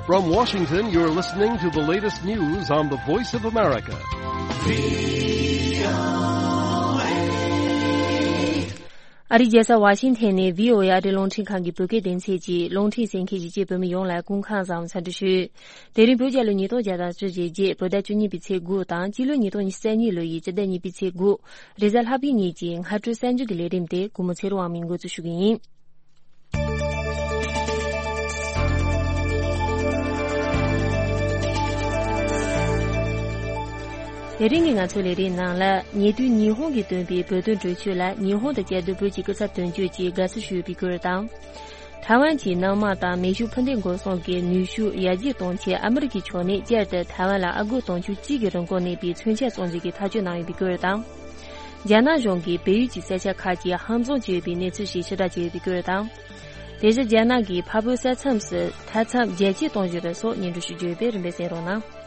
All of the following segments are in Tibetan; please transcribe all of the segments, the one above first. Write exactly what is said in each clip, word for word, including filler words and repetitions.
From Washington, you're listening to the latest news on the Voice of America. ཨ་རིའི་རྒྱལ་ས་ཝ་ཤིང་ཐན་ནས་བྷི་ཨོ་ཨེ་ཨ་རིའི་རླུང་འཕྲིན་ཁང་གི་བོད་སྐད་སྡེ་ཚན་གྱི་རླུང་འཕྲིན་གསན་མཁན་གཞིས་བྱེས་བོད་མི་ཡོངས་ལ་སྐུ་ཁམས་བཟང་། འཚམས་འདྲི་ཞུ། དེ་རིང་བོད་རྒྱལ་ལོ་ཉིས་སྟོང་བརྒྱ་དང་བཅུ་ཞེ་བརྒྱད། བོད་ཟླ་བཅུ་གཉིས་པའི་ཚེས་དགུ་དང་། སྤྱི་ལོ་ཉིས་སྟོང་ཉི་ཤུ་རྩ་གཉིས་ལོ་ཡི་སྤྱི་ཟླ་གཉིས་པའི་ཚེས་དགུ། རེས་གཟའ་ལྷག་པའི་ཉིན་གྱི་སྔ་དྲོའི་གསར་འགྱུར་གྱི་ལས་རིམ་དེ་གུས་མོ་ཚེ་རིང་དབང་མོས་འགོ་འཛུགས་ཞུ་གི་ཡིན། དེ་རིང་གི་ང་ཚོའི་ལས་རིམ་ནང་ལ། ཉེ་དུས་ཉི་ཧོང་གིས་བཏོན་པའི་བོད་དོན་གྲོས་ཆོད་ལ་ཉི་ཧོང་དང་བཅའ་སྡོད་བོད་ཀྱི་སྐུ་ཚབ་དོན་གཅོད་ཀྱིས་དགའ་བསུ་ཞུས་པའི་སྐོར་དང་། ཐའེ་ཝན་གྱི་ནང་མ་དང་མེ་ཤུགས་འཕུར་མདེལ་འགོག་སྲུང་གི་ནུས་ཤུགས་ཡར་རྒྱས་གཏོང་ཆེད་ཨ་མི་རི་ཀའི་ཕྱོགས་ནས་བསྐྱར་དུ་ཐའེ་ཝན་ལ་ཨ་སྒོར་དུང་ཕྱུར་གཅིག་གི་རིན་གོང་གནས་པའི་མཚོན་ཆ་བཙོང་རྒྱུ་གི་ཐག་གཅོད་གནང་ཡོད་པའི་སྐོར་དང་། རྒྱ་ནག་གཞུང་གིས་བལ་ཡུལ་གྱི་ས་ཆ་ཁག་ཅིག་ཧམ་བཟུང་བྱས་ཡོད་པའི་གནས་ཚུལ་ཞིག་ཕྱིར་བསྒྲགས་བྱས་ཡོད་པའི་སྐོར་དང་། དེ་བཞིན་རྒྱ་ནག་གིས་འཕགས་བོད་ས་མཚམས་སུ་མཐའ་མཚམས་རྒྱ་སྐྱེད་གཏོང་བཞིན་པ་སོགས་སྙན་སྒྲོན་ཞུ་རྒྱུ་ཡོད་པས་རིམ་པས་གསན་རོགས་གནང་།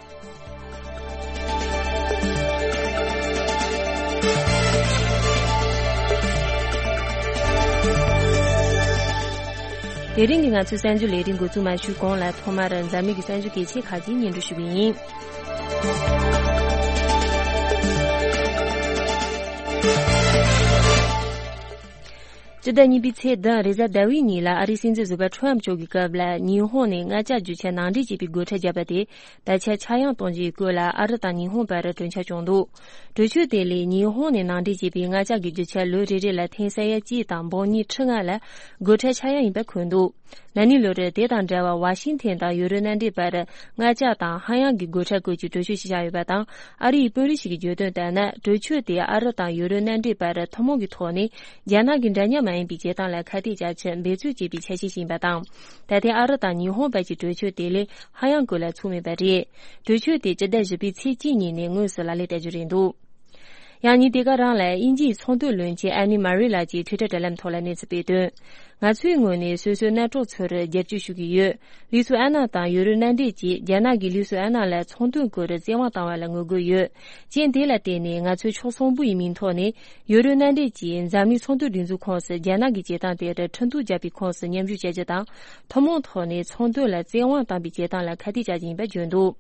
དེ་རིང་གི་ང་ཚོའི་གསར་འགྱུར་ལས་རིམ་འགོ་འཛུགས་མ་ཞུས་གོང་ལ། ཐོག་མར་འཛམ་གླིང་གི་གསར་འགྱུར་གལ་ཆེ་ཁག་ཅིག་སྙན་སྒྲོན་ཞུ་གི་ཡིན། སྤྱི་ཟླ་གཉིས་པའི་ཚེས་བདུན་རེས་གཟའ་ཟླ་བའི་ཉིན་ལ་ཨ་རིའི་སྲིད་འཛིན་ཟུར་པ་ཁྲོམ་མཆོག་གི་སྐབས་ལ་ཉི་ཧོང་ནས་མངའ་ཅག་རྒྱུ་ཆ་ནང་འདྲེན་བྱེད་པའི་སྒོ་ཁྲལ་བརྒྱབ་པ་དེ་ད་ཆ་ཆག་ཡང་གཏོང་རྒྱུའི་སྐོར་ལ་ཨ་རི་དང་ཉི་ཧོང་བར་གྲོས་འཆར་བྱུང་འདུག་གྲོས་ཆོད་དེ་ལས་ཉི་ཧོང་ནས་ནང་འདྲེན་བྱས་པའི་མངའ་ཅག་གི་རྒྱུ་ཆ་ལོ་རེ་རེ་ལ་ཐེངས་ས་ཡ་གཅིག་དང་འབུམ་གཉིས་ཁྲི་ལྔ་ལ་སྒོ་ཁྲལ་ཆག་ཡང་ཡིན་པ་འཁོད་འདུག་ན་ནིང་ལོ་རེར་དེ་དང་འབྲེལ་བར་ཝ་ཤིང་ཐན་དང་ཡུ་རོབ་མནའ་འབྲེལ་བར་མངའ་ཅག་དང་ཧ་ཡང་གི་སྒོ་ཁྲལ་བཀོད་ཀྱི་གྲོས་ཆོད་ཞིག་བཞག་ཡོད་པ་དང་། ཨ་རི་ཡི་དཔོན་རིགས་ཤིག་གིས་བརྗོད་དོན་ལྟར་ན། གྲོས་ཆོད་དེ་ཨ་རི་དང་ཡུ་རོབ་མནའ་འབྲེལ་བར་ཐུན་མོང་གི་ཐོག་ནས་རྒྱ་ནག་གི་འདྲ་མཉམ་མ་ཡིན་པའི་བྱེད་སྟངས་ལ་ཁ་གཏད་བཅག་ཆེད་འབད་རྩོལ་བྱེད་པའི་འཆར་གཞི་ཞིག་ཡིན་པ་དང་། ད་ཐེངས་ཨ་རི་དང་ཉི་ཧོང་བར་གྱི་གྲོས་ཆོད་དེ་ལས་ཧ་ཡང་གོ་ལ་ཚུགས་མེད་པ་རེད། གྲོས་ཆོད་དེ་སྤྱི་ཟླ་བཞི་པའི་ཚེས་གཅིག་ཉིན་ནས་དངོས་སུ་ལག་ལེན་བསྟར་རྒྱུ་རེད་འདུག་ཡང་ཉིན་དེ་ག་རང་ལ་དབྱིན་ཇིའི་ཚོང་དོན་བློན་ཆེན་ཨན་ནི་མ་རི་ལགས་ཀྱིས་ཊུའི་ཊར་དྲ་ལམ་ཐོག་ལ་གནས་ཚུལ་སྤེལ་དོན། ང་ཚོའི་ངོས་ནས་སོ་སོའི་གནམ་གྲོགས་ཚོར་རྒྱབ་སྐྱོར་ཞུ་གི་ཡོད། ལུས་སུ་ཨན་ན་དང་ཡུ་རོབ་མནའ་འབྲེལ་གྱིས་རྒྱ་ནག་གིས་ལུས་སུ་ཨན་ན་ལ་ཚོང་དོན་སྐོར་བཙན་དབང་བཏང་བ་ལ་ངོ་རྒོལ་ཡོད། རྐྱེན་དེ་ལ་བརྟེན་ནས་ང་ཚོས་ཕྱོགས་གསུམ་པོ་ཡི་མིང་ཐོག་ནས་ཡུ་རོབ་མནའ་འབྲེལ་གྱིས་འཛམ་གླིང་ཚོང་དོན་སྒྲིག་འཛུགས་ཁོངས་སུ་རྒྱ་ནག་གི་བྱེད་སྟངས་དེར་ཁྲིམས་གཏུག་བརྒྱབ་པའི་ཁོངས་སུ་མཉམ་ཞུགས་བྱ་རྒྱུ་དང་། ཐུན་མོང་ཐོག་ནས་ཚོང་དོན་ལ་བཙན་དབང་བཏང་པའི་བྱེད་སྟངས་ལ་ཁ་གཏད་བཅག་རྒྱུ་ཡིན་པ་བརྗོད་འདུག་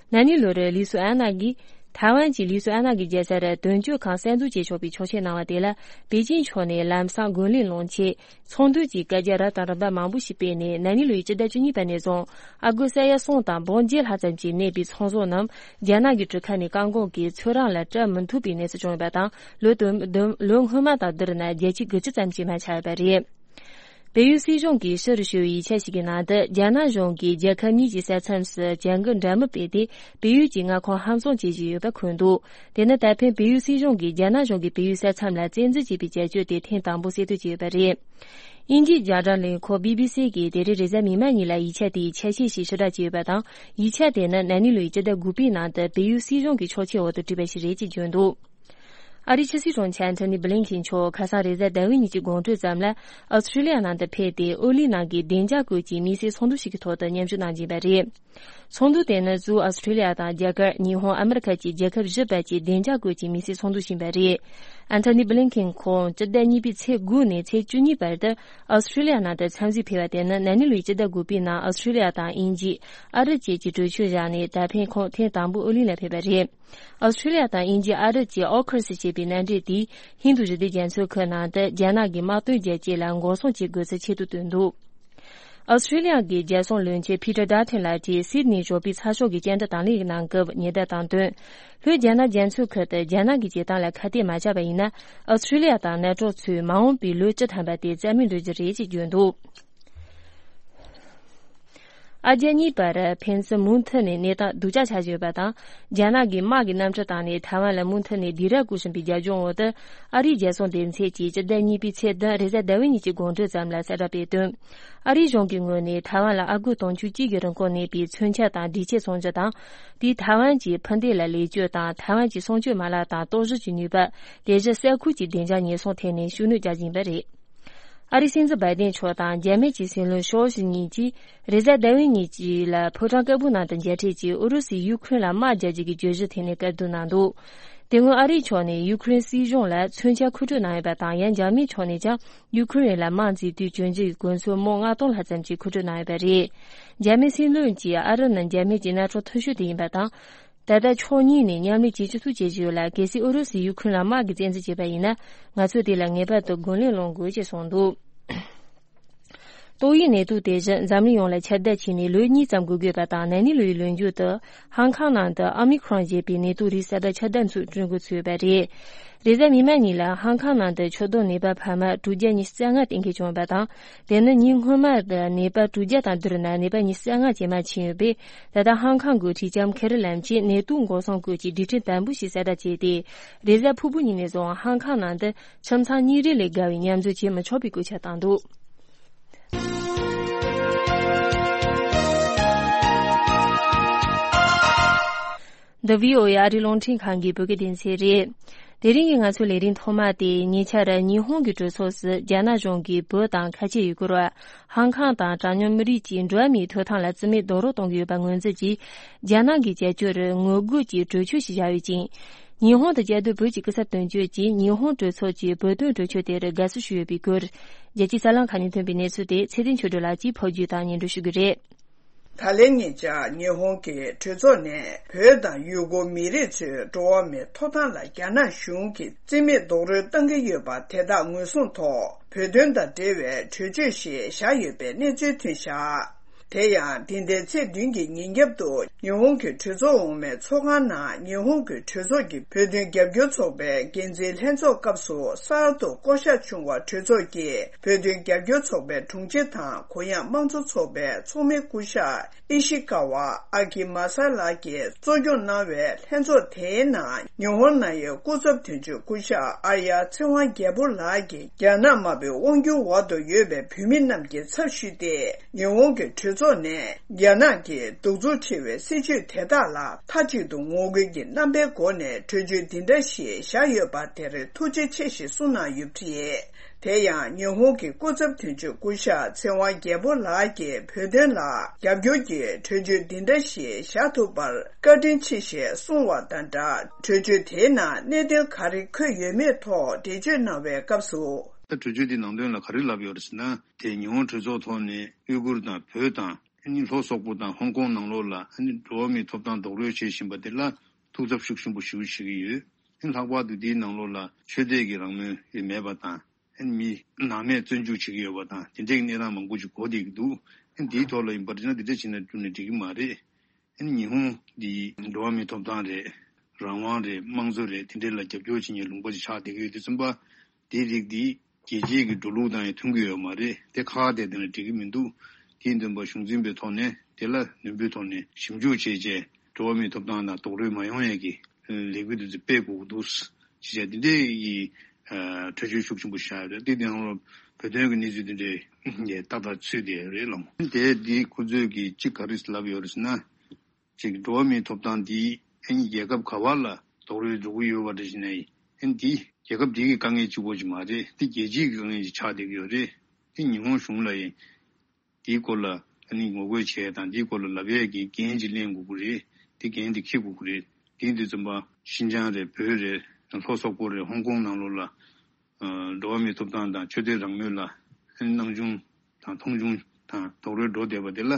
ན་ནིང་ལོར་ལི་སུ་ཨན་ན་གིས་ཐའེ་ཝན་གྱི་ལི་སུ་ཨན་ན་གི་རྒྱལ་སར་དོན་གཅོད་ཁང་གསར་འཛུགས་བྱེད་ཆོག་པའི་ཆོག་མཆན་གནང་བ་དེ་ལ་པེ་ཅིན་ཕྱོགས་ནས་ལམ་སང་རྒོལ་ལན་སློང་ཆེད་ཚོགས་འདུ་གྱི་བཀའ་རྒྱ་རབ་དང་རིམ་པ་མང་པོ་ཞིག་སྤེལ་ནས། ན་ནིང་ལོའི་སྤྱི་ཟླ་བཅུ་གཉིས་པ་ནས་བཟུང་ཨ་སྒོར་ས་ཡ་གསུམ་དང་འབུམ་བརྒྱད་ལྷག་ཙམ་གྱིས་གནས་པའི་ཚོང་ཟོག་རྣམས་རྒྱ་ནག་གི་གྲུ་ཁ་ནས་བཀག་འགོག་གིས་ཚོད་རང་ལ་སྤྲད་མི་ཐུབ་པའི་གནས་ཚུལ་བྱུང་ཡོད་པ་དང་། ལོ་དུ་དུ་ལོ་སྔོན་མ་དང་བསྡུར་ན་བརྒྱ་ཆ་དགུ་བཅུ་ཙམ་གྱིས་མ་ཆག་ཡོད་པ་རེད། བལ་ཡུལ་སྲིད་གཞུང་གིས་ཕྱི་རུ་ཞུ་བའི་ཡིག་ཆ་ཞིག་གི་ནང་དུ། རྒྱ་ནག་གཞུང་གིས་རྒྱལ་ཁབ་གཉིས་ཀྱི་ས་མཚམས་སུ་བྱ་འགུལ་འདྲ་མིན་སྤེལ་ཏེ། བལ་ཡུལ་གྱི་མངའ་ཁོངས་ཧམ་བཟུང་བྱེད་བཞིན་ཡོད་པ་འཁོད་འདུག་དེ་ནི་ད་ཕན་བལ་ཡུལ་སྲིད་གཞུང་གིས་རྒྱ་ནག་གཞུང་གིས་བལ་ཡུལ་ས་མཚམས་ལ་བཙན་འཛུལ་བྱས་པའི་བྱ་སྤྱོད་དེ་ཐེངས་དང་པོ་གསལ་སྟོན་བྱས་ཡོད་པ་རེད། དབྱིན་ཇིའི་རྒྱང་བསྒྲགས་ལས་ཁུངས་བི་བི་སི་གིས་དེ་རིང་རེས་གཟའ་མིག་དམར་ཉིན་ལ་ཡིག་ཆ་དེའི་ཆ་ཤས་ཤིག་ཕྱིར་བསྒྲགས་བྱས་ཡོད་པ་དང་། ཡིག་ཆ་དེ་ནི་ན་ནིང་ལོའི་སྤྱི་ཟླ་དགུ་པའི་ནང་དུ་བལ་ཡུལ་སྲིད་གཞུང་གི་ཕྱོགས་ཆའི་འོག་ཏུ་བྲིས་པ་ཞིག་རེད་ཅེས་བརྗོད་འདུག་ཨ་རིའི་ཕྱི་སྲིད་དྲུང་ཆེ་ཨན་ཐོ་ནི་བྷི་ལིན་ཁིན་མཆོག་ཁ་སང་རེས་གཟའ་ཟླ་བའི་ཉིན་གྱི་དགོང་དྲོའི་ཙམ་ལ་ཨོ་སི་ཁྲུ་ལི་ཡ་ནང་དུ་ཕེབས་ཏེ། ཨོ་གླིང་ནང་གི་བདེ་འཇགས་སྐོར་གྱི་དམིགས་བསལ་ཚོགས་འདུ་ཞིག་གི་ཐོག་ཏུ་མཉམ་ཞུགས་གནང་བཞིན་པ་རེད། ཚོགས་འདུ་དེ་ནི་གཙོས་ཨོ་སི་ཁྲུ་ལི་ཡ་དང་རྒྱ་གར། ཉི་ཧོང་། ཨ་མི་རི་ཁ་བཅས་རྒྱལ་ཁབ་བཞི་བར་གྱི་བདེ་འཇགས་སྐོར་གྱི་དམིགས་བསལ་ཚོགས་འདུ་ཞིག་ཡིན་པ་རེད། ཨན་ཐོ་ནི་བྷི་ལིན་ཁིན་ཁོང་སྤྱི་ཟླ་གཉིས་པའི་ཚེས་དགུ་ནས་ཚེས་བཅུ་གཉིས་བར་དུ་ཨོ་སི་ཁྲུ་ལི་ཡ་ནང་དུ་འཚམས་གཟིགས་ཕེབས་པ་དེ་ནི་ན་ནིང་ལོའི་སྤྱི་ཟླ་དགུ་པའི་ནང་ཨོ་སི་ཁྲུ་ལི་ཡ་དང་དབྱིན་ཇི། ཨ་རི་བཅས་ཀྱིས་གྲོས་ཆོད་བཞག་ནས། ད་ཕན་ཁོང་ཐེངས་དང་པོ་ཨོ་གླིང་ལ་ཕེབས་པ་རེད། ཨོ་སི་ཁྲུ་ལི་ཡ་དང་དབྱིན་ཇི། ཨ་རི་བཅས་ཨོ་ཁུ་སི་ཞེས་པའི་མནའ་འབྲེལ་དེས་ཧིན་རྡུ་ཞི་བདེ་རྒྱ་མཚོའི་ཁུལ་ནང་དུ་རྒྱ་ནག་གི་དམག་དོན་རྒྱལ་གཅེས་ལ་འགོག་སྲུང་བྱེད་དགོས་ཚུལ་ཆེད་དུ་བཏོན་འདུག་ཨོ་སི་ཁྲུ་ལི་ཡ་གི་རྒྱལ་སྲུང་བློན་ཆེན་ཕི་ཏྲ་ཌ་ཐོན་ལགས་ཀྱིས་སིད་ནི་ཞོགས་པའི་ཚགས་ཤོག་གི་སྤྱན་འབྲེལ་དང་ལེན་གནང་སྐབས་ཉེན་བརྡ་བཏང་དོན། ལྷོའི་རྒྱ་ནག་རྒྱ་མཚོའི་ཁུལ་དུ་རྒྱ་ནག་གི་བྱེད་སྟངས་ལ་ཁ་གཏད་མ་བཅག་པ་ཡིན་ན། ཨོ་སི་ཁྲུ་ལི་ཡ་དང་ནེ་ཊོ་ཚོས་མ་འོངས་པའི་ལོ་བཅུ་ཐམ་པ་དེ་རྩ་མེད་འགྲོ་རྒྱུ་རེད་ཅེས་བརྗོད་འདུག་ཨ་རྒྱ་གཉིས་བར་ཕན་ཚུན་མུ་མཐུད་ནས་གནས་སྟངས་སྡུག་ཅག་ཆགས་བཞིན་ཡོད་པ་དང་། རྒྱ་ནག་གིས་དམག་གི་གནམ་གྲུ་བཏང་ནས་ཐའེ་ཝན་ལ་མུ་མཐུད་ནས་སྡིགས་ར་བསྐུལ་བཞིན་པའི་རྒྱབ་ལྗོངས་འོག་ཏུ། ཨ་རིའི་རྒྱལ་སྲུང་སྡེ་ཚན་གྱིས་སྤྱི་ཟླ་གཉིས་པའི་ཚེས་བདུན་རེས་གཟའ་ཟླ་བའི་ཉིན་གྱི་དགོང་དྲོའི་ཙམ་ལ་གསལ་བསྒྲགས་སྤེལ་དོན། ཨ་རིའི་གཞུང་གི་ངོས་ནས་ཐའེ་ཝན་ལ་ཨ་སྒོར་དུང་ཕྱུར་གཅིག་གི་རིན་གོང་གནས་པའི་མཚོན་ཆ་དང་སྒྲིག་ཆས་བཙོང་རྒྱུ་དང་། དེས་ཐའེ་ཝན་གྱི་འཕུར་མདེལ་ལ་ལེགས་བཅོས་དང་། ཐའེ་ཝན་གྱི་སྲུང་སྐྱོབ་མ་ལག་དང་རྟོག་ཞིབ་ཀྱི་ནུས་པ། དེ་བཞིན་ས་ཁུལ་གྱི་བདེ་འཇགས་ཉེན་སྲུང་ཐད་ནས་ཤུགས་སྣོན་རྒྱག་བཞིན་པ་རེད། ཨ་རིའི་སྲིད་འཛིན་བྷའི་ཏན་མཆོག་དང་རྒྱ་སྨད་ཀྱི་སྲིད་བློན་ཞོ་ཞི་གཉིས་ཀྱིས་རེས་གཟའ་ཟླ་བའི་ཉིན་གཅིག་ལ་ཕོ་བྲང་དཀར་པོའི་ནང་དུ་མཇལ་འཕྲད་ཀྱིས། ཨུ་རུ་སུས་ཡུ་ཁུ་རེན་ལ་དམག་རྒྱག་རྒྱུ་གི་གྲོས་གཞི་ཐད་ནས་བཀའ་བསྡུར་གནང་འདུག་དེ་སྔོན་ཨ་རིའི་ཕྱོགས་ནས་ཡུ་ཁུ་རེན་སྲིད་གཞུང་ལ་མཚོན་ཆ་མཁོ་སྤྲོད་གནང་ཡོད་པ་དང་། ཡང་འཇར་མའི་ཕྱོགས་ནས་ཀྱང་ཡུ་ཁུ་རེན་ལ་དམག་འཛིང་དུས་གྱོན་གོས་གོན་ཚོགས་མོ་ལྔ་སྟོང་ལྷག་ཙམ་ཅིག་མཁོ་སྤྲོད་གནང་ཡོད་པ་རེད། འཇར་མའི་སྲིད་བློན་གྱིས་ཨ་རབ་ནི་འཇར་མན་གྱི་མནའ་གྲོགས་མཐོ་ཤོས་དེ་ཡིན་པ་དང་། ད་ལྟ་ཕྱོགས་གཉིས་ནས་མཉམ་ལས་བྱེད་ཆེད་ཐུགས་བསྐྱེད་ཀྱི་ཡོད་ལ། གལ་སྲིད་ཨུ་རུ་སུས་ཡུ་ཁུ་རེན་ལ་དམག་གི་བཙན་འཛུལ་བྱས་པ་ཡིན་ན། ང་ཚོས་དེ་ལ་ངེས་པར་དུ་རྒོལ་ལན་སློང་དགོས་ཅེས་གསུངས་འདུག། ཏོག་དབྱིབས་ནད་དུག་དེ་བཞིན་འཛམ་གླིང་ཡོངས་ལ་ཁྱབ་གདལ་ཕྱིན་ནས་ལོ་གཉིས་ཙམ་འགོར་དགོས་པ་དང་། ན་ནིང་ལོའི་ལོ་མཇུག་ཏུ་ཧང་ཀང་ནང་དུ་ཨོ་མི་ཁྲོན་ཞེས་པའི་ནད་དུག་རིགས་གསར་པ་ཁྱབ་གདལ་འགྲོ་འགོ་ཚུད་ཡོད་པ་རེད། རེས་གཟའ་མིག་དམར་ཉིན་ལ་ཧང་ཀང་ནང་དུ་ཆུ་རྡོ་ནད་པ་འཕར་མ་དྲུག་བརྒྱ་ཉི་ཤུ་རྩ་ལྔ་གཏན་འཁེལ་བྱུང་བ་དང་། དེ་ནི་ཉིན་སྔོན་མ་དང་ནད་པ་དྲུག་བརྒྱ་དང་བསྡུར་ན་ནད་པ་ཉི་ཤུ་རྩ་ལྔ་ཇེ་མང་ཕྱིན་ཡོད་པས། ད་ལྟ་ཧང་ཀང་འགོ་ཁྲིད་ལྕམ་ཁེ་རི་ལམ་གྱིས་ནད་དུག་འགོག་སྲུང་སྐོར་གྱི་སྒྲིག་ཁྲིམས་དམ་པོ་ཞིག་གསལ་བསྒྲགས་བྱས་ཏེ། རེས་གཟའ་ཕུར་བུ་ཉིན་ནས་བཟུང་ཧང་ཀང་ནང་དུ་ཁྱིམ་ཚང་གཉིས་རེ་ལས་བརྒལ་བའི་མཉམ་འཛོམས་བྱེད་མི་ཆོག་པའི་བཀོད་ཁྱབ་བཏང་འདུག། འདི་བྷི་ཨོ་ཨེ་ཨ་རིའི་རླུང་འཕྲིན་ཁང་གི་བོད་སྐད་སྡེ་ཚན་རེད། དེ་རིང་གི་ང་ཚོའི་ལས་རིམ་ཐོག་མ་དེ་ཉེ་ཆར་ཉི་ཧོང་གི་གྲོས་ཚོགས་སུ་རྒྱ་ནག་གཞུང་གིས་བོད་དང་ཁ་ཆེ་ཡུ་གུར་བ། ཧང་ཀང་དང་གྲངས་ཉུང་མི་རིགས་ཀྱི་འགྲོ་བ་མིའི་ཐོབ་ཐང་ལ་བརྩི་མེད་རྡོག་རོལ་གཏོང་གི་ཡོད་པ་ངོས་འཛིན་གྱིས། རྒྱ་ནག་གི་བྱ་སྤྱོད་རུ་ངོ་རྒོལ་གྱི་གྲོས་ཆོད་ཞིག་བཞག་ཡོད་ཅིང་། ཉི་ཧོང་དུ་བཅའ་སྡོད་བོད་ཀྱི་སྐུ་ཚབ་དོན་གཅོད་ཀྱིས་ཉི་ཧོང་གྲོས་ཚོགས་ཀྱིས་བོད་དོན་གྲོས་ཆོད་དེར་དགའ་བསུ་ཞུས་ཡོད་པའི་སྐོར། རྒྱལ་སྤྱིའི་གསར་ལམ་ཁག་ནས་ཐོན་པའི་གནས་ཚུལ་དེ་ཚེ་བརྟན་ཆོས་སྒྲོན་ལགས་ཀྱིས་ཕབ་སྒྱུར་དང་སྙན་སྒྲོན་ཞུ་གི་རེད། ད་ལན་ཉེ་ཆར་ཉི་ཧོང་གི་གྲོས་ཚོགས་ནས་བོད་དང་ཡུ་གུར་མི་རིགས་ཚོའི་འགྲོ་བ་མིའི་ཐོབ་ཐང་ལ་རྒྱ་ནག་གཞུང་གིས་བརྩི་མེད་རྡོག་རོལ་བཏང་གི་ཡོད་པ་དེ་དག་ངོས་བཟུང་ཐོག་བོད་དོན་དང་འབྲེལ་བའི་གྲོས་ཆོད་ཞིག་བཞག་ཡོད་པའི་གནས་ཚུལ་ཐོན་བཞག། དེ་ཡང་འདི་ཟླའི་ཚེས་བདུན་གྱི་ཉིན་རྒྱབ་ཏུ་ཉི་ཧོང་གི་གྲོས་ཚོགས་འོག་མའི་ཚོགས་ཁང་ནང་ཉི་ཧོང་གི་གྲོས་ཚོགས་ཀྱི་བོད་དོན་རྒྱབ་སྐྱོར་ཚོགས་པའི་འགན་འཛིན་ལྷན་ཚོགས་སྐབས་སུ་གསར་དུ་བསྐོ་གཞག་བྱུང་བ་གྲོས་ཚོགས་ཀྱི་བོད་དོན་རྒྱབ་སྐྱོར་ཚོགས་པའི་དྲུང་ཆེ་དང་གུ་ཡངས་དམངས་གཙོ་ཚོགས་པའི་ཚོགས་མི་སྐུ་ཞབས་ཨི་ཤི་ཀ་ཝ་ཨ་ཀི་མ་ས་ལགས་ཀྱིས་གཙོ་སྐྱོང་གནང་བའི་ལྷན་ཚོགས་དེའི་ནང་ཉི་ཧོང་ནང་ཡོད་སྐུ་ཚབ་དོན་གཅོད་སྐུ་ཞབས་ཨར་ཡ་ཚེ་དབང་རྒྱལ་པོ་ལགས་ཀྱིས་རྒྱ་ནག་དམར་པོའི་དབང་སྒྱུར་འོག་ཏུ་ཡོད་པའི་བོད་མི་རྣམས་ཀྱི་ཚབ་ཞུས་ཏེ། ཉི་ཧོང་གི་གྲོས་ཚོགས་ནས་རྒྱ་ནག་གི་གདུག་རྩུབ་ཆེ་བའི་སྲིད་བྱུས་དེ་དག་ལ་མཐའ་གཅིག་ཏུ་ངོ་རྒོལ་གྱི་རྣམ་པའི་སྒོ་ནས་གྲོས་ཆོད་འདི་འདྲ་ཞིག་བཞག་ཡོད་པ་དེར་ཐུགས་རྗེ་ཆེ་ཞེས་གསུངས་གནང་ཡོད་པ་རེད། དེ་ཡང་ཉི་ཧོང་གི་སྐུ་ཚབ་དོན་གཅོད་སྐུ་ཞབས་ཚེ་དབང་རྒྱལ་པོ་ལགས་ཀྱིས་བོད་དོན་ལ་རྒྱབ་སྐྱོར་གྱི་གྲོས་ཆོད་འདི་འདྲ་ཞིག་བཞག་ཐུབ་པར་བཀའ་དྲིན་ཆེ་ཞེས་གསུངས་བ་དང་སྦྲགས། གྲོས་ཆོད་དེའི་ནང་གནད་དོན་ག་རེ་འཁོད་ཡོད་མེད་ཐོག་འགྲེལ་བརྗོད་གནང་བའི་སྐབས་སུ། ད་གྲོས་ཆོད་དེའི་ནང་དོན་ལ་ག་རེ་ལབ་ཡོད་རེད་ཟེར་ན། དེ་ཉི་ཧོང་གྲོས་ཚོགས་ཐོག་ནས་ཡུ་གུར་དང་བོད་དང་ཨ་ནི་ལྷོ་སོག་པོ་དང་ཧོང་ཀོང་ནང་ལོགས་ལ་ཨ་ནི་འགྲོ་བ་མིའི་ཐོབ་ཐང་རྡོག་རོལ་བྱེད་བཞིན་པ་དེ་ལ་ཐུགས་འཚབ་ཤུགས་ཆེན་པོ་ཞེ་པོ་བྱེད་ཀྱི་ཡོད། ཨ་ནི་ལྷག་པར་དུ་དེའི་ནང་ལོགས་ལ་ཆོས་དད་ཀྱི་རང་མོས་ཡོད་མེད་པ་དང་། ཨ་ནི་མི་ནང་མས་བཙོན་འཇུག་བྱེད་ཀྱི་ཡོད་པ་དང་དེ་འདྲའི་གནས་སྟངས་མང་པོ་ཅིག་གོ་བསྡད་ཀྱི་འདུག། ཨ་ནི་དེའི་ཐོག་ལ་ཡིན་པ་རེད་ན་དེ་འདྲ་བྱས་ན་བསྒྲུབས་ནས་འགྲིག་གི་མ་རེད། ཨ་ནི་ཉི་ཧོང་འདི་འགྲོ་བ་མིའི་ཐོབ་ཐང་རེད། རང་དབང་རེད། དམངས་གཙོ་རེད། དེ་འདྲའི་ལ་རྒྱབ་སྐྱོར་བྱེད་མཁན་ལུང་པ་ཅིག་ཆགས་བསྡད་ཀྱི་ཡོད་དུས་ཙམ་པ། དེའི་རིགས་འདི་རྒྱལ་སྤྱིའི་གི་འགྲོ་ལུགས་དང་ཡང་མཐུན་གྱི་ཡོད་མ་རེད། དེ་ཁག་ཁག་དེ་དེ་ལ་འགྲིག་གི་མི་འདུག། དེའི་འདུན་པ་གཞུང་འཛིན་པའི་ཐོག་ནས་དེ་ལ་ནན་པོའི་ཐོག་ནས་ཞིབ་འཇུག་བྱས་རྗེས་འགྲོ་བ་མིའི་ཐོབ་ཐང་དང་རྡོག་རོལ་མ་ཡོང་ཡས་ཀྱི་ལས་འགུལ་འདི་ཚོ་སྤེལ་དགོས་ཀྱི་འདུག་ཅེས་བྱས་དེ་འདྲའི་གི་ཨ་གྲོས་ཆོད་ཤུགས་ཆེན་པོ་བཞག་ཡོད་རེད། དེ་དེ་ནང་ལ་བོད་དོན་གྱི་གནས་ཚུལ་དེ་འདྲའི་ཏག་ཏག་ཚུད་བསྡད་ཡོད་རེད་ལགས། དེ་འདི་ཁོ་ཚོས་ཀྱི་གཅིག་ག་རེ་ལབ་ཡོད་རེད་ཟེར་ན། ཅིག་འགྲོ་བ་མིའི་ཐོབ་ཐང་འདི་ཨ་ནི་རྒྱལ་ཁབ་ག་བ་ལ་རྡོག་རོལ་འགྲོ་གི་ཡོད་པ་འདྲ་ཞིག་ན་ཡིན། ཨ་ནི་འདི་རྒྱལ་ཁབ་འདི་གི་དཀའ་ངལ་གཅིག་པོ་ཅིག་མ་རེད། འདི་རྒྱལ་སྤྱིའི་དཀའ་ངལ་ཅིག་ཆགས་བསྡད་ཀྱི་ཡོད་རེད། འདི་ཉི་ཧོང་གཞུང་ལ་ཡིན། འདིའི་སྐོར་ལ་ཨ་ནི་ངོ་རྒོལ་བྱས་དང་འདིའི་སྐོར་ལ་ལབ་ཡས་ཀྱི་འགན་ཅིག་ལེན་དགོས་ཀྱི་རེད། འདི་འགན་འདི་འཁྱེར་དགོས་ཀྱི་རེད། དེ་ཡིན་དུས་ཙམ་པ་ཤིན་ཅང་རེད། བོད་རེད། ལྷོ་སོག་པོ་རེད། ཧོང་ཀོང་ནང་ལོགས་ལ་ཨ་འགྲོ་བ་མིའི་ཐོབ་ཐང་དང་ཆོས་དད་རང་མོས་ལ་ཨ་ནི་སྣང་ཆུང་དང་མཐོང་ཆུང་དང་རྡོག་རོལ་འགྲོ་བསྡད་པ་དེ་ལ་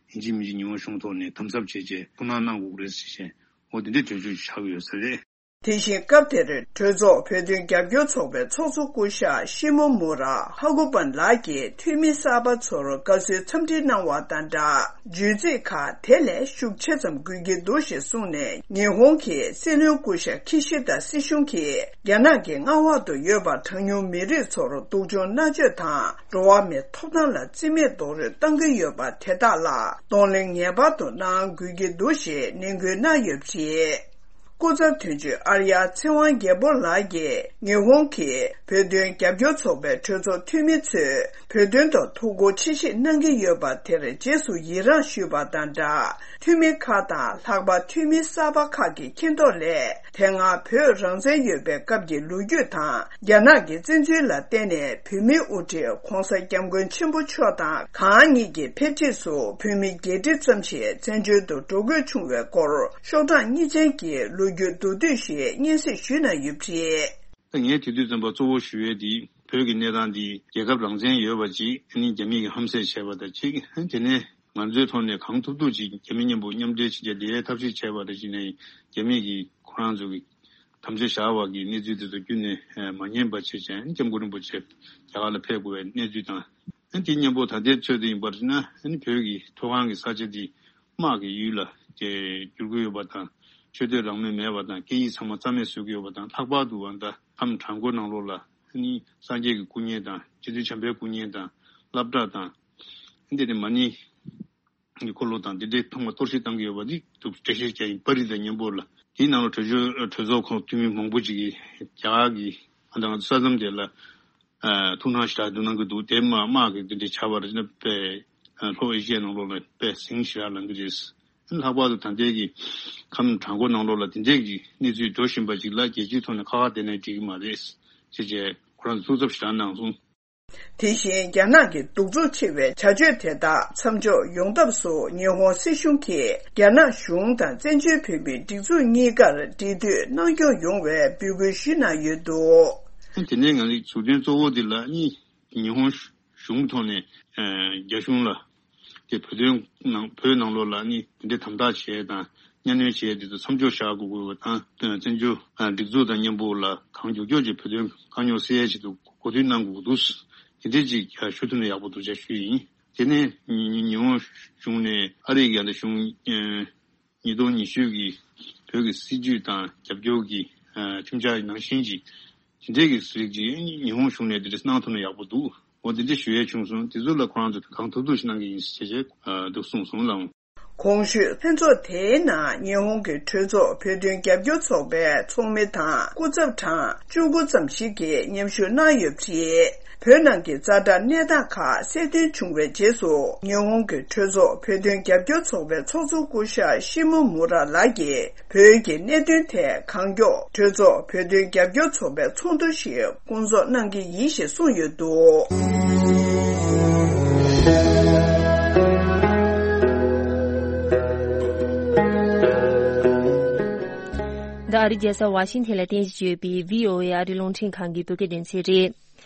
ཡིན་གཅིག་མིན་གཅིག་ཉི་ཧོང་གཞུང་ཐོག་ནས་དམ་ཟབ་བྱས་རྗེས་ཐུགས་སྣང་གནང་དགོས་ཀྱི་རེད་ཟེར་བྱས་འོ་དེ་འདྲའི་གྲོས་ཆོད་ཆགས་ཀྱི་ཡོད་ས་རེད། དེ་བཞིན་སྐབས་དེར་གྲོས་ཚོགས་བོད་དོན་རྒྱབ་སྐྱོར་ཚོགས་པའི་ཚོགས་གཙོ་སྐུ་ཞབས་ཤི་མོ་མུ་ར་ཧ་ཀུ་པན་ལགས་ཀྱིས་འཐུས་མི་གསར་པ་ཚོར་དགའ་བསུའི་འཚམས་འདྲི་གནང་བ་དང་སྦྲགས། བརྗོད་ཚིག་ཁག་དེ་ལས་ཤུགས་ཆེ་ཙམ་དགོས་ཀྱི་འདུག་ཞེས་གསུངས་ནས། ཉི་ཧོང་གི་སྲིད་བློན་སྐུ་ཞབས་ཁི་ཤི་ད་སྲིད་གཞུང་གིས་རྒྱ་ནག་གི་མངའ་འོག་ཏུ་ཡོད་པ་གྲངས་ཉུང་མི་རིགས་ཚོར་སྡུག་སྦྱོང་མནར་གཅོད་དང་འགྲོ་བ་མིའི་ཐོབ་ཐང་ལ་བརྩི་མེད་རྡོག་རོལ་བཏང་གི་ཡོད་པ་དེ་དག་ལ་གདོང་ལེན་ངེས་པར་དུ་གནང་དགོས་ཀྱི་འདུག་ཞེས་ནན་སྐུལ་གནང་ཡོད་པ་རེད། སྐུ་ཚབ་དོན་གཅོད་ཨར་ཡ་ཚེ་དབང་རྒྱལ་པོ་ལགས་ཀྱིས་ཉི་ཧོང་གི་བོད་དོན་རྒྱབ་སྐྱོར་ཚོགས་པའི་གྲོས་ཚོགས་འཐུས་མི་ཚོས་བོད་དོན་ཐོག་ཐུགས་ཁུར་ཆེ་བཞེས་གནང་གི་ཡོད་པ་དེར་རྗེས་སུ་ཡི་རངས་ཞུས་པ་དང་སྦྲགས། འཐུས་མི་ཁག་དང་ལྷག་པར་འཐུས་མི་གསར་པ་ཁག་གི་མཁྱེན་རྟོགས་ལས། དེ་སྔ་བོད་རང་བཙན་ཡོད་པའི་སྐབས་ཀྱི་ལོ་རྒྱུས་དང་། རྒྱ་ནག་གི་བཙན་འཛུལ་ལ་བརྟེན་ནས་བོད་མིའི་དབུ་ཁྲིད་༧གོང་ས་༧སྐྱབས་མགོན་ཆེན་པོ་མཆོག་དང་གང་ཉིད་ཀྱིས་ཕེབས་རྗེས་སུ་བོད་མི་བརྒྱད་ཁྲི་ཙམ་ཞིག་བཙན་བྱོལ་དུ་འགྲོ་དགོས་བྱུང་བའི་སྐོར་ཤོག་གྲངས་གཉིས་ཅན་གྱི་ལོ་ རྒྱུ་མདོར་བསྡུས་ཤིག་སྙན་སེང་ཞུས་གནང་ཡོད་པ་རེད། ད་ངས་དེ་དུས་ཙམ་པ་གཙོ་བོ་ཞུ་ཡས་འདི་བོད་ཀྱི་གནས་སྟངས་འདི་རྒྱལ་ཁབ་རང་བཙན་ཡོད་པ་ཅིག་ཨ་ནི་རྒྱ་མི་གིས་ཧམ་བཤད་བྱས་པ་དང་གཅིག་དེ་ནས་ང་ཚོའི་ཐོག་ནས་གང་ཐུབ་ཐུབ་ཅིག་རྒྱ་མི་མཉམ་པོ་མཉམ་འབྲེལ་བྱེད་ཡས་འདི་ཐབས་ཤེས་བྱས་པ་དང་གཅིག་ནས་རྒྱ་མི་གིས་ཁོ་རང་ཚོ་གི་དམ་བཅའ་བཞག་པ་གི་གནས་ཚུལ་དེ་ཚོ་ཁྱོན་ནས་མ་ཉན་པ་བྱས་ཅིང་སྐྱབས་མགོན་རིན་པོ་ཆེ་རྒྱ་གར་ལ་ཕེབས་དགོས་པའི་གནས་ཚུལ་དང་། དེ་མཉམ་པོ་ད་ལྟའི་ཚོད་དུ་ཡིན་པར་ན་བོད་ཀྱི་མཐོ་སྒང་གི་ས་ཆ་འདི་དམག་གི་ཡུལ་ལ་བསྒྱུར་དགོས་ཡོད་པ་དང་། ཆོས་དད་རང་མོས་མེད་པ་དང་སྐད་ཡིག་ཚང་མ་རྩ་མེད་བཟོ་གི་ཡོད་པ་དང་། ལྷག་པར་དུ་ད་ཁམས་བྲག་འགོ་ནང་ལོགས་ལ་སངས་རྒྱས་ཀྱི་སྐུ་བརྙན་དང་རྗེ་བཙུན་བྱམས་པའི་སྐུ་བརྙན་དང་སློབ་གྲྭ་དང་། འདི་ནི་མ་ཎི་གི་འཁོར་ལོ་དང་འདི་འདྲའི་ཚང་མ་གཏོར་བཤིག་བཏང་གི་ཡོད་པ་འདི་འདུག་འགྲེལ་བཤད་བྱས་ཡིན་པ་རེད། དང་མཉམ་པོ་ལ་དེའི་ནང་ལ་གྲོས་ཆོད་གྲོས་ཚོགས་ཁོངས་འཐུས་མི་མང་པོ་ཅིག་གིས་རྒྱ་གར་གྱི་ཨ་ད་ང་ཚོ་ས་མཚམས་དེ་ལ་ཐུགས་སྣང་ཞེ་དྲག་འདུག་གནང་གི་འདུག་དེ་མ་དམག་གི་འདི་འདྲའི་བྱ་བ་རེད་ན་དཔེ་ལྷོ་ཨེ་ཤི་ཡའི་ནང་ལོགས་ལ་དཔེ་ཟིང་ཞེ་དྲག་ལངས་ཀྱི་རེད། ལྷག་པར་དུ་ད་ལྟའི་གི་ཁམས་བྲག་འགོ་ནང་ལོགས་ལ་དེ་འདྲའི་གི་གནས་ཚུལ་འགྲོ་བཞིན་པ་ཅིག་ལ་རྒྱལ་སྤྱིའི་ཐོག་ནས་ཁ་ཁ་བསྡད་ན་འགྲིག་གི་མ་རེད་ཅེས་བྱས་ཁོ་རང་ཚོ་ཐུགས་འཚབ་ཞེ་དྲག་གནང་སོང་། དེ་བཞིན་རྒྱ་ནག་གི་གདུག་རྩུབ་ཆེ་བའི་བྱ་སྤྱོད་དེ་དག་མཚམས་འཇོག་ཡོང་ཐབས་སུ་ཉི་ཧོང་སྲིད་གཞུང་གིས་རྒྱ་ནག་གཞུང་དང་བཙན་བྱོལ་བོད་མིའི་སྒྲིག་འཛུགས་གཉིས་ཀར་འབྲེལ་མཐུད་གནང་སྐྱོང་ཡོང་བའི་འབོད་སྐུལ་ཞུས་གནང་ཡོད་འདུག་དེ་ནས་ང་ཚོའི་ཟུར་འདོན་གཙོ་བོ་དེ་ལ་ཉི་ཉི་ཧོང་གཞུང་གི་ཐོག་ནས་རྒྱ་གཞུང་ལ་དེ་བོད་དོན་ནང་བོད་ནང་ལོགས་ལ་ནི་དེ་འདྲའི་དམ་དྲག་བྱས་དང་གཉའ་གནོན་བྱས་དེ་ཚོ་མཚམས་འཇོག་བཞག་དགོས་དགོས་པ་དང་། བཙན་བྱོལ་སྒྲིག་འཛུགས་དང་མཉམ་པོ་ལ་གང་མགྱོགས་མགྱོགས་ཀྱིས་བོད་དོན་དཀའ་རྙོག་སེལ་ཡས་ཆེད་དུ་གོ་བསྡུར་གནང་དགོས་འདུག་དེ་འདྲའི་ཅིག་ཞུ་ཐུབ་ན་ཡག་པོ་འདུག་ཅེས་ཞུས་ཡིན། དེ་ནས་ཉི་ཉི་ཧོང་གཞུང་ནས་ཨ་རིའི་རྒྱལ་གཞུང་ཉིས་སྟོང་ཉི་ཤུ་གི་བོད་ཀྱི་སྲིད་བྱུས་དང་རྒྱབ་སྐྱོར་གྱི་ཁྲིམས་འཆར་ནང་བཞིན་གྱི་དེ་འདྲའི་གི་རིགས་ཀྱི་ཉི་ཧོང་གཞུང་ནས་དེ་འདྲ་གནང་ཐུབ་ན་ཡག་པོ་འདུག་འོ་དེ་འདྲ་ཞུ་ཡས་བྱུང་སོང་། དེ་ཚོ་ལ་ཁོ་རང་ཚོ་གང་ཐུབ་ཐུབ་ཞིག་གནང་གི་ཡིན་ཞེས་བྱས་འདུག་གསུངས་སོང་ལགས། གོང་ཞུས་ལྷན་ཚོགས་དེའི་ནང་ཉི་ཧོང་གི་གྲོས་ཚོགས་བོད་དོན་རྒྱབ་སྐྱོར་ཚོགས་པའི་ཚོགས་མི་དང་སྐུ་ཚབ་གྲངས་བཅུ་དགུ་ཙམ་ཞིག་གིས་མཉམ་ཞུགས་གནང་ཡོད་པ་རེད། བོད་ནང་གི་ཛ་དྲག་གནས་སྟངས་ཁག་གསལ་སྟོན་བྱུང་བའི་རྗེས་སུ་ཉི་ཧོང་གི་གྲོས་ཚོགས་བོད་དོན་རྒྱབ་སྐྱོར་ཚོགས་པའི་ཚོགས་གཙོ་སྐུ་ཞབས་ཤི་མོ་མུ་ར་ལགས་ཀྱིས་བོད་ཀྱི་གནད་དོན་ཐད་གང་མགྱོགས་གྲོས་ཚོགས་བོད་དོན་རྒྱབ་སྐྱོར་ཚོགས་པའི་ཚོགས་འདུ་ཞིག་སྐོང་ཚོགས་གནང་གི་ཡིན་ཞེས་གསུངས་ཡོད་འདུག་འདི་ཨ་རིའི་རྒྱལ་ས་ཝ་ཤིང་ཐན་ལ་རྟེན་གཞི་བྱས་པའི་ཝི་ཨོ་ཨེ་ཨ་རིའི་རླུང་འཕྲིན་ཁང་གི་བོད་སྐད་སྡེ་ཚན་རེད།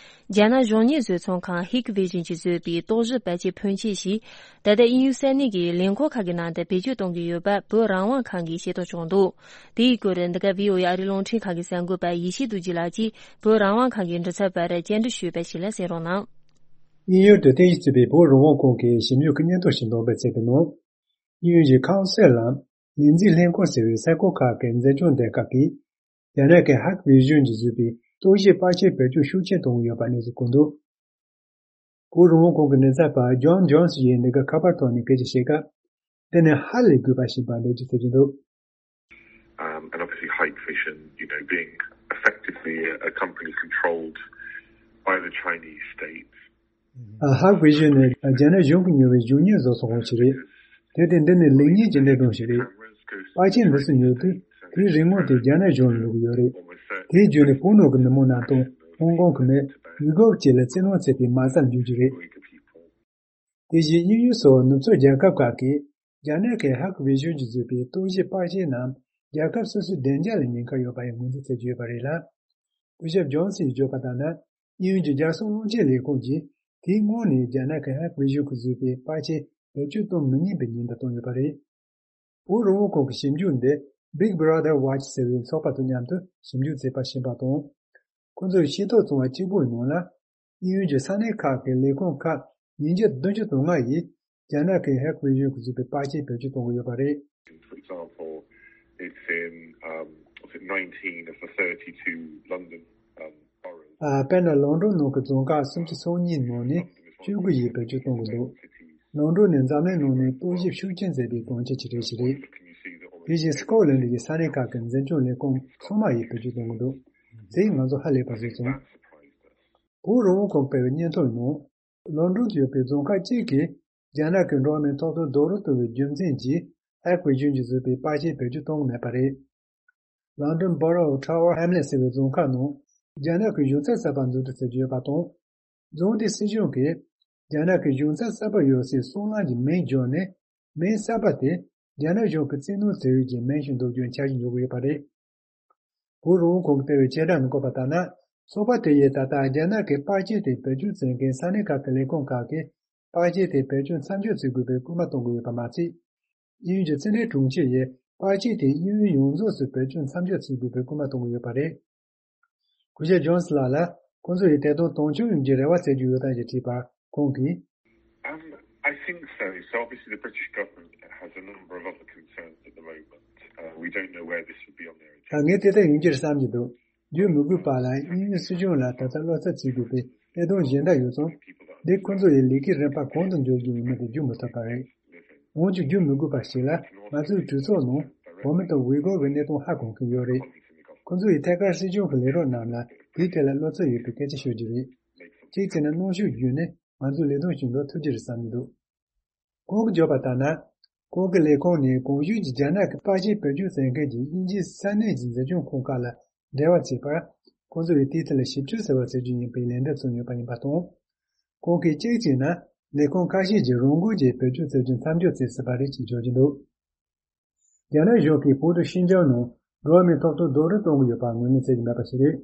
རྒྱ་ནག་གཞུང་གཉེར་བཟོ་ཚོང་ཁང་ཧིག་ཝི་ཞན་གྱིས་བཟོས་པའི་རྟོག་ཞིབ་པར་ཆས་ཕོན་ཆེ་ཞིག་ད་ལྟ་དབྱིན་ཡུལ་ས་གནས་ཀྱི་ལས་ཁུངས་ཁག་གི་ནང་དུ་བེད་སྤྱོད་གཏོང་གི་ཡོད་པ་བོད་རང་དབང་ཁང་གིས་ཤེས་རྟོགས་བྱུང་འདུག་དེའི་སྐོར་འདི་ག་ཝི་ཨོ་ཨེ་ཨ་རིའི་རླུང་འཕྲིན་ཁང་གི་གསར་འགོད་པ་ཡེ་ཤེས་རྡོ་རྗེ་ལགས་ཀྱིས་བོད་རང་དབང་ཁང་གི་མགྲིན་ཚབ་པར་བཅར་འདྲི་ཞུས་པ་ཞིག་ལ་གསན་རོགས་གནང་། དབྱིན་ཡུལ་དུ་རྟེན་གཞི་བྱས་པའི་བོད་རང་དབང་ཁང་གི་ཞིབ་འཇུག་གི་སྙན་ཐོ་ཞིག་འདོན་སྤེལ་བྱས་པའི་ནང་། དབྱིན་ཡུལ་གྱི་ཁའོན་སིལ་ལམ་ལས་འཛིན་ལྷན་ཁང་ཟེར་བའི་ས་ཁུལ་ཁག་གི་འཛིན་སྐྱོང་སྡེ་ཁག་གིས་རྒྱ་ནག་གི་ཧག་ཝི་ཞུན་གྱིས་བཟོས་པའི་རྟོག་ཞིབ་པར་ཆས་བེད་སྤྱོད་ཤུགས་ཆེན་གཏོང་གི་ཡོད་པ་གནས་ཚུལ་བཀོད་འདུག་བོད་རང་དབང་ཁང་གི་མགྲིན་ཚབ་པ་ཇོན་ཇོན་སི་ཡིས་འདི་ག་ཁ་པར་ཐོག་ནས་སྐད་ཆ་བཤད་སྐབས། དེ་ནི་ཧ་ལས་དགོས་པ་ཞིག་ཡིན་པ་འགྲེལ་བརྗོད་བྱེད་ཀྱི་འདུག Um, and obviously Hikvision, you know, being effectively a, a company controlled by the Chinese state. ཨ། ཧག་ཝི་ཞུན་ནི་རྒྱ་ནག་གཞུང་གིས་ཉོ་བའི་གཞུང་གཉེར་བཟོ་ཚོང་ཁང་ཞིག་རེད། དེ་དེ་འདི་ནི་ལེགས་ཉེས་ཀྱི་གནད་དོན་ཞིག་རེད། པར་ཆས་འདི་ཚོ་ཉོ་དུས་དེའི་རིན་གོང་དེ་རྒྱ་ནག་གཞུང་ལ་ལོག་གི་ཡོད་རེད། དེའི་བརྒྱུད་ནས་བོད་ནང་གི་མི་མང་རྣམས་དང་ཧོང་ཀོང་གི་མི་ཡུ་གུར་བཅས་ལ་བཙན་གནོན་བྱས་པའི་མ་རྩ་འཇུག་རྒྱུ་རེད། དེ་བཞིན་དབྱིན་ཡུལ་སོགས་ནུབ་ཕྱོགས་རྒྱལ་ཁབ་ཁག་གིས་རྒྱ་ནག་གི་ཧག་ཝི་ཞུན་གྱིས་བཟོས་པའི་རྟོག་ཞིབ་པར་ཆས་རྣམས་རྒྱལ་ཁབ་སོ་སོའི་བདེ་འཇགས་ལ་ཉེན་ཁ་ཡོད་པ་ཡང་ངོས་འཛིན་བྱེད་ཀྱི་ཡོད་པ་རེད་ལ། སྐུ་ཞབས་ཇོན་སི་ཡིས་བརྗོད་པ་ལྟར་ན། དབྱིན་ཡུལ་གྱི་རྒྱལ་སྲུང་རླུང་འཕྲིན་ལས་ཁུངས་ཀྱིས་དེའི་སྔོན་ནས་རྒྱ་ནག་གི་ཧག་ཝི་ཞུན་གྱིས་བཟོས་པའི་པར་ཆས་བེད་སྤྱོད་གཏོང་མི་ཉན་པའི་ཉེན་བརྡ་བཏང་ཡོད་པ་རེད། བོད་རང་དབང་ཁང་གི་ཞིབ་འཇུག་འདི་Big Brother Watch ཟེར་བའི་ཚོགས་པ་དང་མཉམ་དུ་ཞིབ་འཇུག་མཛད་པ་ཞིག་ཡིན་པ་དང་། ཁོ་ཚོས་ཤེས་རྟོགས་བྱུང་བ་གཅིག་པུའི་ནང་ལ། དབྱིན་ཡུལ་གྱི་ས་གནས་ཁག་གི་ལས་ཁུངས་ཁག་ཉིས་བརྒྱ་བདུན་ཅུ་དོན་ལྔ་ཡིས་རྒྱ་ནག་གི་ཧག་ཝི་ཞུན་གྱིས་བཟོས་པའི་པར་ཆས་བེད་སྤྱོད་གཏོང་གི་ཡོད་པ་རེད། For example, it's in, um, was it nineteen of the thirty-two London, um, boroughs. ཨ། དཔེར་ན་ལོན་ཌོན་ནང་གི་རྫོང་ཁག་སུམ་ཅུ་སོ་གཉིས་ནང་ནས་བཅུ་དགུ་ཡིས་བེད་སྤྱོད་གཏོང་གི་འདུག་ལོན་ཌོན་ནི་འཛམ་གླིང་ནང་ནས་རྟོག་ཞིབ་ཤུགས་ཆེན་མཛད་པའི་གྲོང་ཁྱེར་ཅིག་རེད་ཞིག་རེད། དེ་བཞིན་སི་ཀོ་ལན་ཌི་ཡི་ས་གནས་ཁག་གི་འཛིན་སྐྱོང་ལས་ཁུངས་ཚང་མ་ཡིས་བེད་སྤྱོད་གཏོང་གི་འདུག་དེས་ང་ཚོ་ཧ་ལས་པ་བཟོས་སོང་། བོད་རང་དབང་ཁང་སྤེལ་བའི་སྙན་ཐོ་ནང་། ལོན་ཌོན་དུ་ཡོད་པའི་རྫོང་ཁག་གཅིག་གིས་རྒྱ་ནག་གི་འགྲོ་བ་མིའི་ཐོབ་ཐང་རྡོག་རོལ་གཏོང་བའི་རྒྱུ་མཚན་གྱིས་ཧག་ཝི་ཞུན་གྱིས་བཟོས་པའི་པར་ཆས་བེད་སྤྱོད་གཏོང་གི་མེད་པ་རེད། ལོན་ཌོན་Borough of Tower Hamlets ཟེར་བའི་རྫོང་ཁག་ནང་རྒྱ་ནག་གི་གཞུང་ཚབ་གསར་པ་འཛུགས་སྐྲུན་བྱེད་ཀྱི་ཡོད་པ་དང་། རྫོང་དེའི་སྲིད་གཞུང་གིས་རྒྱ་ནག་གི་གཞུང་ཚབ་གསར་པ་ཡོད་སའི་སྲང་ལམ་གྱི་མིང་བསྒྱུར་ནས་མིང་གསར་པ་དེ་རྒྱ་ནག་གཞུང་གི་བཙན་གནོན་བྱེད་ཡུལ་གྱི་མིང་ཞིག་འདོགས་རྒྱུའི་འཆར་གཞི་འཇོག་གི་ཡོད་པ་རེད། བོད་རང་དབང་ཁོངས་ཀྱིས་སྤེལ་བའི་བཅད་ཁྲ་ནང་བཀོད་པ་ལྟར་ན། ཚོགས་པ་དེ་ཡིས་ད་ལྟ་རྒྱ་ནག་གི་པར་ཆས་དེ་བེད་སྤྱོད་བྱེད་མཁན་ས་གནས་ཁག་གི་ལས་ཁུངས་ཁག་གིས་པར་ཆས་དེ་བེད་སྤྱོད་མཚམས་འཇོག་བྱེད་དགོས་པའི་སྐུལ་མ་གཏོང་གི་ཡོད་པ་མ་ཟད། དབྱིན་ཡུལ་གྱི་ཕྱི་འབྲེལ་དྲུང་ཆེ་ཡིས་པར་ཆས་དེ་དབྱིན་ཡུལ་ཡོངས་རྫོགས་སུ་བེད་སྤྱོད་མཚམས་འཇོག་བྱེད་དགོས་པའི་སྐུལ་མ་གཏོང་གི་ཡོད་པ་རེད། སྐུ་ཞབས་ཇོན་སི་ལགས་ལ་ཁོང་ཚོ་ཡིས་དེ་དང་དོན་འཁྱོལ་ཡོང་རྒྱུའི་རེ་བ་བྱེད་ཀྱི་ཡོད་དམ་ཞེས་དྲིས་པར་ཁོང་གིས། Um, I think so. So obviously the British government has a number of other concerns at the moment. Uh, we don't know where this would be on their agenda. ད་ངས་དེ་ལྟར་ཡིན་རྒྱུར་བསམ་གྱི་འདུག་རྒྱུས་མི་དགོས་པ་ལ་དབྱིན་ཡུལ་སྲིད་གཞུང་ལ་ད་ལྟ་བློ་འཚབ་བྱེད་དགོས་པའི་གནད་དོན་གཞན་དག་ཡོད་ཙང་། འདི་ཁོ་ཚོ་ཡི་ལས་ཀའི་རིམ་པ་གང་དུ་འཇོག་རྒྱུ་ཡིན་མིན་དེ་བརྗོད་མི་ཐུབ་པ་རེད། འོན་ཀྱང་རྒྱུས་མི་དགོས་པ་ཞིག་ལ་ང་ཚོའི་གྲོས་ཚོགས་ནང་བོད་མི་དང་ཝི་གོ་གི་གནད་དོན་ཧ་གོ་མཁན་ཡོད་རེད། ཁོ་ཚོ་ཡིས་ཐད་ཀར་སྲིད་གཞུང་གི་ལས་རོགས་རྣམས་ལ་དེའི་ཐད་ལ་བློ་འཚབ་ཡོད་པའི་སྐད་ཆ་ཤོད་རྒྱུ་རེད། གཅིག་བྱས་ན་གནོན་ཤུགས་བརྒྱུད་ནས་ང་ཚོའི་ལས་དོན་བྱེད་འགྲོ་ཐུབ་ཀྱི་རེད་བསམ་གྱི་འདུག་ཁོང་གིས་བརྗོད་པ་ལྟར་ན། ཁོང་གི་ལས་ཁུངས་ནས་གོང་ཞུས་ཀྱི་རྒྱ་ནག་གི་པར་ཆས་བེད་སྤྱོད་བྱེད་མཁན་གྱི་དབྱིན་ཇིའི་ས་གནས་ཀྱི་འཛིན་སྐྱོང་ཁང་ཁག་ལ་འབྲེལ་བ་བྱས་པར། ཁོང་ཚོ་ཡིས་དེའི་ཐད་ལ་ཞིབ་དཔྱོད་ཟེར་བ་བྱེད་རྒྱུ་ཡིན་པའི་ལན་འདེབས་སོང་ཡོད་པ་ཡིན་པ་དང་། ཁོང་གིས་གཅིག་བྱས་ན་ལས་ཁུངས་ཁ་ཤས་ཀྱིས་རང་འགུལ་གྱིས་བེད་སྤྱོད་བྱེད་རྒྱུ་མཚམས་འཇོག་བྱས་ཟིན་པ་རེད་ཅེས་བརྗོད་ཀྱི་འདུག་རྒྱ་ནག་གཞུང་གིས་བོད་དང་ཤིན་ཅང་ནང་འགྲོ་བ་མིའི་ཐོབ་ཐང་རྡོག་རོལ་གཏོང་གི་ཡོད་པ་ངོས་ལེན་བྱེད་ཀྱི་མེད་པ་ཞིག་རེད།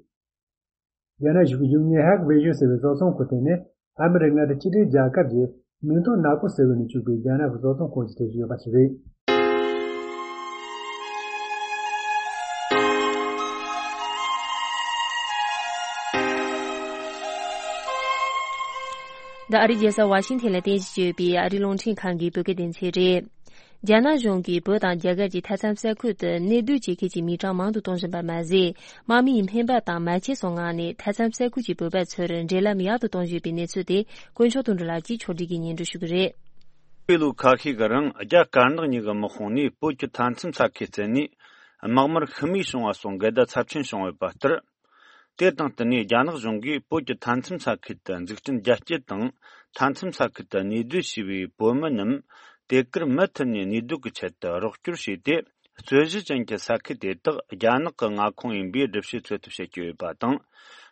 རྒྱ་ནག་གཞུང་གི་གཞུང་གཉེར་ཧག་བེ་ཞུ་ཟེར་བའི་བཟོ་ཚོང་ཁང་དེ་ནི་ཨ་མི་རི་ཀ་མངའ་སྡེ་སྤྱི་མཐུན་རྒྱལ་ཁབ་ཀྱི་མིང་ཐོ་ནག་པོ་ཟེར་བ་ནས་བཙུགས་པའི་རྒྱ་ནག་གི་བཟོ་ཚོང་ཁང་ཞིག་གྲས་སུ་ཡོད་པ་ཞིག་རེད། འདི་ཨ་རིའི་རྒྱལ་ས་ཝ་ཤིང་ཐན་ལ་རྟེན་གཞི་བྱས་ཡོད་པའི་ཨ་རིའི་རླུང་འཕྲིན་ཁང་གི་བོད་སྐད་སྡེ་ཚན་རེད། རྒྱ་ནག་གཞུང་གིས་བོད་དང་རྒྱ་གར་གྱི་མཐའ་མཚམས་ས་ཁུལ་དུ་གནས་སྡོད་བྱེད་མཁན་གྱི་མི་གྲངས་མང་དུ་གཏོང་བཞིན་པ་མ་ཟད། དམག་མིའི་སྨན་པ་དང་མ་ཆས་སོགས་མངགས་ནས་མཐའ་མཚམས་ས་ཁུལ་གྱི་བོད་པ་ཚོར་འབྲེལ་ལམ་ཡག་ཏུ་གཏོང་བཞིན་པའི་གནས་ཚུལ་དེ་དཀོན་མཆོག་དོན་གྲུབ་ལགས་ཀྱིས་ཕྱོགས་སྒྲིག་གིས་སྙན་སྒྲོན་ཞུ་གི་རེད། པའི་ལོ་ཁ་ཤས་ཀྱི་རིང་རྒྱ་དཀར་ནག་གཉིས་ཀྱི་དམག་དཔུང་ནས་བོད་ཀྱི་མཐའ་མཚམས་ས་ཁུལ་བཙན་ནས་དམག་མིར་ཤི་རྨས་བྱུང་བ་སོགས་འགལ་ཟླ་ཚབས་ཆེན་བྱུང་ཡོད་པ་ལྟར། དེ་དང་བསྟུན་ནས་རྒྱ་ནག་གཞུང་གིས་བོད་ཀྱི་མཐའ་མཚམས་ས་ཁུལ་དུ་འཛུགས་སྐྲུན་རྒྱ་སྐྱེད་དང་། མཐའ་མཚམས་ས་ཁུལ་དུ་གནས་སྡོད་བྱས་པའི་བོད་མི་རྣམས་དེ་གར་མུ་མཐུད་ནས་གནས་སྡོད་ཀྱི་ཆེད་དུ་རོགས་སྐྱོར་བྱས་ཏེ། རྩོད་གཞི་ཅན་གྱི་ས་ཁུལ་དེ་དག་རྒྱ་ནག་གི་མངའ་ཁོངས་ཡིན་པའི་སྒྲུབ་བྱེད་འཚོལ་ཐབས་བྱེད་ཀྱི་ཡོད་པ་དང་།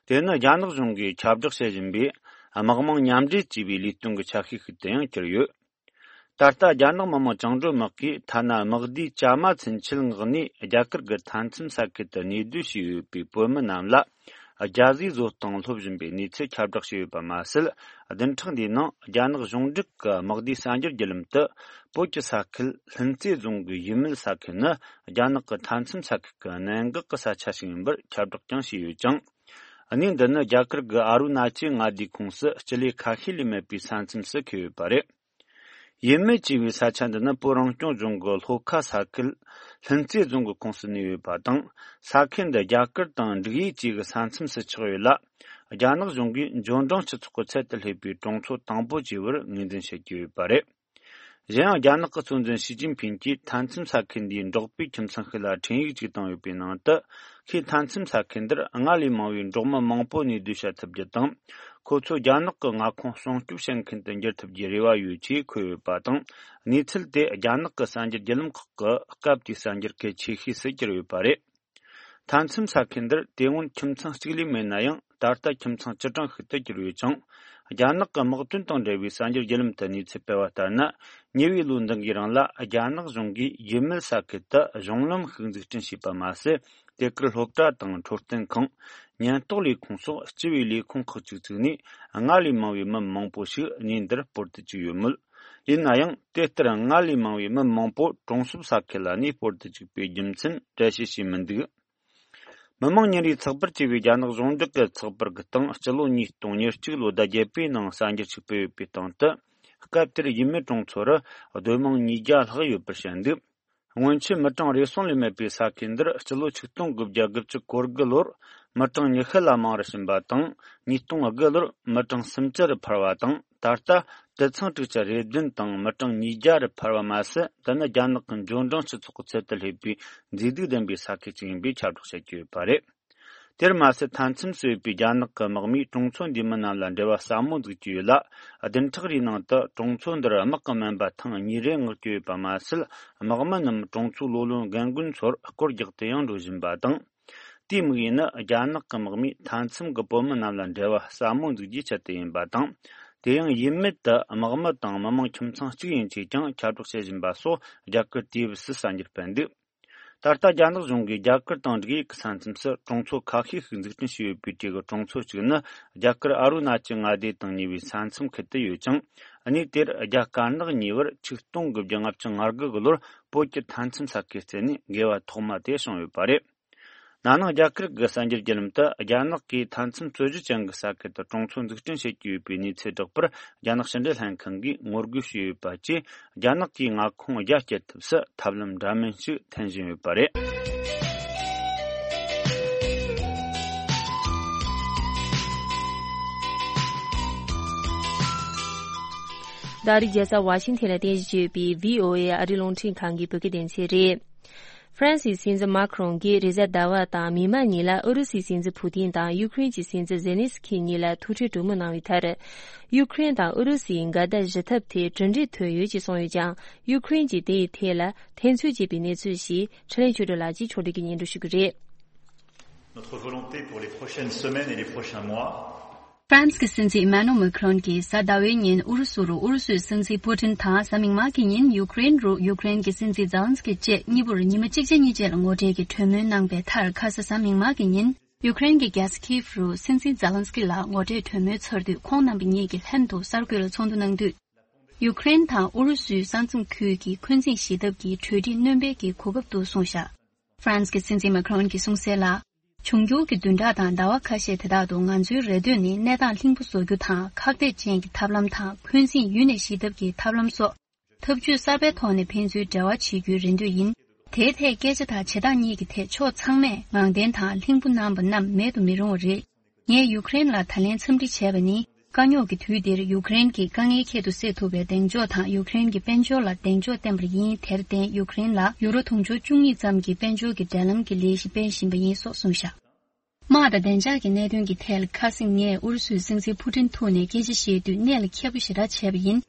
དེ་ནི་རྒྱ་ནག་གཞུང་གིས་ཁྱབ་བསྒྲགས་བྱེད་བཞིན་པའི་དམག་དམངས་མཉམ་འབྲེལ་ཅེས་པའི་ལས་དོན་གྱི་ཆ་ཤས་ཤིག་ཏུ་ཡང་གྱུར་ཡོད། ད་ལྟ་རྒྱ་ནག་མི་དམངས་བཅིངས་འགྲོལ་དམག་གིས་ཐ་ན་དམག་སྡེའི་བྱ་མ་ཚུན་ཆད་མངགས་ནས་རྒྱ་གར་གྱི་མཐའ་མཚམས་ས་ཁུལ་དུ་གནས་སྡོད་བྱས་ཡོད་པའི་བོད་མི་རྣམས་ལ་རྒྱ་ཟས་བཟོ་སྟངས་སློབ་བཞིན་པའི་གནས་ཚུལ་ཁྱབ་བསྒྲགས་བྱས་ཡོད་པ་མ་ཟད། བདུན་ཕྲག་འདིའི་ནང་རྒྱ་ནག་གཞུང་འབྲེལ་གྱི་དམག་སྡེའི་གསར་འགྱུར་བརྒྱུད་ལམ་དུ་བོད་ཀྱི་ས་ཁུལ་ལྷུན་རྩེ་རྫོང་གི་ཡུལ་མེད་ས་ཁུལ་ནི་རྒྱ་ནག་གི་མཐའ་མཚམས་ས་ཁུལ་གྱི་གནད་འགག་གི་ས་ཆ་ཞིག་ཡིན་པར་ཁྱབ་བསྒྲགས་ཀྱང་བྱས་ཡོད་ཅིང་། གནས་འདི་ནི་རྒྱ་གར་གྱི་ཨ་རུ་ན་ཅལ་མངའ་སྡེའི་ཁོངས་སུ་སྤྱི་ལེ་ཁ་ཤས་ལས་མེད་པའི་ས་མཚམས་སུ་འཁེལ་ཡོད་པ་རེད། ཡུལ་མེད་ཅེས་པའི་ས་ཆ་འདི་ནི་བོད་རང་སྐྱོང་ལྗོངས་ཀྱི་ལྷོ་ཁ་ས་ཁུལ་ལྷུན་རྩེ་རྫོང་གི་ཁོངས་སུ་གནས་ཡོད་པ་དང་། ས་ཁུལ་འདི་རྒྱ་གར་དང་འབྲུག་ཡུལ་བཅས་ཀྱི་ས་མཚམས་སུ་ཆགས་ཡོད་ལ། རྒྱ་ནག་གཞུང་གིས་འབྱོར་འབྲིང་སྤྱི་ཚོགས་ཀྱི་ཚད་དུ་སླེབས་པའི་གྲོང་ཚོ་དང་པོ་བཅས་པར་ངོས་འཛིན་བྱེད་ཀྱི་ཡོད་པ་རེད། གཞན་ཡང་རྒྱ་ནག་གི་གཙོ་འཛིན་ཞི་ཅིན་ཕིན་གྱིས་མཐའ་མཚམས་ས་ཁུལ་འདིའི་འབྲོག་པའི་ཁྱིམ་ཚང་ཞིག་ལ་འཕྲིན་ཡིག་ཅིག་བཏང་ཡོད་པའི་ནང་དུ། ཁོས་མཐའ་མཚམས་ས་ཁུལ་འདིར་སྔར་ལས་མང་བའི་འབྲོག་མི་མང་པོ་གནས་སྡོད་བྱ་ཐུབ་རྒྱུ་དང་། ཁོ་ཚོ་རྒྱ་ནག་གི་མངའ་ཁོངས་སྲུང་སྐྱོབ་བྱེད་མཁན་དུ་འགྱུར་ཐུབ་རྒྱུའི་རེ་བ་ཡོད་ཅེས་འཁོད་ཡོད་པ་དང་། གནས་ཚུལ་དེ་རྒྱ་ནག་གི་གསར་འགྱུར་བརྒྱུད་ལམ་ཁག་གི་སྐབས་དེའི་གསར་འགྱུར་གལ་ཆེ་ཤོས་སུ་གྱུར་ཡོད་པ་རེད། མཐའ་མཚམས་ས་ཁུལ་འདིར་དེ་སྔོན་ཁྱིམ་ཚང་གཅིག་ལས་མེད་ན་ཡང་། ད་ལྟ་ཁྱིམ་ཚང་བཅུ་གྲངས་ཤིག་ཏུ་གྱུར་ཡོད་ཅིང་། རྒྱ་ནག་གི་དམག་དོན་དང་འབྲེལ་བའི་གསར་འགྱུར་བརྒྱུད་ལམ་དུ་གནས་ཚུལ་སྤེལ་བ་ལྟར་ན། ཉེ་བའི་ལོ་འདི་འགའི་རིང་ལ་རྒྱ་ནག་གཞུང་གིས་ཡུལ་མེད་ས་ཁུལ་དུ་གཞུང་ལམ་ཞིག་འཛུགས་སྐྲུན་བྱས་པ་མ་ཟད། དེ་གར་སློབ་གྲྭ་དང་འཕྲོད་བསྟེན་ཁང་། ཉེན་རྟོག་ལས་ཁུངས་སོགས་སྤྱི་པའི་ལས་ཁུངས་ཁག་ཅིག་བཙུགས་ནས། སྔར་ལས་མང་བའི་མི་མང་པོ་ཞིག་གནས་འདིར་སྤོར་དུ་བཅུག་ཡོད་མོད། ཡིན་ན་ཡང་། དེ་ལྟར་སྔར་ལས་མང་བའི་མི་མང་པོ་གྲོང་གསེབ་ས་ཁུལ་ལ་གནས་སྤོར་དུ་བཅུག་པའི་རྒྱུ་མཚན་འགྲེལ་བཤད་བྱས་མི་འདུག་མི་དམངས་ཉིན་རེའི་ཚགས་པར་ཅེས་པའི་རྒྱ་ནག་གཞུང་འབྲེལ་གྱི་ཚགས་པར་གྱི་སྟེང་། སྤྱི་ལོ་ཉིས་སྟོང་ཉེར་གཅིག་ལོ་ཟླ་བརྒྱད་པའི་ནང་གསར་འགྱུར་ཞིག་སྤེལ་ཡོད་པའི་སྟེང་དུ། སྐབས་དེར་ཡུལ་མི་གྲོང་ཚོ་རུ་སྡོད་དམངས་ཉིས་བརྒྱ་ལྷག་ཡོད་པར་བཤད་འདུག་སྔོན་ཆད་མི་གྲངས་རེ་ཟུང་ལས་མེད་པའི་ས་ཁུལ་འདིར། སྤྱི་ལོ་ཆིག་སྟོང་དགུ་བརྒྱ་དགུ་བཅུ་གོ་དགུ་ལོར་མི་གྲངས་ཉི་ཤུ་ལ་མང་རུ་ཕྱིན་པ་དང་། ཉིས་སྟོང་དགུ་ལོར་མི་གྲངས་སུམ་ཅུ་རུ་འཕར་བ་དང་། ད་ལྟ། དུད་ཚང་དྲུག་ཅུ་རེ་བདུན་དང་མི་གྲངས་ཉིས་བརྒྱ་རུ་འཕར་བ་མ་ཟད། འདི་ནི་རྒྱ་ནག་གི་འབྱོར་འབྲིང་སྤྱི་ཚོགས་ཀྱི་ཚད་དུ་སླེབས་པའི་མཛེས་སྡུག་ལྡན་པའི་ས་ཁུལ་ཅིག་ཡིན་པའི་ཁྱབ་བསྒྲགས་བྱེད་ཀྱི་ཡོད་པ་རེད། དེར་མ་ཟད། མཐའ་མཚམས་སུ་ཡོད་པའི་རྒྱ་ནག་གི་དམག་མིས་གྲོང་ཚོ་འདིའི་མི་རྣམས་ལ་འབྲེལ་བ་ཟབ་མོ་འཛུགས་ཀྱི་ཡོད་ལ། བདུན་ཕྲག་རེའི་ནང་དུ་གྲོང་ཚོ་འདིར་དམག་གི་སྨན་པ་ཐེངས་གཉིས་རེ་མངགས་ཀྱི་ཡོད་པ་མ་ཟད། དམག་མི་རྣམས་གྲོང་ཚོའི་ལོ་ལོན་རྒན་རྒོན་ཚོར་སྐོར་རྒྱག་ཏུ་ཡང་འགྲོ་བཞིན་པ་དང་། དེའི་དམིགས་ཡུལ་ནི་རྒྱ་ནག་གི་དམག་མིས་མཐའ་མཚམས་ཀྱི་བོད་མི་རྣམས་ལ་འབྲེལ་བ་ཟབ་མོ་འཛུགས་རྒྱུའི་ཆེད་དུ་ཡིན་པ་དང་། དེ་ཡང་ཡུལ་མེད་དུ་དམག་མི་དང་མི་དམངས་ཁྱིམ་ཚང་གཅིག་ཡན་ཆད་ཀྱང་ཁྱབ་བསྒྲགས་བྱེད་བཞིན་པ་སོགས། རྒྱ་གར་ཏི་ཝི་སི་གསར་འགྱུར་སྤེལ་འདུག་ད་ལྟ་རྒྱ་ནག་གཞུང་གིས་རྒྱ་གར་དང་འབྲུག་ཡུལ་གྱི་ས་མཚམས་སུ་གྲོང་ཚོ་ཁ་ཤས་ཤིག་འཛུགས་སྐྲུན་བྱས་ཡོད་པའི་གྲས་ཀྱི་གྲོང་ཚོ་གཅིག་ནི་རྒྱ་གར་ཨ་རུ་ན་ཅལ་མངའ་སྡེ་དང་ཉེ་བའི་ས་མཚམས་ཁུལ་དུ་ཡོད་ཅིང་། གནས་དེར་རྒྱ་དཀར་ནག་གཉིས་བར་ཆིག་སྟོང་དགུ་བརྒྱ་ལྔ་བཅུ་ང་དགུ་གི་ལོར་བོད་ཀྱི་མཐའ་མཚམས་ས་ཁུལ་བརྩད་ནས་འགལ་བ་ཐོག་མ་དེ་བྱུང་ཡོད་པ་རེད། ན་ནིང་རྒྱ་གར་གྱི་གསར་འགྱུར་བརྒྱུད་ལམ་དུ་རྒྱ་ནག་གིས་མཐའ་མཚམས་རྩོད་གཞི་ཅན་གྱི་ས་ཁུལ་དུ་གྲོང་ཚོ་འཛུགས་སྐྲུན་བྱེད་ཀྱི་ཡོད་པའི་གནས་ཚུལ་བསྒྲགས་པར་རྒྱ་ནག་ཕྱི་འབྲེལ་ལྷན་ཁང་གིས་ངོ་རྒོལ་བྱས་ཡོད་པ་བཅས། རྒྱ་ནག་གིས་མངའ་ཁོངས་རྒྱ་སྐྱེད་ཐབས་སུ་ཐབས་ལམ་འདྲ་མིན་ཞིག་འཐེན་བཞིན་ཡོད་པ་རེད། ད་རེས་རྒྱལ་ས་ཝ་ཤིང་ཐན་ལ་རྟེན་གཞི་བྱས་ཡོད་པའི་བྷི་ཨོ་ཨེ་ཨ་རིའི་རླུང་འཕྲིན་ཁང་གི་བོད་སྐད་སྡེ་ཚན་རེད། ཧྥ་རན་སིའི་སྲིད་འཛིན་མཱ་ཁི་རོང་གིས་རེས་གཟའ་ཟླ་བ་དང་མི་མང་གཉིས་ལ་ཨུ་རུ་སུའི་སྲིད་འཛིན་ཕུ་ཏིན་དང་ཡུ་ཁུ་རེན་གྱི་སྲིད་འཛིན་ཛེ་ལན་སི་ཁི་གཉིས་ལ་ཐུག་འཕྲད་གྲོས་མོལ་གནང་བའི་མཐར། ཡུ་ཁུ་རེན་དང་ཨུ་རུ་སུའི་འགལ་ཟླ་ཞི་ཐབས་ཐད་གྲུབ་འབྲས་ཐོན་ཡོད་ཅེས་གསུངས་ཡོད་ཀྱང་། ཡུ་ཁུ་རེན་གྱིས་དེའི་ཐད་ལ་འཐེན་འཁྱེར་བྱས་པའི་གནས་ཚུལ་ཞིག་ཁྲི་ལན་ཆོས་སྒྲོན་ལགས་ཀྱིས་ཕྱོགས་སྒྲིག་གིས་སྙན་སྒྲོན་ཞུ་གི་རེད། Notre volonté pour les prochaines semaines et les prochains mois. ཧྥ་རན་སི་གི་སྲིད་འཛིན་ཨི་མ་ནུ་མེ་ཁི་རོན་གྱིས་གཟའ་ཟླ་བའི་ཉིན་ཨུ་རུ་སུ་རུ་ཨུ་རུ་སུའི་སྲིད་འཛིན་པུ་ཏིན་དང་གཟའ་མིག་དམར་གྱི་ཉིན་ཡུ་ཀེ་རེན་རུ་ཡུ་ཀེ་རེན་གྱི་སྲིད་འཛིན་ཛེ་ལན་སི་ཀི་བཅས་གཉིས་པོར་ཉི་མ་གཅིག་རྗེས་གཉིས་རྗེས་ལ་ངོ་འཕྲད་ཀྱིས་གྲོས་མོལ་གནང་པའི་མཐར། ཁ་ས་གཟའ་མིག་དམར་གྱི་ཉིན་ཡུ་ཀེ་རེན་གྱི་རྒྱལ་ས་ཁིབ་རུ་སྲིད་འཛིན་ཛེ་ལན་སི་ཀི་ལགས་ངོ་འཕྲད་གྲོས་མོལ་ཚར་དུས་ཁོང་རྣམ་པ་གཉིས་ཀྱིས་ལྷན་དུ་གསར་འགོད་ལ་ཚོགས་འདུ་གནང་དུས། ཡུ་ཀེ་རེན་དང་ཨུ་རུ་སུའི་ས་མཚམས་ཁུལ་གྱི་འཁོན་འཛིང་ཞི་ཐབས་ཀྱི་གྲོས་འགྲིག་སྣོན་སྤེལ་གྱི་གོ་སྐབས་འདུག་གསུངས་བཞག་ཧྥ་རན་སི་གི་སྲིད་འཛིན་མེ་ཁི་རོན་གྱིས་གསུངས་གསལ་ལ། འབྱུང་འགྱུར་གྱི་བདུན་ཕྲག་དང་ཟླ་བ་ཁ་ཤས་དེ་དག་ཏུ་ང་ཚོའི་རེ་འདོད་ནི་གནས་སྟངས་ལྷིང་པོ་བཟོ་རྒྱུ་དང་། ཁག་ཐེག་ཅན་གྱི་ཐབས་ལམ་དང་འཁོན་འཛིང་ཡུན་ནས་ཞི་ཐབས་ཀྱི་ཐབས་ལམ་སོགས་ཐབས་ཇུས་གསར་པའི་ཐོག་ནས་ཕན་ཚུན་འབྲེལ་བ་བྱེད་རྒྱུའི་རེ་འདོད་ཡིན། དེའི་ཐད་སྐད་ཆ་དང་བྱེད་སྟངས་གཉིས་ཀྱི་ཐད་ཕྱོགས་ཚང་མས་ངང་བརྟན་དང་ལྷིང་པོ་གནང་བ་རྣམས་མེད་དུ་མི་རུང་བ་རེད། ངས་ཡུ་ཀེ་རེན་ལ་ད་ལན་འཚམས་འདྲི་བྱས་པ་ནི། དཀའ་རྙོག་གི་དུས་འདིར་ཡུ་ཀེ་རེན་གྱི་དཀའ་ངལ་ཁྱད་དུ་བསད་ཐུབ་པའི་གདེང་འཇོག་དང་ཡུ་ཀེ་རེན་གྱི་དཔལ་འབྱོར་ལ་གདེང་འཇོག་བསྟན་པ་ཡིན། དེར་བརྟེན་ཡུ་ཀེ་རེན་ལ་ཡུ་རོ་དུང་ཕྱུར་བཅུ་གཉིས་ཙམ་གྱི་དཔལ་འབྱོར་གྱི་འབྲེལ་ལམ་གྱི་ལས་གཞི་སྤེལ་བཞིན་པ་ཡིན་སོགས་གསུངས་བཞག་དམག་དང་བདེ་འཇགས་ཀྱི་གནད་དོན་གྱི་ཐད་ལ་ཁ་སང་ངས་ཨུ་རུ་སུའི་སྲིད་འཛིན་ཕུ་ཏིན་ཐུག་ནས་སྐད་ཆ་བཤད་དུས་གནད་ལ་འཁེལ་པོ་ཞེ་དྲག་བྱས་པ་ཡིན།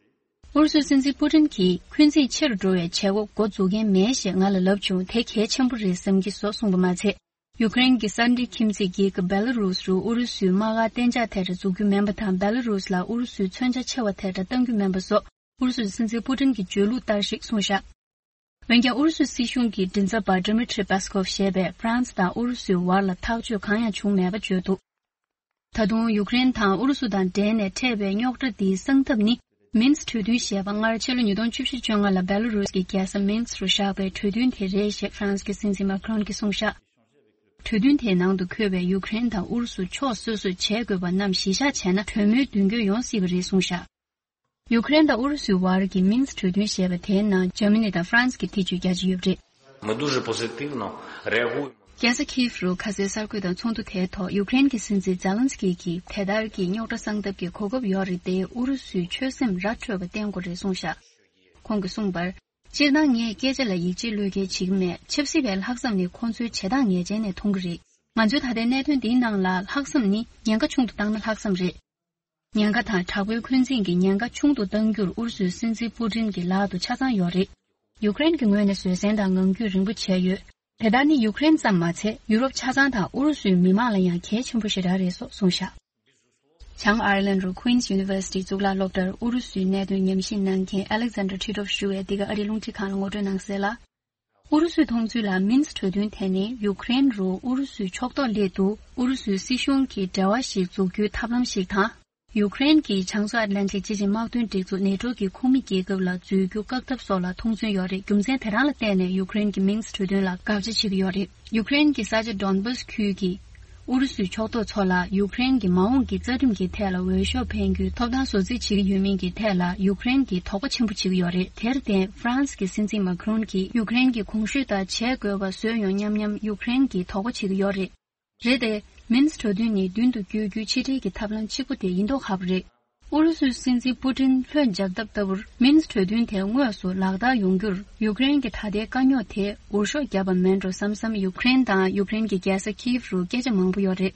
ཨུ་རུ་སུའི་སྲིད་འཛིན་ཕུ་ཏིན་གྱིས་འཁོན་འཛིང་ཆེ་རུ་འགྲོ་བའི་བྱེད་སྒོ་འགོ་འཛུགས་མཁན་མེད་ཞེས་ང་ལ་ལབ་བྱུང་། དེ་གལ་ཆེན་པོ་རེད་བསམ་གྱི་སོགས་གསུངས་པ་མ་ཚད། ཡུ་ཀེ་རེན་གྱི་གསར་འགྲིག་ཁྱིམ་མཚེས་རྒྱལ་ཁབ་བེ་ལ་རུས་རུ་ཨུ་རུ་སུའི་དམག་སྒར་གཏན་འཇགས་ཐད་ཀར་འཛུགས་རྒྱུ་མིན་པ་དང་། བེ་ལ་རུས་ལ་ཨུ་རུ་སུའི་མཚོན་ཆ་ཆེ་བ་ཐད་ཀར་གཏང་རྒྱུ་མིན་པ་སོགས་ཨུ་རུ་སུའི་སྲིད་འཛིན་པུ་ཏིན་གྱི་བརྗོད་ལུགས་ལྟར་ཞིག་གསུངས་བཞག་འོན་ཀྱང་ཨུ་རུ་སུའི་སྲིད་གཞུང་གི་མགྲིན་ཚབ་པ་ཌི་མི་ཊི་རི་པེ་སི་ཀོབ་ཞེས་པས་ཧྥ་རན་སི་དང་ཨུ་རུ་སུའི་བར་ལ་ཐག་གཅོད་གང་ཡང་བྱུང་མེད་པ་བརྗོད་འདུག་ད་དུང་ཡུ་ཀེ་རེན་དང་ཨུ་རུ་སུ་དང་འབྲེལ་ནས་འཕྲད་པའི་རྙོག་དྲ་འདིའི་སེལ་ཐབས་ནི། མིན་སི་གྲོས་མཐུན་ཞེས་པ་སྔར་ཕྱི་ལོ་ཉིས་སྟོང་བཅུ་བཞི་བཅོ་ལྔ་ལ་བེ་ལ་རུས་ཀྱི་རྒྱལ་ས་མིན་སི་རུ་བཞག་པའི་གྲོས་མཐུན་དེ་རེད་ཞེས་ཧྥ་རན་སི་གི་སྲིད་འཛིན་མཱ་ཁི་རོན་གྱིས་གསུངས་བཞག་གྲོས་མཐུན་དེའི་ནང་དུ་འཁོད་པའི་ཡུ་ཀེ་རེན་དང་ཨུ་རུ་སུ་ཕྱོགས་སོ་སོས་བྱེད་དགོས་པ་རྣམས་གཞི་བཞག་བྱས་ན་གྲོས་མོལ་མདུན་སྐྱོད་ཡོང་སྲིད་པ་རེད་གསུངས་བཞག་ཡུ་ཀེ་རེན་དང་ཨུ་རུ་སུའི་བར་གྱི་མིན་སི་གྲོས་མཐུན་ཞེས་པ་དེའི་ནང་འཇར་མ་ནི་དང་ཧྥ་རན་སི་གི་ཐེ་བྱུས་རྒྱ་ཆེ་ཡོད་པ་རེད། Мы дуже позитивно реагуємо. རྒྱལ་ས་ཁིབ་རུ་ཁ་སའི་གསར་འགོད་དང་ཚོགས་འདུ་དེའི་ཐོག་ཡུ་ཀེ་རེན་གྱི་སྲིད་འཛིན་ཛེ་ལན་སི་ཀི་གིས་དེ་ལྟར་གྱི་རྙོག་དྲ་སེལ་ཐབས་ཀྱི་གོ་སྐབས་ཡོད་རེད་དེ། ཨུ་རུ་སུས་ཆོད་སེམས་ར་འཕྲོད་པ་བསྟན་དགོས་རེད་གསུངས་བཞག་ཁོང་གིས་གསུངས་པར། སྤྱིར་བཏང་ངས་སྐད་ཆ་ལ་ཡིད་ཆེས་བློས་འགེལ་བྱེད་ཀྱི་མེད། ཆབ་སྲིད་པའི་ལྷག་བསམ་ནི་ཁོང་ཚོའི་བྱེད་སྟངས་ངེས་ཅན་ནས་མཐོང་གི་རེད། ང་ཚོའི་ད་ལྟའི་གནད་དོན་འདིའི་ནང་ལ་ལྷག་བསམ་ནི་ཉེན་ཁ་ཆུང་དུ་བཏང་ན་ལྷག་བསམ་རེད། ཉེན་ཁ་དང་དྲག་པོའི་འཁོན་འཛིང་གི་ཉེན་ཁ་ཆུང་དུ་གཏང་རྒྱུར་ཨུ་རུ་སུའི་སྲིད་འཛིན་པུ་ཏིན་གྱི་ལག་ཏུ་ཆ་ཚང་ཡོད་རེད། ཡུ་ཀེ་རེན་གྱི་ངོས་ནས་བཟོད་བསྲན་དང་ངང་རྒྱུད་རིང་པོ་བྱས་ཡོད། དེ་ལྟར་ནི་ཡུ་ཀེ་རེན་ཙམ་མ་ཚད་ཡུ་རོབ་ཆ་ཚང་དང་ཨུ་རུ་སུའི་མི་དམངས་ལ་ཡང་གལ་ཆེན་པོ་ཞེ་དྲག་རེད་སོགས་གསུངས་བཞག་བྱང་ཨའེར་ལན་རུ་Queen's University གཙུག་ལག་སློབ་གྲྭར་ཨུ་རུ་སུའི་གནད་དོན་ཉམས་ཞིབ་གནང་མཁན་Alexander Titov ཞུ་བས་འདི་ག་ཨ་རིའི་རླུང་འཕྲིན་ཁང་ལ་ངོ་སྤྲོད་གནང་གསལ་ལ། ཨུ་རུ་སུའི་མཐོང་ཚུལ་ལ་མིན་སི་གྲོས་མཐུན་དེ་ནི་ཡུ་ཀེ་རེན་རུ་ཨུ་རུ་སུའི་ཕྱོགས་གཏོགས་སླེབས་འདུག་ཨུ་རུ་སུའི་སྲིད་གཞུང་གིས་འབྲེལ་བ་ཞིག་འཛུགས་རྒྱུའི་ཐབས་ལམ་ཞིག་དང་། ཡུ་ཀེ་རེན་གྱིས་བྱང་མཚོ་ཨེཊ་ལན་ཊིག་སྤྱི་ཆིངས་དམག་དོན་སྒྲིག་འཛུགས་ནེ་ཊོ་གི་ཁོངས་མི་རྒྱལ་ཁབ་ལ་འཛུལ་རྒྱུ་བཀག་ཐབས་སོགས་ལ་མཐོང་ཚུལ་ཡོད་རེད། རྒྱུ་མཚན་དེ་རང་ལ་བརྟེན་ནས་ཡུ་ཀེ་རེན་གྱིས་མིན་སི་གྲོས་མཐུན་ལ་དགག་བྱ་བྱེད་ཀྱི་ཡོད་རེད། ཡུ་ཀེ་རེན་གྱི་ས་ཆ་ཌོན་བཱས་ཁུལ་གྱི་ཨུ་རུ་སུའི་ཕྱོགས་གཏོགས་ཚོ་ལ་ཡུ་ཀེ་རེན་གྱི་མ་འོངས་ཀྱི་རྩ་ཁྲིམས་ཀྱི་ཐད་ལ་འོས་ཤོག་འཕེན་རྒྱུའི་ཐོབ་ཐང་བཟོ་རྩིས་བྱེད་ཀྱི་ཡོད་མིན་གྱི་ཐད་ལ་ཡུ་ཀེ་རེན་གྱིས་དོགས་པ་ཆེན་པོ་བྱེད་ཀྱི་ཡོད་རེད། དེར་བརྟེན་ཧྥ་རན་སི་གི་སྲིད་འཛིན་མཱ་ཁི་རོན་གྱིས་ཡུ་ཀེ་རེན་གྱིས་གོང་ཞུས་ལྟར་བྱེད་དགོས་པ་བཟོས་ཡོང་སྙམ་སྙམ་ཡུ་ཀེ་རེན་གྱིས་དོགས་པ་བྱེད་ཀྱི་ཡོད་རེད། རེད་དེ། མིན་སི་གྲོས་མཐུན་ནི་མདུན་དུ་བསྐྱོད་རྒྱུའི་ཕྱི་འབྲེལ་གྱི་ཐབས་ལམ་གཅིག་པུ་དེ་ཡིན་མདོག་ཁ་པོ་རེད། ཨུ་རུ་སུའི་སྲིད་འཛིན་པུ་ཏིན་ལྷོད་འཇགས་སྟབས་ལྟ་བུར་མིན་སི་གྲོས་མཐུན་དེ་དངོས་སུ་ལག་བསྟར་ཡོང་རྒྱུར་ཡུ་ཀེ་རེན་གྱི་ད་ལྟའི་དཀའ་རྙོག་དེ་འུར་ཤོག་བརྒྱབ་པ་མིན་འགྲོ་བསམ་བསམ་ཡུ་ཀེ་རེན་དང་ཡུ་ཀེ་རེན་གྱི་རྒྱལ་ས་ཁིབ་རུ་སྐད་ཆ་མང་པོ་ཡོད་རེད།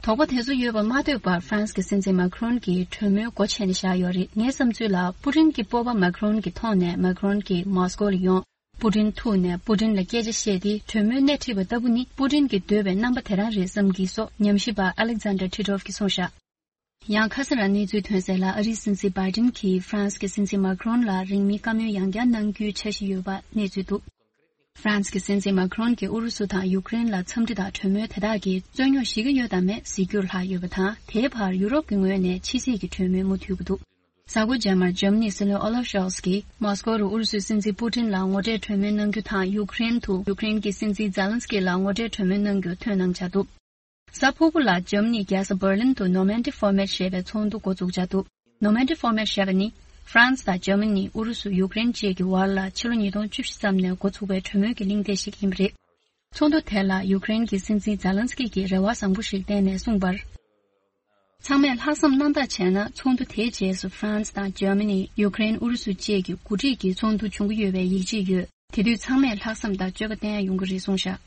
དོགས་པ་དེ་ཚོ་ཡོད་པ་མ་ཐོས་པར་ཧྥ་རན་སི་གི་སྲིད་འཛིན་མཱ་ཁི་རོན་གྱིས་གྲོས་མོལ་སྒོ་ཕྱེ་ནས་བཞག་ཡོད་རེད། ངའི་བསམ་ཚུལ་ལ་པུ་ཏིན་གྱི་སྤོབས་པ་མཱ་ཁི་རོན་གྱི་ཐོག་ནས་མཱ་ཁི་རོན་གྱིས་མོ་སི་ཀོ་ལ་ཡོང་། པུ་ཏིན་ཐུག་ནས་པུ་ཏིན་ལ་སྐད་ཆ་བཤད་དེ་གྲོས་མོལ་སྣེ་ཁྲིད་པ་ལྟ་བུ་ནི་པུ་ཏིན་གྱིས་འདོད་པའི་རྣམ་པ་དེ་རང་རེད་བསམ་གྱི་སོགས་ཉམས་ཞིབ་པ་Alexander Titov གིས་གསུངས་བཞག་ཡང་ཁ་སང་རང་གནས་ཚུལ་ཐོན་གསལ་ལ་ཨ་རིའི་སྲིད་འཛིན་བྷའི་ཏིན་གྱིས་ཧྥ་རན་སི་གི་སྲིད་འཛིན་མཱ་ཁི་རོན་ལ་རིང་མིན་བཀའ་མོལ་ཡང་བསྐྱར་གནང་རྒྱུའི་འཆར་གཞི་ཡོད་པ་གནས་ཚུལ་འདུག་ཧྥ་རན་སི་གི་སྲིད་འཛིན་མཱ་ཁི་རོན་གྱིས་ཨུ་རུ་སུ་དང་ཡུཀ་རེན་ལ་འཚམས་འདྲི་དང་གྲོས་མོལ་དེ་དག་གིས་རྩོད་རྙོག་ཞི་གི་ཡོད་དམ་མེད་གཟིགས་རྒྱུར་ལྷག་ཡོད་པ་དང་། དེའི་བར་ཡུ་རོབ་ཀྱི་ངོས་ནས་ཕྱི་སྲིད་ཀྱི་གྲོས་མོལ་མུ་མཐུད་ཀྱི་འདུག་གཟའ་འཁོར་རྗེས་མར་འཇར་མ་ནིའི་སྲིད་བློན་ཨོ་ལབ་ཤོལ་ཚ་གིས་མོ་སི་ཀོ་རུ་ཨུ་རུ་སུའི་སྲིད་འཛིན་པུ་ཏིན་ལ་ངོ་འཕྲད་གྲོས་མོལ་གནང་རྒྱུ་དང་། ཡུཀ་རེན་དུ་ཡུཀ་རེན་གྱི་སྲིད་འཛིན་ཛེ་ལན་སི་ཀི་ལ་ངོ་འཕྲད་གྲོས་མོལ་གནང་རྒྱུ་ཐུགས་སྣང་བྱ་འདུག་གཟའ་ཕུར་བུ་ལ་འཇར་མ་ནིའི་རྒྱལ་ས་འབར་ལིན་དུ་ནོར་མན་ཌི་ཕོར་མེཊ་ཞེས་པའི་ཚོགས་འདུ་འགོ་འཛུགས་འཆར་འདུག་ནོར་མན་ཌི་ཕོར་མེཊ་ཞེས་པ་ནི་ཧྥ་རན་སི་དང་འཇར་མ་ནི། ཨུ་རུ་སུ། ཡུཀ་རེན་བཅས་ཀྱི་བར་ལ་ཕྱི་ལོ་ཉིས་སྟོང་བཅུ་བཞི་ཙམ་ནས་འགོ་ཚུགས་པའི་གྲོས་མོལ་གྱི་གླེང་སྟེགས་ཤིག་ཡིན་པ་རེད། ཚོགས་འདུ་དེ་ལ་ཡུཀ་རེན་གྱི་སྲིད་འཛིན་ཛེ་ལན་སི་ཀི་གིས་རེ་བ་བཟང་པོ་ཞིག་བསྟན་ནས་གསུངས་པར། ཚང་མས་ལྷག་བསམ་རྣམ་དག་བྱས་ན། ཚོགས་འདུ་དེའི་རྗེས་སུ་ཧྥ་རན་སི་དང་འཇར་མ་ནི། ཡུཀ་རེན། ཨུ་རུ་སུ་བཅས་ཀྱི་འགོ་ཁྲིད་ཀྱི་ཚོགས་འདུ་འབྱུང་གི་ཡོད་པའི་ཡིད་ཆེས་ཡོད། དེ་དུས་ཚང་མས་ལྷག་བསམ་དང་སྤྱོད་པ་བསྟན་ཡ་ཡོང་གི་རེད་གསུངས་བཞག་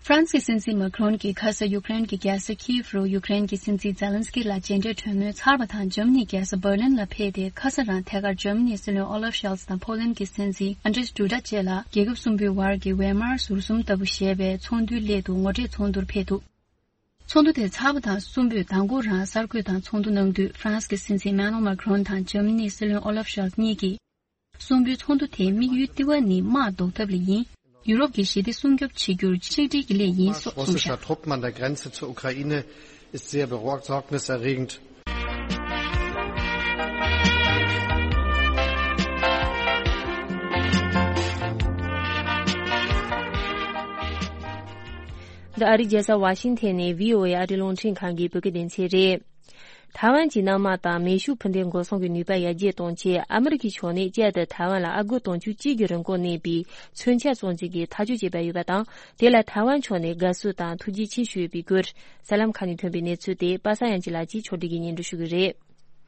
ཧྥ་རན་སིའི་སྲིད་འཛིན་མཱ་ཁི་རོན་གྱིས་ཁ་ས་ཡུཀ་རེན་གྱི་རྒྱལ་ས་ཁིབ་རུ་ཡུཀ་རེན་གྱི་སྲིད་འཛིན་ཛེ་ལན་སི་ཀི་ལ་མཇལ་འཕྲད་གྲོས་མོལ་ཚར་བ་དང་། འཇར་མ་ནིའི་རྒྱལ་ས་འབར་ལིན་ལ་ཕེབས་ཏེ། ཁ་ས་རང་ཐད་ཀར་འཇར་མ་ནིའི་སྲིད་བློན་ཨོ་ལབ་ཤོལ་ཚ་དང་། ཕོ་ལན་གྱི་སྲིད་འཛིན་ཨན་ཌྲེས་ཌུ་ཌ་བཅས་ལ་རྒྱལ་ཁབ་གསུམ་པོའི་བར་གྱི་ཝེ་མར་ཟུར་གསུམ་ལྟ་བུ་ཞེས་པའི་ཚོགས་འདུའི་སླད་དུ་ངོ་འཕྲད་ཚོགས་འདུར་ཕེབས་འདུག་ཚོགས་འདུ་དེ་ཚར་བ་དང་། གསུམ་པོས་མདང་དགོང་རང་གསར་འགོད་དང་ཚོགས་འདུ་གནང་དུས། ཧྥ་རན་སི་གི་སྲིད་འཛིན་མེ་ནོ་མཱ་ཁི་རོན་དང་འཇར་མ་ནིའི་སྲིད་བློན་ཨོ་ལབ་ཤོལ་ཚ་གཉིས་ཀྱིས། གསུམ་པོའི་ཚོགས་འདུ་དེའི་དམིགས་ཡུལ་ལྟེ་བ་ནི་དམག་ཟློག་ཐབས་ལ་ཡིན། ཡུ་རོབ་ཀྱི་ཞི་བདེ་སྲུང་སྐྱོབ་བྱེད་རྒྱུར་ཆིག་སྒྲིལ་གྱི་སླད་ཡིན་སོགས་གསུངས་བཞག Russischer Truppen an der Grenze zur Ukraine ist sehr besorgniserregend. འདི་ཨ་རིའི་རྒྱལ་ས་ཝ་ཤིང་ཐན་ནས་བྷི་ཨོ་ཨེ་ཨ་རིའི་རླུང་འཕྲིན་ཁང་གི་བོད་སྐད་སྡེ་ཚན་རེད། ཐའེ་ཝན་གྱི་གནམ་དམག་དང་མེ་ཤུགས་འཕུར་མདེལ་འགོག་སྲུང་གི་ནུས་པ་ཡར་རྒྱས་གཏོང་ཆེད། ཨ་མི་རི་ཀའི་ཕྱོགས་ནས་བསྐྱར་དུ་ཐའེ་ཝན་ལ་ཨ་སྒོར་དུང་ཕྱུར་གཅིག་གི་རིན་གོང་གནས་པའི་མཚོན་ཆ་བཙོང་རྩིས་ཀྱི་ཐག་གཅོད་བྱས་པ་ཡོད་པ་དང་། དེ་ལ་ཐའེ་ཝན་ཕྱོགས་ནས་དགའ་བསུ་དང་ཐུགས་རྗེ་ཆེ་ཞུས་ཡོད་པའི་སྐོར། གསར་ལམ་ཁག་ནས་ཐོན་པའི་གནས་ཚུལ་དེ་པ་སངས་དབྱངས་སྐྱིད་ལགས་ཀྱིས་ཕྱོགས་སྒྲིག་གིས་སྙན་སྒྲོན་ཞུ་གི་རེད།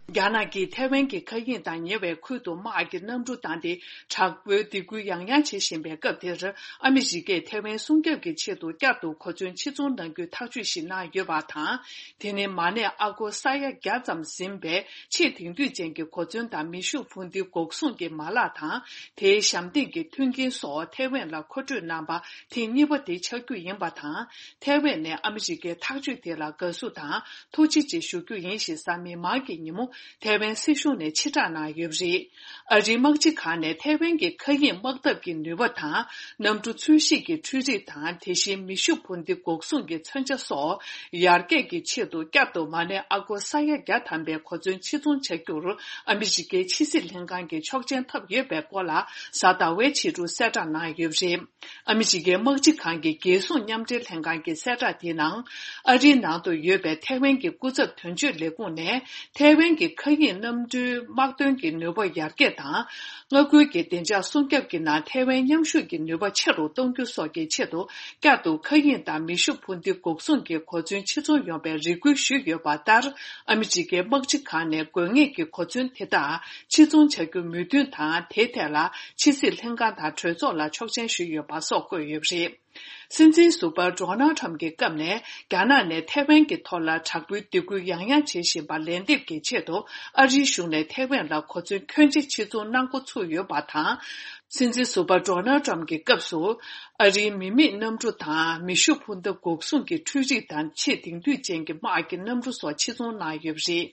རྒྱ་ནག་གིས་ཐའེ་ཝན་གྱི་མཁའ་དབྱིངས་དང་ཉེ་བའི་ཁུལ་དུ་དམག་གི་གནམ་གྲུ་བཏང་སྟེ། དྲག་པོའི་སྡིགས་སྐུལ་ཡང་ཡང་བྱེད་བཞིན་པའི་སྐབས་དེར། ཨ་མི་རི་ཀས་ཐའེ་ཝན་སྲུང་སྐྱོབ་ཀྱི་ཆེད་དུ་བསྐྱར་དུ་གོ་མཚོན་ཕྱིར་ཚོང་གནང་རྒྱུའི་ཐག་གཅོད་ཞིག་གནང་ཡོད་པ་དང་། དེ་ནི་མ་གནས་ཨ་སྒོར་ས་ཡ་བརྒྱ་ཙམ་ཟིན་པའི་ཆེས་དེང་དུས་ཅན་གྱི་གོ་མཚོན་དང་མེ་ཤུགས་འཕུར་མདེལ་འགོག་སྲུང་གི་མ་ལག་དང་། དེའི་ཞབས་འདེགས་ཀྱི་མཐུན་རྐྱེན་སོགས་ཐའེ་ཝན་ལ་མཁོ་སྤྲོད་གནང་པ་ཐེངས་གཉིས་པ་དེ་ཆགས་རྒྱུ་ཡིན་པ་དང་། ཐའེ་ཝན་ནས་ཨ་མི་རི་ཀའི་ཐག་གཅོད་དེ་ལ་དགའ་བསུ་དང་ཐུགས་རྗེ་ཆེ་ཞུ་རྒྱུ་ཡིན་ཞེས་གཟའ་མིག་དམར་གྱི་ཉིན་མོ་ཐའེ་ཝན་སྲིད་གཞུང་ནས་ཕྱིར་བསྒྲགས་གནང་ཡོད་པ་རེད། ཨ་རིའི་དམག་སྤྱི་ཁང་ནས་ཐའེ་ཝན་གྱི་མཁའ་དབྱིངས་དམག་འཐབ་ཀྱི་ནུས་པ་དང་། གནམ་གྲུ་འཚོལ་ཞིབ་ཀྱི་འཕྲུལ་རིག་དང་། དེ་བཞིན་མེ་ཤུགས་འཕུར་མདེལ་འགོག་སྲུང་གི་མཚོན་ཆ་སོགས་ཡར་རྒྱས་ཀྱི་ཆེད་དུ། བསྐྱར་དུ་མ་གནས་ཨ་སྒོར་ས་ཡ་བརྒྱ་ཐམ་པའི་གོ་མཚོན་ཕྱིར་ཚོང་བྱ་རྒྱུར་ཨ་མི་རི་ཀའི་ཕྱི་སྲིད་ལྷན་ཁང་གི་ཆོག་མཆན་ཐོབ་ཡོད་པའི་སྐོར་ལ་གཟའ་ཟླ་བའི་ཕྱི་དྲོ་གསལ་བསྒྲགས་གནང་ཡོད་པ་རེད། ཨ་མི་རི་ཀའི་དམག་སྤྱི་ཁང་གི་རྒྱལ་སྲུང་མཉམ་འབྲེལ་ལྷན་ཁང་གི་གསལ་བསྒྲགས་དེའི་ནང་། ཨ་རིའི་ནང་དུ་ཡོད་པའི་ཐའེ་ཝན་གྱི་སྐུ་ཚབ་དོན་གཅོད་ལས་ཁུངས་ནས། ཐའེ་ཝན་གྱི་མཁའ་དབྱིངས་གནམ་གྲུའི་དམག་དོན་གྱི་ནུས་པ་ཡར་རྒྱས་དང་། མངའ་ཁུལ་གྱི་བདེ་འཇགས་སྲུང་སྐྱོབ་ཀྱི་ནང་ཐའེ་ཝན་མཉམ་ཞུགས་ཀྱི་ནུས་པ་ཆེ་རུ་གཏོང་རྒྱུ་སོགས་ཀྱི་ཆེད་དུ། བསྐྱར་དུ་མཁའ་དབྱིངས་དང་མེ་ཤུགས་འཕུར་མདེལ་འགོག་སྲུང་གི་གོ་མཚོན་ཕྱིར་ཚོང་ཡོང་བའི་རེ་སྐུལ་ཞུས་ཡོད་པ་ལྟར། ཨ་མི་རི་ཀའི་དམག་སྤྱི་ཁང་ནས་དགོས་ངེས་ཀྱི་གོ་མཚོན་དེ་དག་ཕྱིར་ཚོང་བྱ་རྒྱུ་མོས་མཐུན་དང་། དེའི་ཐད་ལ་ཕྱི་སྲིད་ལྷན་ཁང་དང་གྲོས་ཚོགས་ལ་ཆོག་མཆན་ཞུས་ཡོད་པ་སོགས་བཀོད་ཡོད་པ་རེད། སྲིད་འཛིན་ཟུར་པ་ཌོ་ནལ་ཁྲམ་གྱི་སྐབས་ནས། རྒྱ་ནག་ནས་ཐའེ་ཝན་གྱི་ཐོག་ལ་དྲག་པོའི་སྡིགས་སྐུལ་ཡང་ཡང་བྱེད་བཞིན་པར་ལན་འདེབས་ཀྱི་ཆེད་དུ། ཨ་རིའི་གཞུང་ནས་ཐའེ་ཝན་ལ་གོ་མཚོན་ཁྱོན་ཆེ་ཕྱིར་ཚོང་གནང་འགོ་ཚུགས་ཡོད་པ་དང་། སྲིད་འཛིན་ཟུར་པ་ཌོ་ནལ་ཁྲམ་གྱི་སྐབས་སུ། ཨ་རིའི་མི་མེད་གནམ་གྲུ་དང་། མེ་ཤུགས་འཕུར་མདའ་འགོག་སྲུང་གི་འཕྲུལ་རིག་དང་། ཆེས་དེང་དུས་ཅན་གྱི་དམག་གི་གནམ་གྲུ་སོགས་ཕྱིར་ཚོང་གནང་ཡོད་པ་རེད།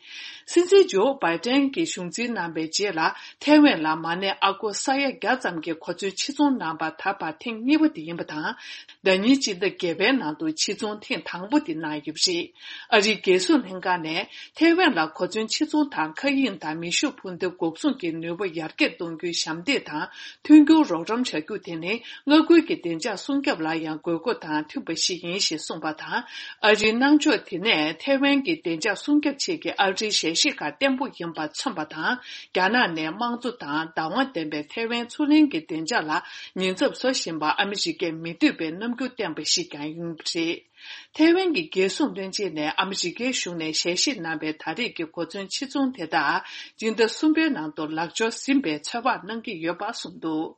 སྲིད་འཛིན་ཇོ་བྷའི་ཏན་གྱིས་གཞུང་འཛིན་གནང་པའི་རྗེས་ལ། ཐའེ་ཝན་ལ་མ་གནས་ཨ་སྒོར་ས་ཡ་བརྒྱ་ཙམ་གྱི་གོ་མཚོན་ཕྱིར་ཚོང་གནང་པ་ད་བར་ཐེངས་གཉིས་པ་དེ་ཡིན་པ་དང་། ཟླ་ཉིན་སྤྱི་ཟླ་བརྒྱད་པའི་ནང་དུ་ཕྱིར་ཚོང་ཐེངས་དང་པོ་དེ་གནང་ཡོད་པ་རེད། ཨ་རིའི་རྒྱལ་སྲུང་ལྷན་ཁང་ནས་ཐའེ་ཝན་ལ་གོ་མཚོན་ཕྱིར་ཚོང་དང་། མཁའ་དབྱིངས་དང་མེ་ཤུགས་འཕུར་མདའ་འགོག་སྲུང་གི་ནུས་པ་ཡར་རྒྱས་གཏོང་རྒྱུའི་ཞབས་འདེགས་དང་མཐུན་འགྱུར་རོགས་རམ་བྱ་རྒྱུ་དེ་ནི། མངའ་ཁུལ་གྱི་བདེ་འཇགས་སྲུང་སྐྱོབ་ལ་ཡང་དགོས་མཁོ་དང་མཐུན་པ་ཞིག་ཡིན་ཞེས་གསུངས་པ་དང་། ཨ་རིའི་གནང་ཕྱོགས་དེ་ནས་ཐའེ་ཝན་གྱི་བདེ་འཇགས་སྲུང་སྐྱོབ་ཆེད་ཀྱི་ཨ་རིའི་ཞལ་བཞེས་ཁག་བརྟན་པོ་ཡིན་པ་མཚོན་པ་དང་། རྒྱ་ནག་ནས་དམངས་གཙོ་དང་བདག་དབང་ལྡན་པའི་ཐའེ་ཝན་མཚོ་གླིང་གི་བདེ་འཇགས་ལ་ཉེན་ཚབས་བཟོ་བཞིན་པ་ཨ་མི་རི་ཀས་མི་འདོད་པའི་རྣམ་འགྱུར་བསྟན་པ་ཞིག་ཀྱང་ཡིན་པ་རེད། ཐའེ་ཝན་གྱི་རྒྱལ་སྲུང་བློན་ཆེན་ནས་ཨ་མི་རི་ཀའི་གཞུང་ནས་ཞལ་བཞེས་གནང་པའི་ད་རེས་ཀྱི་གོ་མཚོན་ཕྱིར་ཚོང་དེ་དག་སྤྱི་ཟླ་གསུམ་པའི་ནང་དུ་ལག་འབྱོར་ཟིན་པའི་ཚོད་དཔག་གནང་གི་ཡོད་པ་གསུངས་འདུག་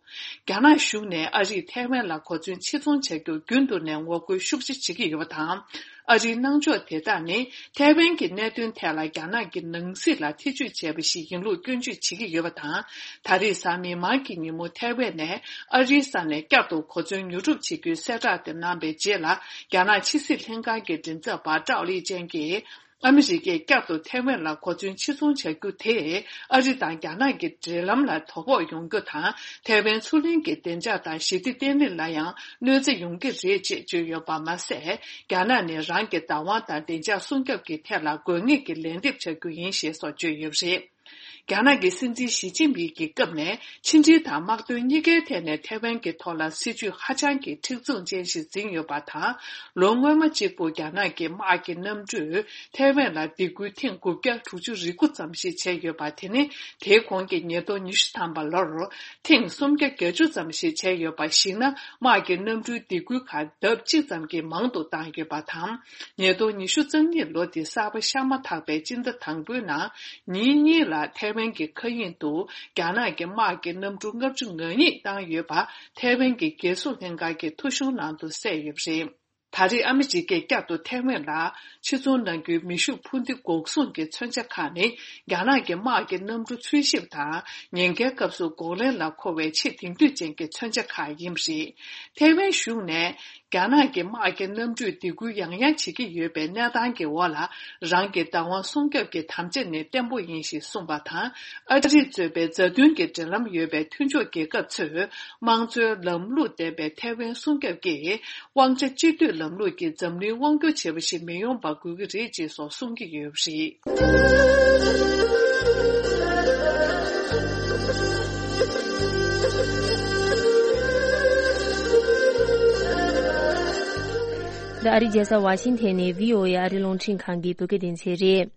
རྒྱ་ནག་གཞུང་ནས་ཨ་རིས་ཐའེ་ཝན་ལ་གོ་མཚོན་ཕྱིར་ཚོང་བྱ་རྒྱུར་རྒྱུན་དུ་ནས་ངོ་རྒོལ་ཤུགས་ཆེ་བྱེད་ཀྱི་ཡོད་པ་དང་། ཨ་རིའི་གནང་ཕྱོགས་དེ་དག་ནི་ཐའེ་ཝན་གྱི་གནད་དོན་ཐད་ལ་རྒྱ་ནག་གི་ནང་སྲིད་ལ་ཐེ་བྱུས་བྱས་པ་ཞིག་ཡིན་ལུགས་སྐྱོན་བརྗོད་བྱེད་ཀྱི་ཡོད་པ་དང་། ད་རེས་གཟའ་མིག་དམར་གྱི་ཉིན་མོ་ཐའེ་ཝན་ནས་ཨ་རིའི་ས་ནས་བསྐྱར་དུ་གོ་མཚོན་ཉོ་སྒྲུབ་བྱེད་རྒྱུའི་གསལ་བསྒྲགས་དེ་གནང་པའི་རྗེས་ལ། རྒྱ་ནག་ཕྱི་སྲིད་ལྷན་ཁང་གི་མགྲིན་ཚབ་པ་ཀྲའོ་ལི་ཅན་གྱིས། ཨ་མི་རི་ཀས་བསྐྱར་དུ་ཐའེ་ཝན་ལ་གོ་མཚོན་ཕྱིར་ཚོང་བྱ་རྒྱུ་དེས་ཨ་རི་དང་རྒྱ་ནག་གི་འབྲེལ་ལམ་ལ་དོ་ཕོག་ཡོང་རྒྱུ་དང་། ཐའེ་ཝན་མཚོ་གླིང་གི་བདེ་འཇགས་དང་ཞི་བདེ་བརྟན་ལྷིང་ལ་ཡང་གནོད་འཚེ་ཡོང་གི་རེད་ཅེས་བརྗོད་ཡོད་པ་མ་ཟད། རྒྱ་ནག་ནས་རང་གི་བདག་དབང་དང་བདེ་འཇགས་སྲུང་སྐྱོབ་ཀྱི་ཐད་ལ་དགོས་ངེས་ཀྱི་ལན་འདེབས་བྱ་རྒྱུ་ཡིན་ཞེས་སོགས་བརྗོད་ཡོད་པ་རེད། རྒྱ་ནག་གི་སྲིད་འཛིན་ཞི་ཅིན་ཕིང་གི་སྐབས་ནས་ཕྱི་འབྲེལ་དང་དམག་དོན་གཉིས་ཀའི་ཐད་ནས་ཐའེ་ཝན་གྱི་ཐོག་ལ་སྲིད་ཇུས་ཧ་ཅང་གི་མཁྲེགས་བཟུང་ཅན་ཞིག་འཛིན་ཡོད་པ་དང་། ལོ་སྔོན་མ་གཅིག་པུ་རྒྱ་ནག་གི་དམག་གི་གནམ་གྲུས་ཐའེ་ཝན་ལ་སྡིགས་སྐུལ་ཐེངས་དགུ་བརྒྱ་དྲུག་ཅུ་རེ་དགུ་ཙམ་ཞིག་བྱས་ཡོད་པ། དེ་ནི་དེའི་གོང་གི་ཉིས་སྟོང་ཉི་ཤུ་ཐམ་པ་ལོར་ཐེངས་སུམ་བརྒྱ་བརྒྱད་ཅུ་ཙམ་ཞིག་བྱས་ཡོད་པ། གཞིགས་ན། དམག་གི་གནམ་གྲུའི་སྡིགས་སྐུལ་ཁག་ལྡབ་གཅིག་ཙམ་གྱིས་མང་དུ་བཏང་ཡོད་པ་དང་། ཉིས་སྟོང་ཉི་ཤུ་རྩ་གཉིས་ལོ་དེ་གསར་པ་ཤར་མ་ཐག་པའི་སྤྱི་ཟླ་དང་པོའི་ནང་། ཉིན་གཉིས་ལ་ཐའེ་ཝན་གྱི་མཁའ་དབྱིངས་དུ་རྒྱ་ནག་གི་དམག་གི་གནམ་གྲུ་ལྔ་བཅུ་ང་གཉིས་བཏང་ཡོད་པ། ཐའེ་ཝན་གྱི་རྒྱལ་སྲུང་ལྷན་ཁང་གི་ཐོ་གཞུང་ནང་དུ་གསལ་ཡོད་པ་རེད། ད་རེས་ཨ་མི་རི་ཀས་བསྐྱར་དུ་ཐའེ་ཝན་ལ་ཕྱིར་ཚོང་གནང་རྒྱུའི་མེ་ཤུགས་འཕུར་མདེལ་འགོག་སྲུང་གི་མཚོན་ཆ་ཁག་ནི། རྒྱ་ནག་གི་དམག་གི་གནམ་གྲུ་འཚོལ་ཞིབ་དང་ཉེན་ཁའི་སྐབས་སུ་འགོག་ལན་ལ་མཁོ་བའི་ཆེས་དེང་དུས་ཅན་གྱི་མཚོན་ཆ་ཁག་ཡིན་པ་རེད། ཐའེ་ཝན་གཞུང་ནས། རྒྱ་ནག་གི་དམག་གི་གནམ་གྲུས་སྡིགས་སྐུལ་ཡང་ཡང་བྱེད་ཀྱི་ཡོད་པའི་གནས་སྟངས་ཀྱི་འོག་ལ། རང་གི་བདག་དབང་སྲུང་སྐྱོབ་ཀྱི་དམ་བཅའ་ནི་བརྟན་པོ་ཡིན་ཞེས་གསུངས་པ་དང་། ཨ་རི་གཙོས་པའི་མཛའ་མཐུན་གྱི་འབྲེལ་ལམ་ཡོད་པའི་མཐུན་ཕྱོགས་རྒྱལ་ཁབ་ཚོས། དམངས་གཙོའི་ལམ་ལུགས་ལྡན་པའི་ཐའེ་ཝན་སྲུང་སྐྱོབ་ཀྱིས། དབང་ཆ་གཅིག་སྡུད་ལམ་ལུགས་ཀྱིས་འཛམ་གླིང་དབང་སྒྱུར་བྱེད་པ་ཞིག་མི་ཡོང་བ་དགོས་ཀྱི་རེད་ཅེས་སོགས་གསུང་གི་ཡོད་པ་རེད། འདི་ཨ་རིའི་རྒྱལ་ས་ཝ་ཤིང་ཐན་ནས་བྷི་ཨོ་ཨེ་ཨ་རིའི་རླུང་འཕྲིན་ཁང་གི་བོད་སྐད་སྡེ་ཚན་རེད།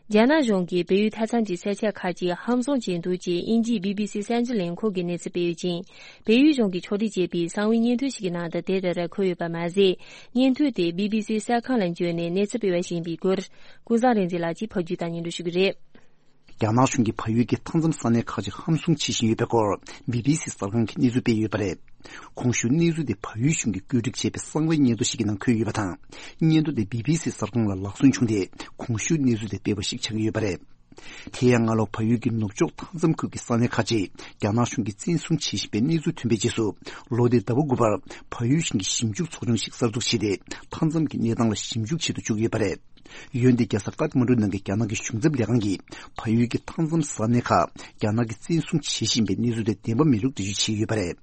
རྒྱ་ནག་གཞུང་གིས་བལ་ཡུལ་མཐའ་མཚམས་ཀྱི་ས་ཆ་ཁག་ཅིག་ཧམ་བཟུང་བྱས་འདུག་ཅེས་དབྱིན་ཇིའི་བྷི་བྷི་སི་གསར་འགྱུར་ལས་ཁུངས་ཀྱིས་གནས་ཚུལ་སྤེལ་ཡོད་ཅིང་། བལ་ཡུལ་གཞུང་གིས་ཕྱོགས་སྒྲིག་བྱས་པའི་གསང་བའི་བརྙན་ཐུང་ཞིག་གི་ནང་དུ་དེ་ལྟར་འཁོད་ཡོད་པ་མ་ཟད། བརྙན་ཐུང་དེ་བྷི་བྷི་སིའི་གསར་ཁང་ལ་བརྒྱུད་ནས་གནས་ཚུལ་སྤེལ་བ་ཞིག་ཡིན་པའི་སྐོར། ཀུན་བཟང་རིག་འཛིན་ལགས་ཀྱིས་ཕབ་སྒྱུར་དང་སྙན་སྒྲོན་ཞུ་གི་རེད། རྒྱ་ནག་གཞུང་གིས་བལ་ཡུལ་གྱི་མཐའ་མཚམས་ས་གནས་ཁག་ཅིག་ཧམ་བཟུང་བྱེད་བཞིན་ཡོད་པའི་སྐོར་བྷི་བྷི་སི་གསར་ཁང་གིས་གནས་ཚུལ་སྤེལ་ཡོད་པ་རེད། གོང་ཞུས་གནས་ཚུལ་དེ་བལ་ཡུལ་གཞུང་གིས་བཀོད་སྒྲིག་བྱས་པའི་གསང་བའི་བརྙན་ཐུང་ཞིག་གི་ནང་འཁོད་ཡོད་པ་དང་། བརྙན་ཐུང་དེ་བྷི་བྷི་སི་གསར་ཁང་ལ་ལག་སོན་བྱུང་སྟེ། གོང་ཞུས་གནས་ཚུལ་དེ་སྤེལ་བ་ཞིག་ཆགས་ཀྱི་ཡོད་པ་རེད། དེ་ཡང་སྔ་ལོ་བལ་ཡུལ་གྱི་ནུབ་ཕྱོགས་མཐའ་མཚམས་ཁུལ་གྱི་ས་གནས་ཁག་ཅིག་རྒྱ་ནག་གཞུང་གིས་བཙན་བཟུང་བྱེད་བཞིན་པའི་གནས་ཚུལ་ཐོན་པའི་རྗེས་སུ། ལོ་འདིའི་ཟླ་བ་དགུ་པར་བལ་ཡུལ་གཞུང་གིས་ཞིབ་འཇུག་ཚོགས་ཆུང་ཞིག་གསར་འཛུགས་བྱས་ཏེ། མཐའ་མཚམས་ཀྱི་གནས་སྟངས་ལ་ཞིབ་འཇུག་བྱེད་དུ་བཅུག་ཡོད་པ་རེད། འོན་ཏེ་རྒྱལ་ས་ཀ་ཐ་མན་གྲུ་ནང་གི་རྒྱ་ནག་གི་གཞུང་ཚབ་ལས་ཁང་གིས་བལ་ཡུལ་གྱི་མཐའ་མཚམས་ས་གནས་ཁག་རྒྱ་ནག་གིས་བཙན་བཟུང་བྱེད་བཞིན་པའི་གནས་ཚུལ་དེ་བདེན་པ་མིན་ལུགས་འགྲེལ་བརྗོད་བྱས་ཡོད་པ་རེད།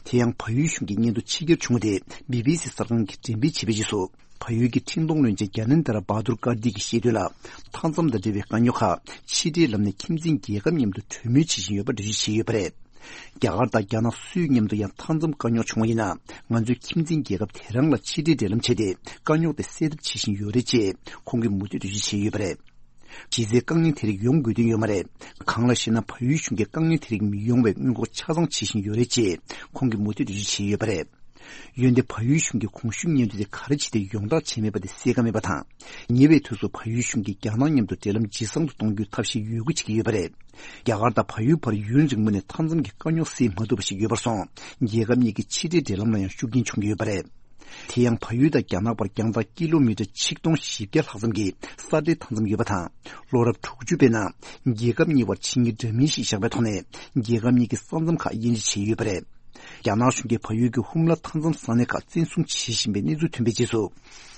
དེ་ཡང་བལ་ཡུལ་གཞུང་གི་སྙན་ཐོ་ཕྱི་གྱེར་བྱུང་བ་དེ་བྷི་བྷི་སི་གསར་ཁང་གིས་འགྲེམས་སྤེལ་བྱས་པའི་རྗེས་སུ། བལ་ཡུལ་གྱི་འཕྲིན་གཏོང་བློན་ཆེན་གྱ་ནན་དྷ་ར་བྷ་དུར་ཀར་ཏི་གིས་བཤད་དོན་ལ། མཐའ་མཚམས་དང་འབྲེལ་བའི་དཀའ་རྙོག་ཁག་ཕྱི་འབྲེལ་ལམ་ནས་ཁྱིམ་མཚེས་རྒྱལ་ཁབ་མཉམ་དུ་གྲོས་མོལ་བྱེད་བཞིན་ཡོད་པ་འགྲེལ་བརྗོད་བྱས་ཡོད་པ་རེད། རྒྱ་གར་དང་རྒྱ་ནག་སུའི་མཉམ་དུ་ཡང་མཐའ་མཚམས་དཀའ་རྙོག་བྱུང་བ་ཡིན་ན། ང་ཚོས་ཁྱིམ་མཚེས་རྒྱལ་ཁབ་དེ་རང་ལ་ཕྱི་འབྲེལ་འབྲེལ་ལམ་བྱས་ཏེ། དཀའ་རྙོག་དེ་སེལ་ཐབས་བྱེད་བཞིན་ཡོད་རེད་ཅེས་ཁོང་གིས་མུ་མཐུད་འགྲེལ་བརྗོད་བྱས་ཡོད་པ་རེད། གཞི་རྩའི་དཀའ་ངལ་དེ་རིགས་ཡོང་དགོས་དོན་ཡོད་མ་རེད། གང་ལགས་ཤེ་ན། བལ་ཡུལ་གཞུང་གིས་དཀའ་ངལ་དེ་རིགས་མི་ཡོང་བའི་སྔོན་འགོག་ཆ་ཚང་བྱེད་བཞིན་ཡོད་རེད་ཅེས་ཁོང་གིས་མུ་མཐུད་འགྲེལ་བརྗོད་བྱས་ཡོད་པ་རེད། འོན་ཏེ་བལ་ཡུལ་གཞུང་གིས་གོང་ཞུས་སྙན་ཐོ་དེ་ག་རེ་བྱས་ཏེ་ཡོངས་བསྒྲགས་བྱས་མེད་པ་དེ་གསལ་ཁ་མེད་པ་དང་། ཉེ་བའི་དུས་སུ་བལ་ཡུལ་གཞུང་གིས་རྒྱ་ནག་མཉམ་དུ་འབྲེལ་ལམ་ཇེ་བཟང་དུ་གཏོང་རྒྱུའི་ཐབས་ཤེས་ཡོད་རྒུ་བྱེད་ཀྱི་ཡོད་པ་རེད། རྒྱ་གར་དང་བལ་ཡུལ་བར་ཡུན་རིང་པོ་ནས་མཐའ་མཚམས་ཀྱི་དཀའ་རྙོག་སེལ་མ་ཐུབ་པ་ཞིག་ཡོད་པར་སོང་། རྒྱལ་ཁབ་གཉིས་ཀྱི་ཕྱི་འབྲེལ་འབྲེལ་ལམ་ལ་ཡང་ཤུགས་རྐྱེན་བྱུང་གི་ཡོད་པ་རེད། དེ་ཡང་བལ་ཡུལ་དང་རྒྱ་ནག་བར་རྒྱང་ཐག་ཀི་ལོ་མི་ཊར་ཆིག་སྟོང་བཞི་བརྒྱ་ལྷག་ཙམ་གྱི་ས་འབྲེལ་མཐའ་མཚམས་ཡོད་པ་དང་། ལོ་རབས་དྲུག་ཅུ་པའི་ནང་རྒྱལ་ཁབ་གཉིས་བར་ཕྱི་དངུལ་འདྲ་མིན་ཞིག་བཞག་པའི་ཐོག་ནས་རྒྱལ་ཁབ་གཉིས་ཀྱི་ས་མཚམས་ཁག་དབྱེ་འབྱེད་བྱས་ཡོད་པ་རེད། རྒྱ་ནག་གཞུང་གིས་བལ་ཡུལ་གྱི་ཧུམ་ལ་མཐའ་མཚམས་ས་གནས་ཁག་བཙན་བཟུང་བྱེད་བཞིན་པའི་གནས་ཚུལ་ཐོན་པའི་རྗེས་སུ།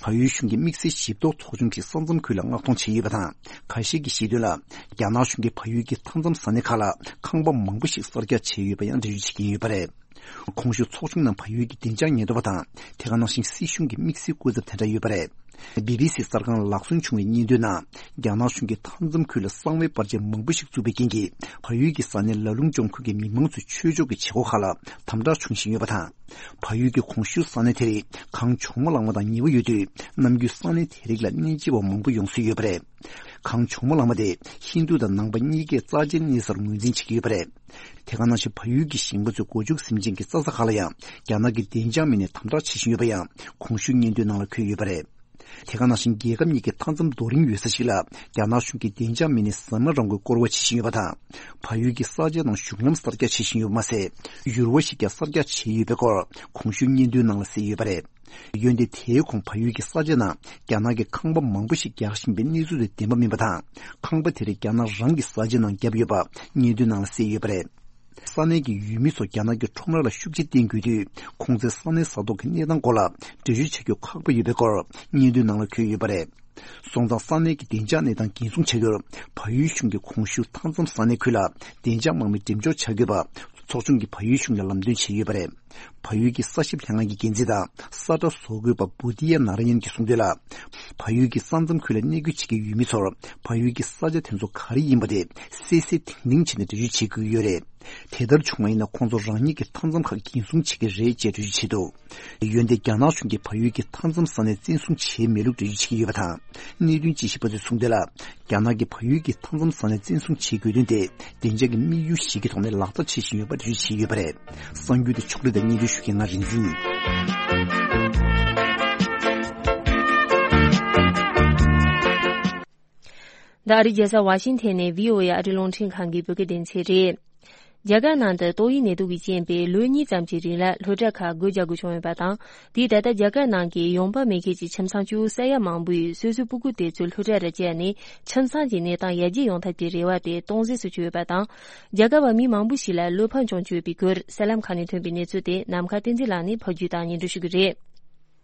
བལ་ཡུལ་གཞུང་གི་དམིགས་བསལ་ཞིབ་རྟོག་ཚོགས་ཆུང་གིས་ས་མཚམས་ཁུལ་ལ་མངགས་གཏོང་བྱས་ཡོད་པ་དང་། ཁ་ཤས་ཀྱིས་བཤད་དོན་ལ། རྒྱ་ནག་གཞུང་གིས་བལ་ཡུལ་གྱི་མཐའ་མཚམས་ས་གནས་ཁག་ལ་ཁང་པ་མང་པོ་ཞིག་གསར་རྒྱག་བྱས་ཡོད་པ་ཡང་འགྲེལ་བརྗོད་བྱེད་ཀྱིན་ཡོད་པ་རེད། གོང་ཞུས་ཚོགས་ཆུང་ནང་བལ་ཡུལ་གྱི་བདེ་འཇགས་ཉེན་རྟོག་པ་དང་། དེ་ག་ནང་བཞིན་སྲིད་གཞུང་གི་དམིགས་བསལ་སྐུ་ཚབ་དེ་འདྲ་ཡོད་པ་རེད། བྷི་བྷི་སི་གསར་ཁང་ལ་ལག་སོན་བྱུང་བའི་སྙན་ཐོའི་ནང་། རྒྱ་ནག་གཞུང་གིས་མཐའ་མཚམས་ཁུལ་ལ་གསང་བའི་པར་ཆས་མང་པོ་ཞིག་བཙུགས་པའི་རྐྱེན་གྱིས། བལ་ཡུལ་གྱི་ས་གནས་ལ་ལུང་ལྗོངས་ཁུལ་གྱི་མི་མང་ཚོའི་ཆོས་ཕྱོགས་ཀྱི་བྱེད་སྒོ་ཁག་ལ་དམ་དྲག་བྱུང་བཞིན་ཡོད་པ་དང་། བལ་ཡུལ་གྱི་གོང་ཞུས་ས་གནས་དེ་རིགས་གངས་ལྗོངས་མ་གླང་མ་དང་ཉེ་བོ་ཡོད་དུས། ནམ་རྒྱུན་ས་གནས་དེ་རིགས་ལ་གནས་མཇལ་བ་མང་པོ་ཡོང་སྲོལ་ཡོད་པ་རེད། གངས་ལྗོངས་མ་གླང་མ་དེ་ཧིན་རྡུ་དང་ནང་པ་གཉིས་ཀས་རྩ་ཆེན་གནས་སར་ངོས་འཛིན་བྱེད་ཀྱི་ཡོད་པ་རེད། དེ་ག་ནང་བཞིན་བལ་ཡུལ་གྱི་ཞིང་པ་ཚོའི་སྒོ་ཕྱུགས་ཟིན་བྱིན་གྱི་རྩྭ་ས་ཁག་ལ་ཡང་རྒྱ་ནག་གི་བདེ་འཇགས་མི་སྣས་དམ་དྲག་བྱེད་བཞིན་ཡོད་པ་ཡང་གོང་ཞུས་སྙན་ཐོའི་ནང་ལ་འཁོད་ཡོད་པ་རེད། དེ་ག་ནང་བཞིན་རྒྱལ་ཁབ་གཉིས་ཀྱི་མཐའ་མཚམས་རྡོ་རིང་ཡོད་ས་ཞིག་ལ་རྒྱ་ནག་གཞུང་གི་བདེ་འཇགས་མི་སྣས་ཟ་མ་རང་མགོས་སྐོར་བ་བྱེད་བཞིན་ཡོད་པ་དང་། བལ་ཡུལ་གྱི་ས་ཆ་ནང་གཞུང་ལམ་གསར་རྒྱག་བྱེད་བཞིན་ཡོད་པ་མ་ཟད། ཡུར་བ་ཞིག་ཀྱང་གསར་རྒྱག་བྱས་ཡོད་པའི་སྐོར་གོང་ཞུས་སྙན་ཐོའི་ནང་ལ་གསལ་ཡོད་པ་རེད། འོན་ཏེ་དེའི་གོང་བལ་ཡུལ་གྱི་ས་ཆ་ནང་རྒྱ་ནག་གིས་ཁང་པ་མང་པོ་ཞིག་རྒྱག་བཞིན་པའི་གནས་ཚུལ་དེ་བདེན་པ་མིན་པ་དང་། ཁང་པ་དེ་རིགས་རྒྱ་ནག་རང་གི་ས་ཆ་ནང་བརྒྱབ་ཡོད་པ་སྙན་ཐོའི་ནང་ལ་གསལ་ཡོད་པ་རེད། ས་གནས་ཀྱི་ཡུལ་མི་ཚོ་རྒྱ་ནག་གི་ཁྲོམ་ར་ལ་ཤུགས་རྐྱེན་བསྟེན་དགོས་དུས། ཁོང་ཚོའི་ས་གནས་ས་ཐོག་གི་གནས་སྟངས་སྐོར་ལ་འགྲེལ་བརྗོད་བྱ་རྒྱུ་ཁག་པོ་ཡོད་པའི་སྐོར་སྙན་ཐོའི་ནང་ལ་འཁོད་ཡོད་པ་རེད། སོང་ཙང་ས་གནས་ཀྱི་བདེ་འཇགས་གནས་སྟངས་འགན་སྲུང་བྱ་རྒྱུར་བལ་ཡུལ་གཞུང་གིས་གོང་ཞུས་མཐའ་མཚམས་ས་གནས་ཁུལ་ལ་བདེ་འཇགས་དམག་མི་འགྲེམས་འཇོག་བྱ་དགོས་པ་ཚོགས་ཆུང་གིས་བལ་ཡུལ་གཞུང་ལ་ལམ་སྟོན་བྱས་ཡོད་པ་རེད། བལ་ཡུལ་གྱི་ས་ཞབས་ལྷན་ཁང་གི་འགན་འཛིན་དང་ས་ཁྲ་བཟོ་དགོས་པ་བུ་དི་ཡ་ན་ར་ཡན་གྱིས་གསུངས་དོན་ལ། བལ་ཡུལ་གྱི་ས་མཚམས་ཁུལ་ལ་གནས་སྐྱོད་བྱེད་ཀྱི་ཡུལ་མི་ཚོར་བལ་ཡུལ་གྱི་ས་ཆ་དེ་ཚོ་ག་རེ་ཡིན་པ་དེ་གསལ་གསལ་ཐིང་ཐིང་བྱས་ནས་འགྲེལ་བརྗོད་བྱེད་དགོས་ཀྱི་ཡོད་རེད། དེ་ལྟར་བྱུང་བ་ཡིན་ན་ཁོང་ཚོ་རང་ཉིད་ཀྱི་མཐའ་མཚམས་ཁག་འགན་སྲུང་བྱེད་ཀྱི་རེད་ཅེས་འགྲེལ་བརྗོད་བྱས་འདུག། འོན་ཏེ་རྒྱ་ནག་གཞུང་གིས་བལ་ཡུལ་གྱི་མཐའ་མཚམས་ས་གནས་བཙན་བཟུང་བྱས་མེད་ལུགས་འགྲེལ་བརྗོད་བྱེད་ཀྱི་ཡོད་པ་དང་། གནད་དོན་དཔྱད་ཞིབ་པ་ཚོས་གསུངས་དོན་ལ། རྒྱ་ནག་གིས་བལ་ཡུལ་གྱི་མཐའ་མཚམས་ས་གནས་བཙན་བཟུང་བྱེད་དགོས་དོན་དེ་བདེ་འཇགས་ཀྱི་དམིགས་ཡུལ་ཞིག་གི་ཐོག་ནས་ལག་བསྟར་བྱེད་བཞིན་ཡོད་པ་འགྲེལ་བརྗོད་བྱས་ཡོད་པ་རེད། གསར་འགྱུར་དེ་ཕྱོགས་སྒྲིག་དང་སྙན་སྒྲོན་ཞུ་མཁན་ང་རིག་འཛིན། འདི་ཨ་རིའི་རྒྱལ་ས་ཝ་ཤིང་ཐན་ནས་བྷི་ཨོ་ཨེ་ཨ་རིའི་རླུང་འཕྲིན་ཁང་གི་བོད་སྐད་སྡེ་ཚན་རེད། རྒྱ་གར་ནང་དུ་ཏོག་དབྱིབས་ནད་དུག་གི་རྐྱེན་པས་ལོ་གཉིས་ཙམ་གྱི་རིང་ལ་སློབ་གྲྭ་ཁག་སྒོ་རྒྱག་དགོས་བྱུང་ཡོད་པ་དང་། དེས་ད་ལྟ་རྒྱ་གར་ནང་གི་ཡོང་འབབ་མེད་མཁན་གྱི་ཁྱིམ་ཚང་བཅུ་ས་ཡ་མང་པོས་སོ་སོའི་སྤུ་གུ་དེ་ཚོ་སློབ་གྲྭ་རུ་བསྐྱལ་ནས་ཁྱིམ་ཚང་གི་གནས་སྟངས་ཡར་རྒྱས་ཡོང་ཐབས་ཀྱི་རེ་བ་དེ་སྟོང་ཟད་སུ་གྱུར་ཡོད་པ་དང་། རྒྱ་གར་བ་མི་མང་པོ་ཞིག་ལ་བློ་ཕམ་བྱུང་ཡོད་པའི་སྐོར་གསར་ལམ་ཁག་ནས་ཐོན་པའི་གནས་ཚུལ་དེ་ནམ་མཁའ་བསྟན་འཛིན་ལགས་ནས་ཕབ་སྒྱུར་དང་སྙན་སྒྲོན་ཞུ་གི་རེད།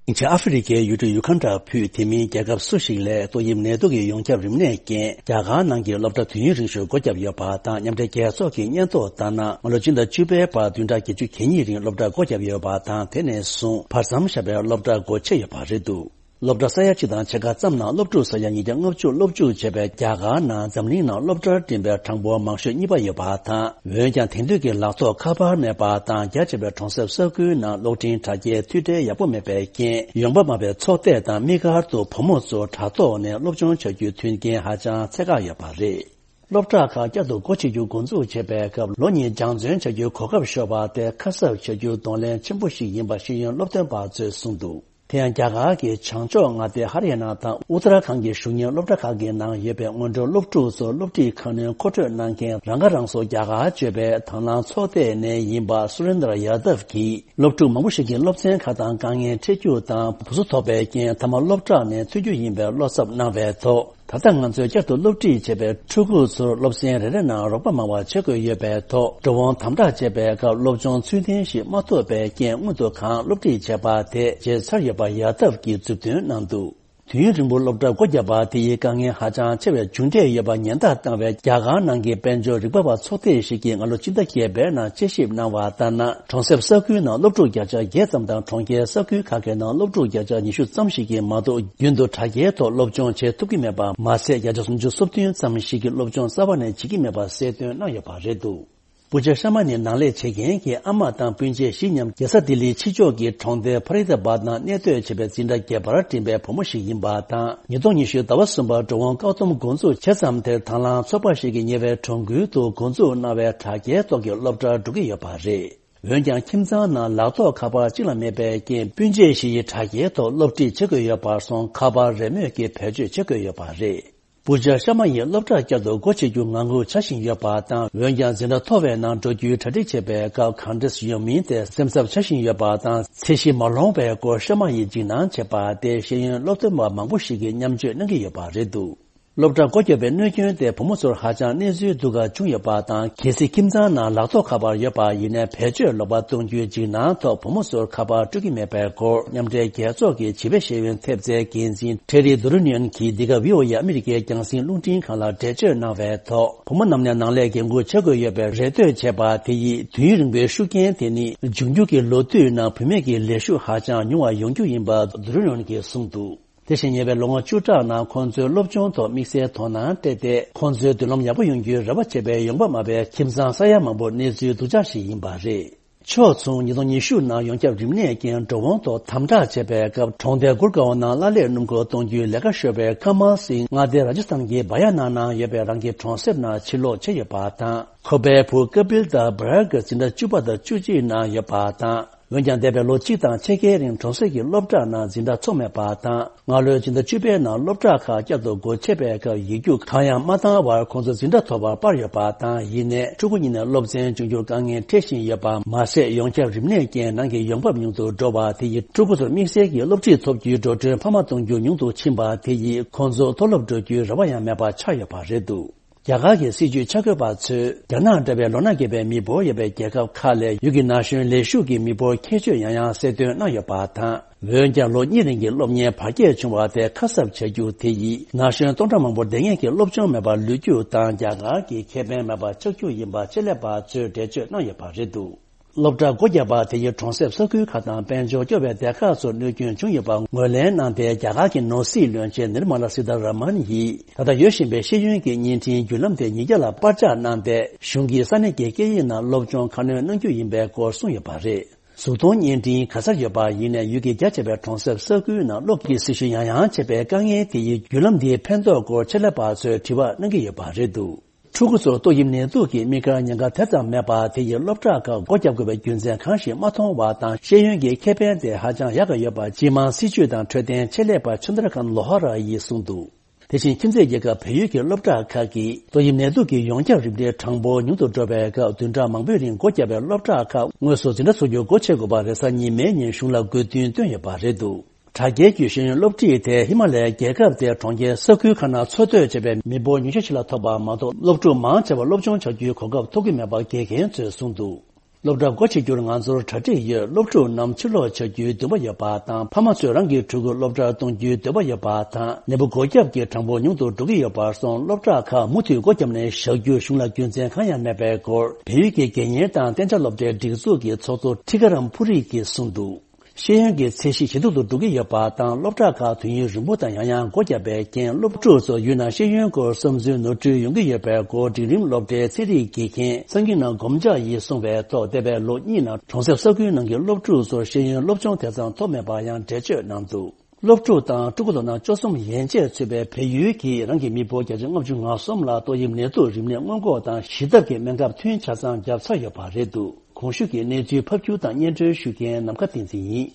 ཨ་ཧྥེ་རི་ཁའི་ཡུལ་གྲུ་ཡུ་ཁན་ཌ་ཕུད་དེ་མིན་རྒྱལ་ཁབ་སུ་ཞིག་ལས་ཏོག་དབྱིབས་ནད་དུག་གི་ཡོངས་ཁྱབ་རིམས་ནད་རྐྱེན་རྒྱ་གར་ནང་གི་སློབ་གྲྭ་དུས་ཡུན་རིང་ཤོས་སྒོ་བརྒྱབ་ཡོད་པ་དང་། མཉམ་འབྲེལ་རྒྱལ་ཚོགས་ཀྱི་སྙན་ཐོ་ལྟར་ན། སྔ་ལོ་སྤྱི་ཟླ་བཅུ་པའི་བར་བདུན་ཕྲག་བརྒྱད་ཅུ་གྱ་གཉིས་རིང་སློབ་གྲྭ་སྒོ་བརྒྱབ་ཡོད་པ་དང་། དེ་ནས་བཟུང་བར་མཚམས་བཞག་པའི་སློབ་གྲྭ་སྒོ་ཕྱེ་ཡོད་པ་རེད་འདུག། སློབ་གྲྭ་ས་ཡ་གཅིག་དང་ཕྱེད་ཀ་ཙམ་ནང་སློབ་ཕྲུག་ས་ཡ་ཉིས་བརྒྱ་ལྔ་བཅུ་སློབ་འཇུག་བྱས་པའི་རྒྱ་གར་ནང་འཛམ་གླིང་ནང་སློབ་གྲྭར་འགྲིམས་པའི་གྲངས་འབོར་མང་ཤོས་གཉིས་པ་ཡོད་པ་དང་། འོན་ཀྱང་དེང་དུས་ཀྱི་ལག་ཐོགས་ཁ་པར་མེད་པ་དང་། རྒྱ་ཆེ་བའི་གྲོང་གསེབ་ས་ཁུལ་ནང་གློག་འཕྲིན་དྲ་རྒྱའི་མཐུད་འབྲེལ་ཡག་པོ་མེད་པའི་རྐྱེན། ཡོང་འབབ་དམའ་བའི་ཚོགས་སྡེ་དང་དམིགས་བཀར་དུ་བུ་མོ་ཚོ་དྲ་ཐོག་ནས་སློབ་སྦྱོང་བྱ་རྒྱུའི་མཐུན་རྐྱེན་ཧ་ཅང་ཚད་བཀག་ཡོད་པ་རེད། སློབ་གྲྭ་ཁག་བསྐྱར་དུ་སྒོ་ཕྱེ་རྒྱུ་འགོ་འཛུགས་བྱས་པའི་སྐབས་ལོ་གཉིས་སྦྱང་བརྩོན་བྱ་རྒྱུའི་གོ་སྐབས་ཤོར་བ་དེ་ཁ་གསབ་བྱ་རྒྱུ་གདོང་ལེན་ཆེན་པོ་ཞིག་ཡིན་པ་ཤེས་ཡོན་སློབ་སྟོན་པ་ཚོས་གསུངས་འདུག། དེ་ཡང་རྒྱ་གར་གྱི་བྱང་ཕྱོགས་མངའ་སྡེ་ཧ་རི་ཡ་ན་དང་ཨུ་ཏ་ར་ཁན་གྱི་གཞུང་གཉེར་སློབ་གྲྭ་ཁག་གི་ནང་ཡོད་པའི་སྔོན་འགྲོའི་སློབ་ཕྲུག་ཚོར་སློབ་ཁྲིད་ཁང་གནོན་མཁོ་སྤྲོད་གནང་མཁན་རང་ཁ་རང་གསོ་རྒྱ་གར་སྤྱོད་པའི་དང་བླངས་ཚོགས་སྡེ་ནས་ཡིན་པ་སུ་རེན་དར་ཡ་དབ་ཀྱིས། སློབ་ཕྲུག་མང་པོ་ཞིག་གིས་སློབ་ཚན་ཁག་དང་དཀའ་ངལ་འཕྲད་རྒྱུ་དང་། བུ་གཟུགས་ཐོག་པའི་རྐྱེན་མཐའ་མ་སློབ་གྲྭ་ནས་ཐོན་རྒྱུ་ཡིན་པའི་བློ་འཚབ་གནང་བའི་ཐོག། ད་ལྟ་ང་ཚོས་བསྐྱར་དུ་སློབ་ཁྲིད་བྱས་པའི་ཕྲུ་གུ་ཚོར་སློབ་ཚན་རེ་རེ་ནང་རོགས་པ་མང་བ་བྱེད་དགོས་ཡོད་པའི་ཐོག། འགྲོ་འོང་དམ་དྲག་བྱས་པའི་སྐབས་སློབ་སྦྱོང་ཚུལ་ལྡན་ཞིག་མ་ཐོབ་པའི་རྐྱེན་སྔོན་དུ་གང་སློབ་ཁྲིད་བྱས་པ་དེ་བརྗེད་ཚར་ཡོད་པ་ཡ་དབ་ཀྱིས་མཛུབ་སྟོན་གནང་འདུག། དུས་ཡུན་རིང་པོ་སློབ་གྲྭ་སྒོ་བརྒྱབ་པ་དེ་ཡིས་དཀའ་ངལ་ཧ་ཅང་ཆེ་བའི་མཇུག་འབྲས་ཡོད་པ་ཉེན་བརྡ་བཏང་བའི་རྒྱ་གར་ནང་གི་དཔལ་འབྱོར་རིག་པ་བ་ཚོགས་སྡེ་ཞིག་གིས་སྔ་ལོ་སྤྱི་ཟླ་བརྒྱད་པའི་ནང་དཔྱད་ཞིབ་གནང་བ་ལྟར་ན། གྲོང་གསེབ་ས་ཁུལ་ནང་སློབ་ཕྲུག་བརྒྱ་ཆ་བརྒྱད་ཙམ་དང་། གྲོང་ཁྱེར་ས་ཁུལ་ཁག་གི་ནང་སློབ་ཕྲུག་བརྒྱ་ཆ་ཉི་ཤུ་ཙམ་ཞིག་གིས་མ་གཏོགས་རྒྱུན་དུ་དྲ་རྒྱའི་ཐོག་སློབ་སྦྱོང་བྱེད་ཐུབ་ཀྱི་མེད་པ་མ་ཟད། བརྒྱ་ཆ་སུམ་ཅུ་སོ་བདུན་ཙམ་ཞིག་གིས་སློབ་སྦྱོང་རྩ་བ་ནས་བྱེད་ཀྱི་མེད་པ་གསལ་སྟོན་གནང་ཡོད་པ་རེད་འདུག། པུ་ཇ་ཤར་མ་ནི་ནང་ལས་བྱེད་མཁན་གྱི་ཨ་མ་དང་སྤུན་མཆེད་བཞི་མཉམ་རྒྱལ་ས་ལྡི་ལིའི་ཕྱི་ཕྱོགས་ཀྱི་གྲོང་རྡལ་ཕ་རི་ད་བཱད་ནང་གནས་སྡོད་བྱེད་པའི་འཛིན་གྲྭ་བརྒྱད་པར་འགྲིམས་པའི་བུ་མོ་ཞིག་ཡིན་པ་དང་། ཉིས་སྟོང་ཉི་ཤུ་ཟླ་བ་གསུམ་པར་འགྲོ་འོང་བཀག་སྡོམ་འགོ་འཛུགས་བྱས་ཙམ་དེར་དང་བླངས་ཚོགས་པ་ཞིག་གིས་ཉེ་བའི་གྲོང་ཁུལ་དུ་འགོ་འཛུགས་གནང་བའི་དྲ་རྒྱའི་ཐོག་གི་སློབ་གྲྭར་འགྲོ་གི་ཡོད་པ་རེད། འོན་ཀྱང་ཁྱིམ་ཚང་ནང་ལག་ཐོགས་ཁ་པར་གཅིག་ལ་མེད་པའི་རྐྱེན། སྤུན་མཆེད་བཞི་ཡིས་དྲ་རྒྱའི་ཐོག་སློབ་ཁྲིད་བྱེད་དགོས་ཡོད་པར་སོང་། ཁ་པར་རེས་མོས་ཀྱིས་བེད་སྤྱོད་བྱེད་དགོས་ཡོད་པ་རེད། པུ་ཇ་ཤར་མ་ཡིས་སློབ་གྲྭ་བསྐྱར་དུ་སྒོ་ཕྱེ་རྒྱུ་ངང་སྒུག་བྱ་བཞིན་ཡོད་པ་དང་། འོན་ཀྱང་འཛིན་གྲྭ་མཐོ་བའི་ནང་འགྲོ་རྒྱུའི་གྲ་སྒྲིག་བྱེད་པའི་སྐབས་གང་འདྲས་ཡོང་མིན་དེ་སེམས་འཚབ་བྱ་བཞིན་ཡོད་པ་དང་། ཚད་གཞི་མ་ལོངས་པའི་སྐོར་ཤར་མ་ཡིས་འཇིགས་སྣང་བྱེད་པ་དེ་ཤེས་ཡོན་སློབ་སྟོན་པ་མང་པོ་ཞིག་གིས་མཉམ་སྤྱོད་གནང་གི་ཡོད་པ་རེད་འདུག། སློབ་གྲྭ་སྒོ་བརྒྱབ་པའི་གནོད་སྐྱོན་དེ་བུ་མོ་ཚོར་ཧ་ཅང་གནས་ཚུལ་སྡུག་ག་བྱུང་ཡོད་པ་དང་། གལ་སྲིད་ཁྱིམ་ཚང་ནང་ལག་ཐོགས་ཁ་པར་ཡོད་པ་ཡིན་ནའི་བེད་སྤྱོད་ལོག་པ་གཏོང་རྒྱུའི་འཇིགས་སྣང་ཐོག་བུ་མོ་ཚོར་ཁ་པར་སྤྲོད་ཀྱི་མེད་པའི་སྐོར། མཉམ་འབྲེལ་རྒྱལ་ཚོགས་ཀྱི་བྱིས་པའི་ཤེས་ཡོན་ཐེབས་རྩའི་འགན་འཛིན་ཊེ་རི་དུ་རུ་ནིའོན་གྱིས་འདི་ག་བྷི་ཨོ་ཨེ་ཨ་མི་རི་ཀའི་རྒྱང་སྲིང་རླུང་འཕྲིན་ཁང་ལ་འགྲེལ་བརྗོད་གནང་བའི་ཐོག། བུ་མོ་རྣམས་ནས་ནང་ལས་འགན་འཁུར་བྱེད་དགོས་ཡོད་པའི་རེ་ལྟོས་བྱས་པ་དེ་ཡིས་དུས་ཡུན་རིང་པོའི་ཤུགས་རྐྱེན་དེ་ནི་འབྱུང་འགྱུར་གྱི་ལོ་དུས་ནང་བུད་མེད་ཀྱི་ལས་ཞུགས་ཧ་ཅང་ཉུང་བ་ཡོང་རྒྱུ་ཡིན་པ་དུ་རུ་ནིའོན་གྱིས་གསུངས་འདུག། དེ་བཞིན་ཉེ་བའི་ལོ་ངོ་བཅུ་ཕྲག་ནང་ཁོང་ཚོའི་སློབ་སྦྱོང་ཐོག་དམིགས་བསལ་དོ་སྣང་སྤྲད་དེ། ཁོང་ཚོའི་མདུན་ལམ་ཡག་པོ་ཡོང་རྒྱུའི་རེ་བ་བྱེད་པའི་ཡོང་འབབ་དམའ་བའི་ཁྱིམ་ཚང་ས་ཡ་མང་པོ་གནས་ཚུལ་སྡུག་ཅག་ཞིག་ཡིན་པ་རེད། ཕྱོགས་མཚུངས་ཉིས་སྟོང་ཉི་ཤུ་ནང་ཡོངས་ཁྱབ་རིམས་ནད་ཀྱིས་འགྲོ་འོང་ཐོག་དམ་དྲག་བྱས་པའི་སྐབས། གྲོང་རྡལ་གུར་གའོ་ནང་གླ་ལས་སྣུམ་འཁོར་གཏོང་རྒྱུའི་ལས་ཀ་ཤོར་བའི་ཀ་མལ་སིང་མངའ་སྡེ་ར་ཇ་སི་ཐན་གྱི་བ་ཡ་ན་ནང་ཡོད་པའི་རང་གི་གྲོང་གསེབ་ནང་ཕྱིར་ལོག་བྱས་ཡོད་པ་དང་། ཁོ་པའི་བུ་ཀ་པིལ་དང་བྷ་རལ་གྱི་འཛིན་གྲྭ་བཅུ་པ་དང་བཅུ་གཅིག་ནང་ཡོད་པ་དང་། འོན་ཀྱང་། འདས་པའི་ལོ་གཅིག་དང་ཕྱེད་ཀའི་རིང་གྲོང་གསེབ་ཀྱི་སློབ་གྲྭ་ནང་འཛིན་གྲྭ་ཚོགས་མེད་པ་དང་། སྔ་ལོའི་སྤྱི་ཟླ་བཅུ་པའི་ནང་སློབ་གྲྭ་ཁག་བསྐྱར་དུ་སྒོ་ཕྱེ་བའི་སྐབས། ཡིག་རྒྱུགས་གང་ཡང་མ་བཏང་བར་ཁོང་ཚོ་འཛིན་གྲྭ་མཐོ་བར་སྤར་ཡོད་པ་དང་། ཡིན་ནའི། ཕྲུ་གུ་གཉིས་ནས་སློབ་ཚན་སྦྱོང་རྒྱུར་དཀའ་ངལ་འཕྲད་བཞིན་ཡོད་པ་མ་ཟད། ཡོངས་ཁྱབ་རིམས་ནད་རྐྱེན་ནང་གི་ཡོང་འབབ་ཉུང་དུ་འགྲོ་བ་དེ་ཡིས། ཕྲུ་གུ་ཚོར་དམིགས་བསལ་གྱི་སློབ་ཁྲིད་ཐོབ་རྒྱུའི་འགྲོ་གྲོན་འཕར་མ་གཏོང་རྒྱུ་ཉུང་དུ་ཕྱིན་པ་དེ་ཡིས། ཁོང་ཚོ་མཐོ་སློབ་འགྲོ་རྒྱུའི་རེ་བ་ཡང་མེད་པ་ཆགས་ཡོད་པ་རེད་འདུག། རྒྱ་གར་གྱི་སྲིད་བྱུས་ཆ་བགོས་པ་ཚོས་རྒྱ་ནག་འདྲ་བའི་ལོ་ན་རྒས་པའི་མི་འབོར་ཡོད་པའི་རྒྱལ་ཁབ་ཁག་ལས་ཡུལ་གྱི་ན་གཞོན་ལས་ཞུགས་ཀྱི་མི་འབོར་ཁྱད་ཆོས་ཡང་ཡང་གསལ་སྟོན་གནང་ཡོད་པ་དང་། འོན་ཀྱང་ལོ་གཉིས་རིང་གི་སློབ་གཉེར་བར་བརྒྱད་བྱུང་བ་དེ་ཁ་གསབ་བྱ་རྒྱུ་དེ་ཡིས་ན་གཞོན་སྟོང་ཕྲག་མང་པོར་བདེ་སྐྱིད་ཀྱི་སློབ་སྦྱོང་མེད་པར་ལུས་རྒྱུ་དང་རྒྱ་གར་གྱི་ཁེ་ཕན་མེད་པ་ཆགས་རྒྱུ་ཡིན་པ་ཆེད་ལས་པ་ཚོས་འགྲེལ་བརྗོད་གནང་ཡོད་པ་རེད་འདུག་སློབ་གྲྭ་སྒོ་བརྒྱབ་པ་དེ་ཡིས་གྲོང་གསེབ་ས་ཁུལ་ཁག་དང་དཔལ་འབྱོར་སྐྱོ་བའི་སྡེ་ཁག་ཚོར་གནོད་སྐྱོན་བྱུང་ཡོད་པ་ངོས་ལེན་གནང་སྟེ། རྒྱ་གར་གྱི་ནོར་སྲིད་བློན་ཆེན་ནིར་མ་ལ་སི་ཐ་ར་མན་ཡིས་ད་ལྟ་ཡོད་བཞིན་པའི་ཤེས་ཡོན་གྱི་བརྙན་འཕྲིན་བརྒྱུད་ལམ་དེ་ཉིས་བརྒྱ་ལ་པར་ཆག་གནང་སྟེ། གཞུང་གིས་ས་གནས་ཀྱི་སྐད་ཡིག་ནང་སློབ་སྦྱོང་ཁ་སྣོན་གནང་རྒྱུ་ཡིན་པའི་སྐོར་གསུངས་ཡོད་པ་རེད། གཟུགས་མཐོང་བརྙན་འཕྲིན་ག་ས་ཡོད་པ་ཡིན་ནའི་ཡུལ་གྱི་རྒྱ་ཆེ་བའི་གྲོང་གསེབ་ས་ཁུལ་ནང་སློབ་ཀྱི་སྲི་ཞུ་ཡང་ཡང་བྱེད་པའི་དཀའ་ངལ་དེ་ཡིས་བརྒྱུད་ལམ་འདིའི་ཕན་ཐོགས་སྐོར་ཆེད་ལས་པ་ཚོས་དྲི་བ་གནང་གི་ཡོད་པ་རེད་འདུག་ཕྲུ་གུ་ཚོར་ཏོག་དབྱིབས་ནད་དུག་གི་དམིགས་བཀར་ཉེན་ཁ་དེ་ཙམ་མེད་པ་དེ་ཡིས་སློབ་གྲྭ་ཁག་སྒོ་བརྒྱབ་དགོས་པའི་རྒྱུ་མཚན་གང་ཞིག་མ་མཐོང་བ་དང་། ཤེས་ཡོན་གྱི་ཁེ་ཕན་དེ་ཧ་ཅང་ཡག་གི་ཡོད་པ་སྤྱི་དམངས་སྲིད་བྱུས་དང་འཕྲོད་བསྟེན་ཆེད་ལས་པ་ཆུན་དར་ཁན་ལོ་ཧ་ར་ཡིས་གསུངས་འདུག་དེ་བཞིན་ཁྱིམ་མཚེས་རྒྱལ་ཁབ་བལ་ཡུལ་གྱི་སློབ་གྲྭ་ཁག་གིས་ཏོག་དབྱིབས་ནད་དུག་གི་ཡོངས་ཁྱབ་རིམས་འགྲེལ་གྲངས་འབོར་ཉུང་དུ་འགྲོ་བའི་སྐབས། བདུན་ཕྲག་མང་པོའི་རིང་སྒོ་བརྒྱབ་པའི་སློབ་གྲྭ་ཁག་དངོས་སུ་འཛིན་གྲྭ་འཚོགས་རྒྱུ་སྒོ་ཕྱེ་དགོས་པ་རེས་གཟའ་ཉི་མའི་ཉིན་གཞུང་ལ་དགོས་འདུན་བཏོན་ཡོད་པ་རེད་འདུག་དྲ་རྒྱའི་བརྒྱུད་ཤེས་ཡོན་སློབ་ཁྲིད་དེ་ཧི་མ་ལ་ཡའི་རྒྱལ་ཁབ་དེའི་གྲོང་ཁྱེར་ས་ཁུལ་ཁག་ནང་འཚོ་སྡོད་བྱེད་པའི་མི་འབོར་ཉུང་ཤོས་ཤིག་ལ་ཐོབ་པ་མ་གཏོགས། སློབ་ཕྲུག་མང་ཆེ་བ་སློབ་སྦྱོང་བྱ་རྒྱུའི་གོ་སྐབས་ཐོབ་ཀྱི་མེད་པ་དགེ་རྒན་ཚོས་གསུངས་འདུག་སློབ་གྲྭ་སྒོ་ཕྱེ་རྒྱུར་ང་ཚོར་གྲ་སྒྲིག་ཡོད། སློབ་ཕྲུག་རྣམས་ཕྱིར་ལོག་བྱ་རྒྱུའི་འདུན་པ་ཡོད་པ་དང་། ཕ་མ་ཚོས་རང་གི་ཕྲུ་གུ་སློབ་གྲྭར་གཏོང་རྒྱུའི་འདོད་པ་ཡོད་པ་དང་། ནད་འབུ་འགོས་ཁྱབ་ཀྱི་གྲངས་འབོར་ཉུང་དུ་འགྲོ་གི་ཡོད་པར་སོང་། སློབ་གྲྭ་ཁག་མུ་མཐུད་སྒོ་བརྒྱབ་ནས་བཞག་རྒྱུར་གཞུང་ལ་རྒྱུ་མཚན་གང་ཡང་མེད་པའི་སྐོར། བལ་ཡུལ་གྱི་དགེ་རྒན་དང་གཏན་འཇགས་སློབ་གྲྭའི་སྒྲིག་འཛུགས་ཀྱི་ཚོགས་གཙོ་ཁྲི་ཀ་རམ་ཕུ་རི་གིས་གསུངས་འདུག་ཤེས་ཡོན་གྱི་ཚད་གཞི་ཇེ་སྡུག་ཏུ་འགྲོ་གི་ཡོད་པ་དང་། སློབ་གྲྭ་ཁག་དུས་ཡུན་རིང་པོ་དང་ཡང་ཡང་སྒོ་བརྒྱབ་པའི་རྐྱེན། སློབ་ཕྲུག་ཚོ་ཡུལ་ནང་ཤེས་ཡོན་སྐོར་བསམ་ཚུལ་ནོར་འཁྲུལ་ཡོང་གི་ཡོད་པའི་སྐོར། འབྲིང་རིམ་སློབ་གྲྭའི་ཚན་རིག་དགེ་རྒན་སངས་ཀྱི་ནང་སྒོམ་ལྕགས་ཡིས་གསུངས་པའི་ཐོག་འདས་པའི་ལོ་གཉིས་ནང་གྲོང་གསེབ་ས་ཁུལ་ནང་གི་སློབ་ཕྲུག་ཚོར་ཤེས་ཡོན་སློབ་སྦྱོང་དེ་ཙམ་ཐོབ་མེད་པར་ཡང་འགྲེལ་བརྗོད་གནང་འདུག་སློབ་ཕྲུག་དང་ཕྲུ་གུ་ལོ་ན་བཅུ་གསུམ་ཡན་ཆད་ཚུད་པའི་བལ་ཡུལ་གྱིས་རང་གི་མི་འབོར་བརྒྱ་ཆ་ལྔ་བཅུ་ང་གསུམ་ལ་ཏོག་དབྱིབས་ནད་དུག་རིམས་ནད་སྔོན་འགོག་དང་ཞི་ཐབས་ཀྱི་སྨན་ཁབ་ཐུན་ཆ་ཚང་བརྒྱབ་ཚར་ཡོད་པ་རེད་འདུག་གོང་ཞུས་ཀྱི་གནས་ཚུལ་ཕབ་སྒྱུར་དང་སྙན་སྒྲོན་ཞུ་མཁན་ནམ་མཁའ་བསྟན་འཛིན་ཡིན།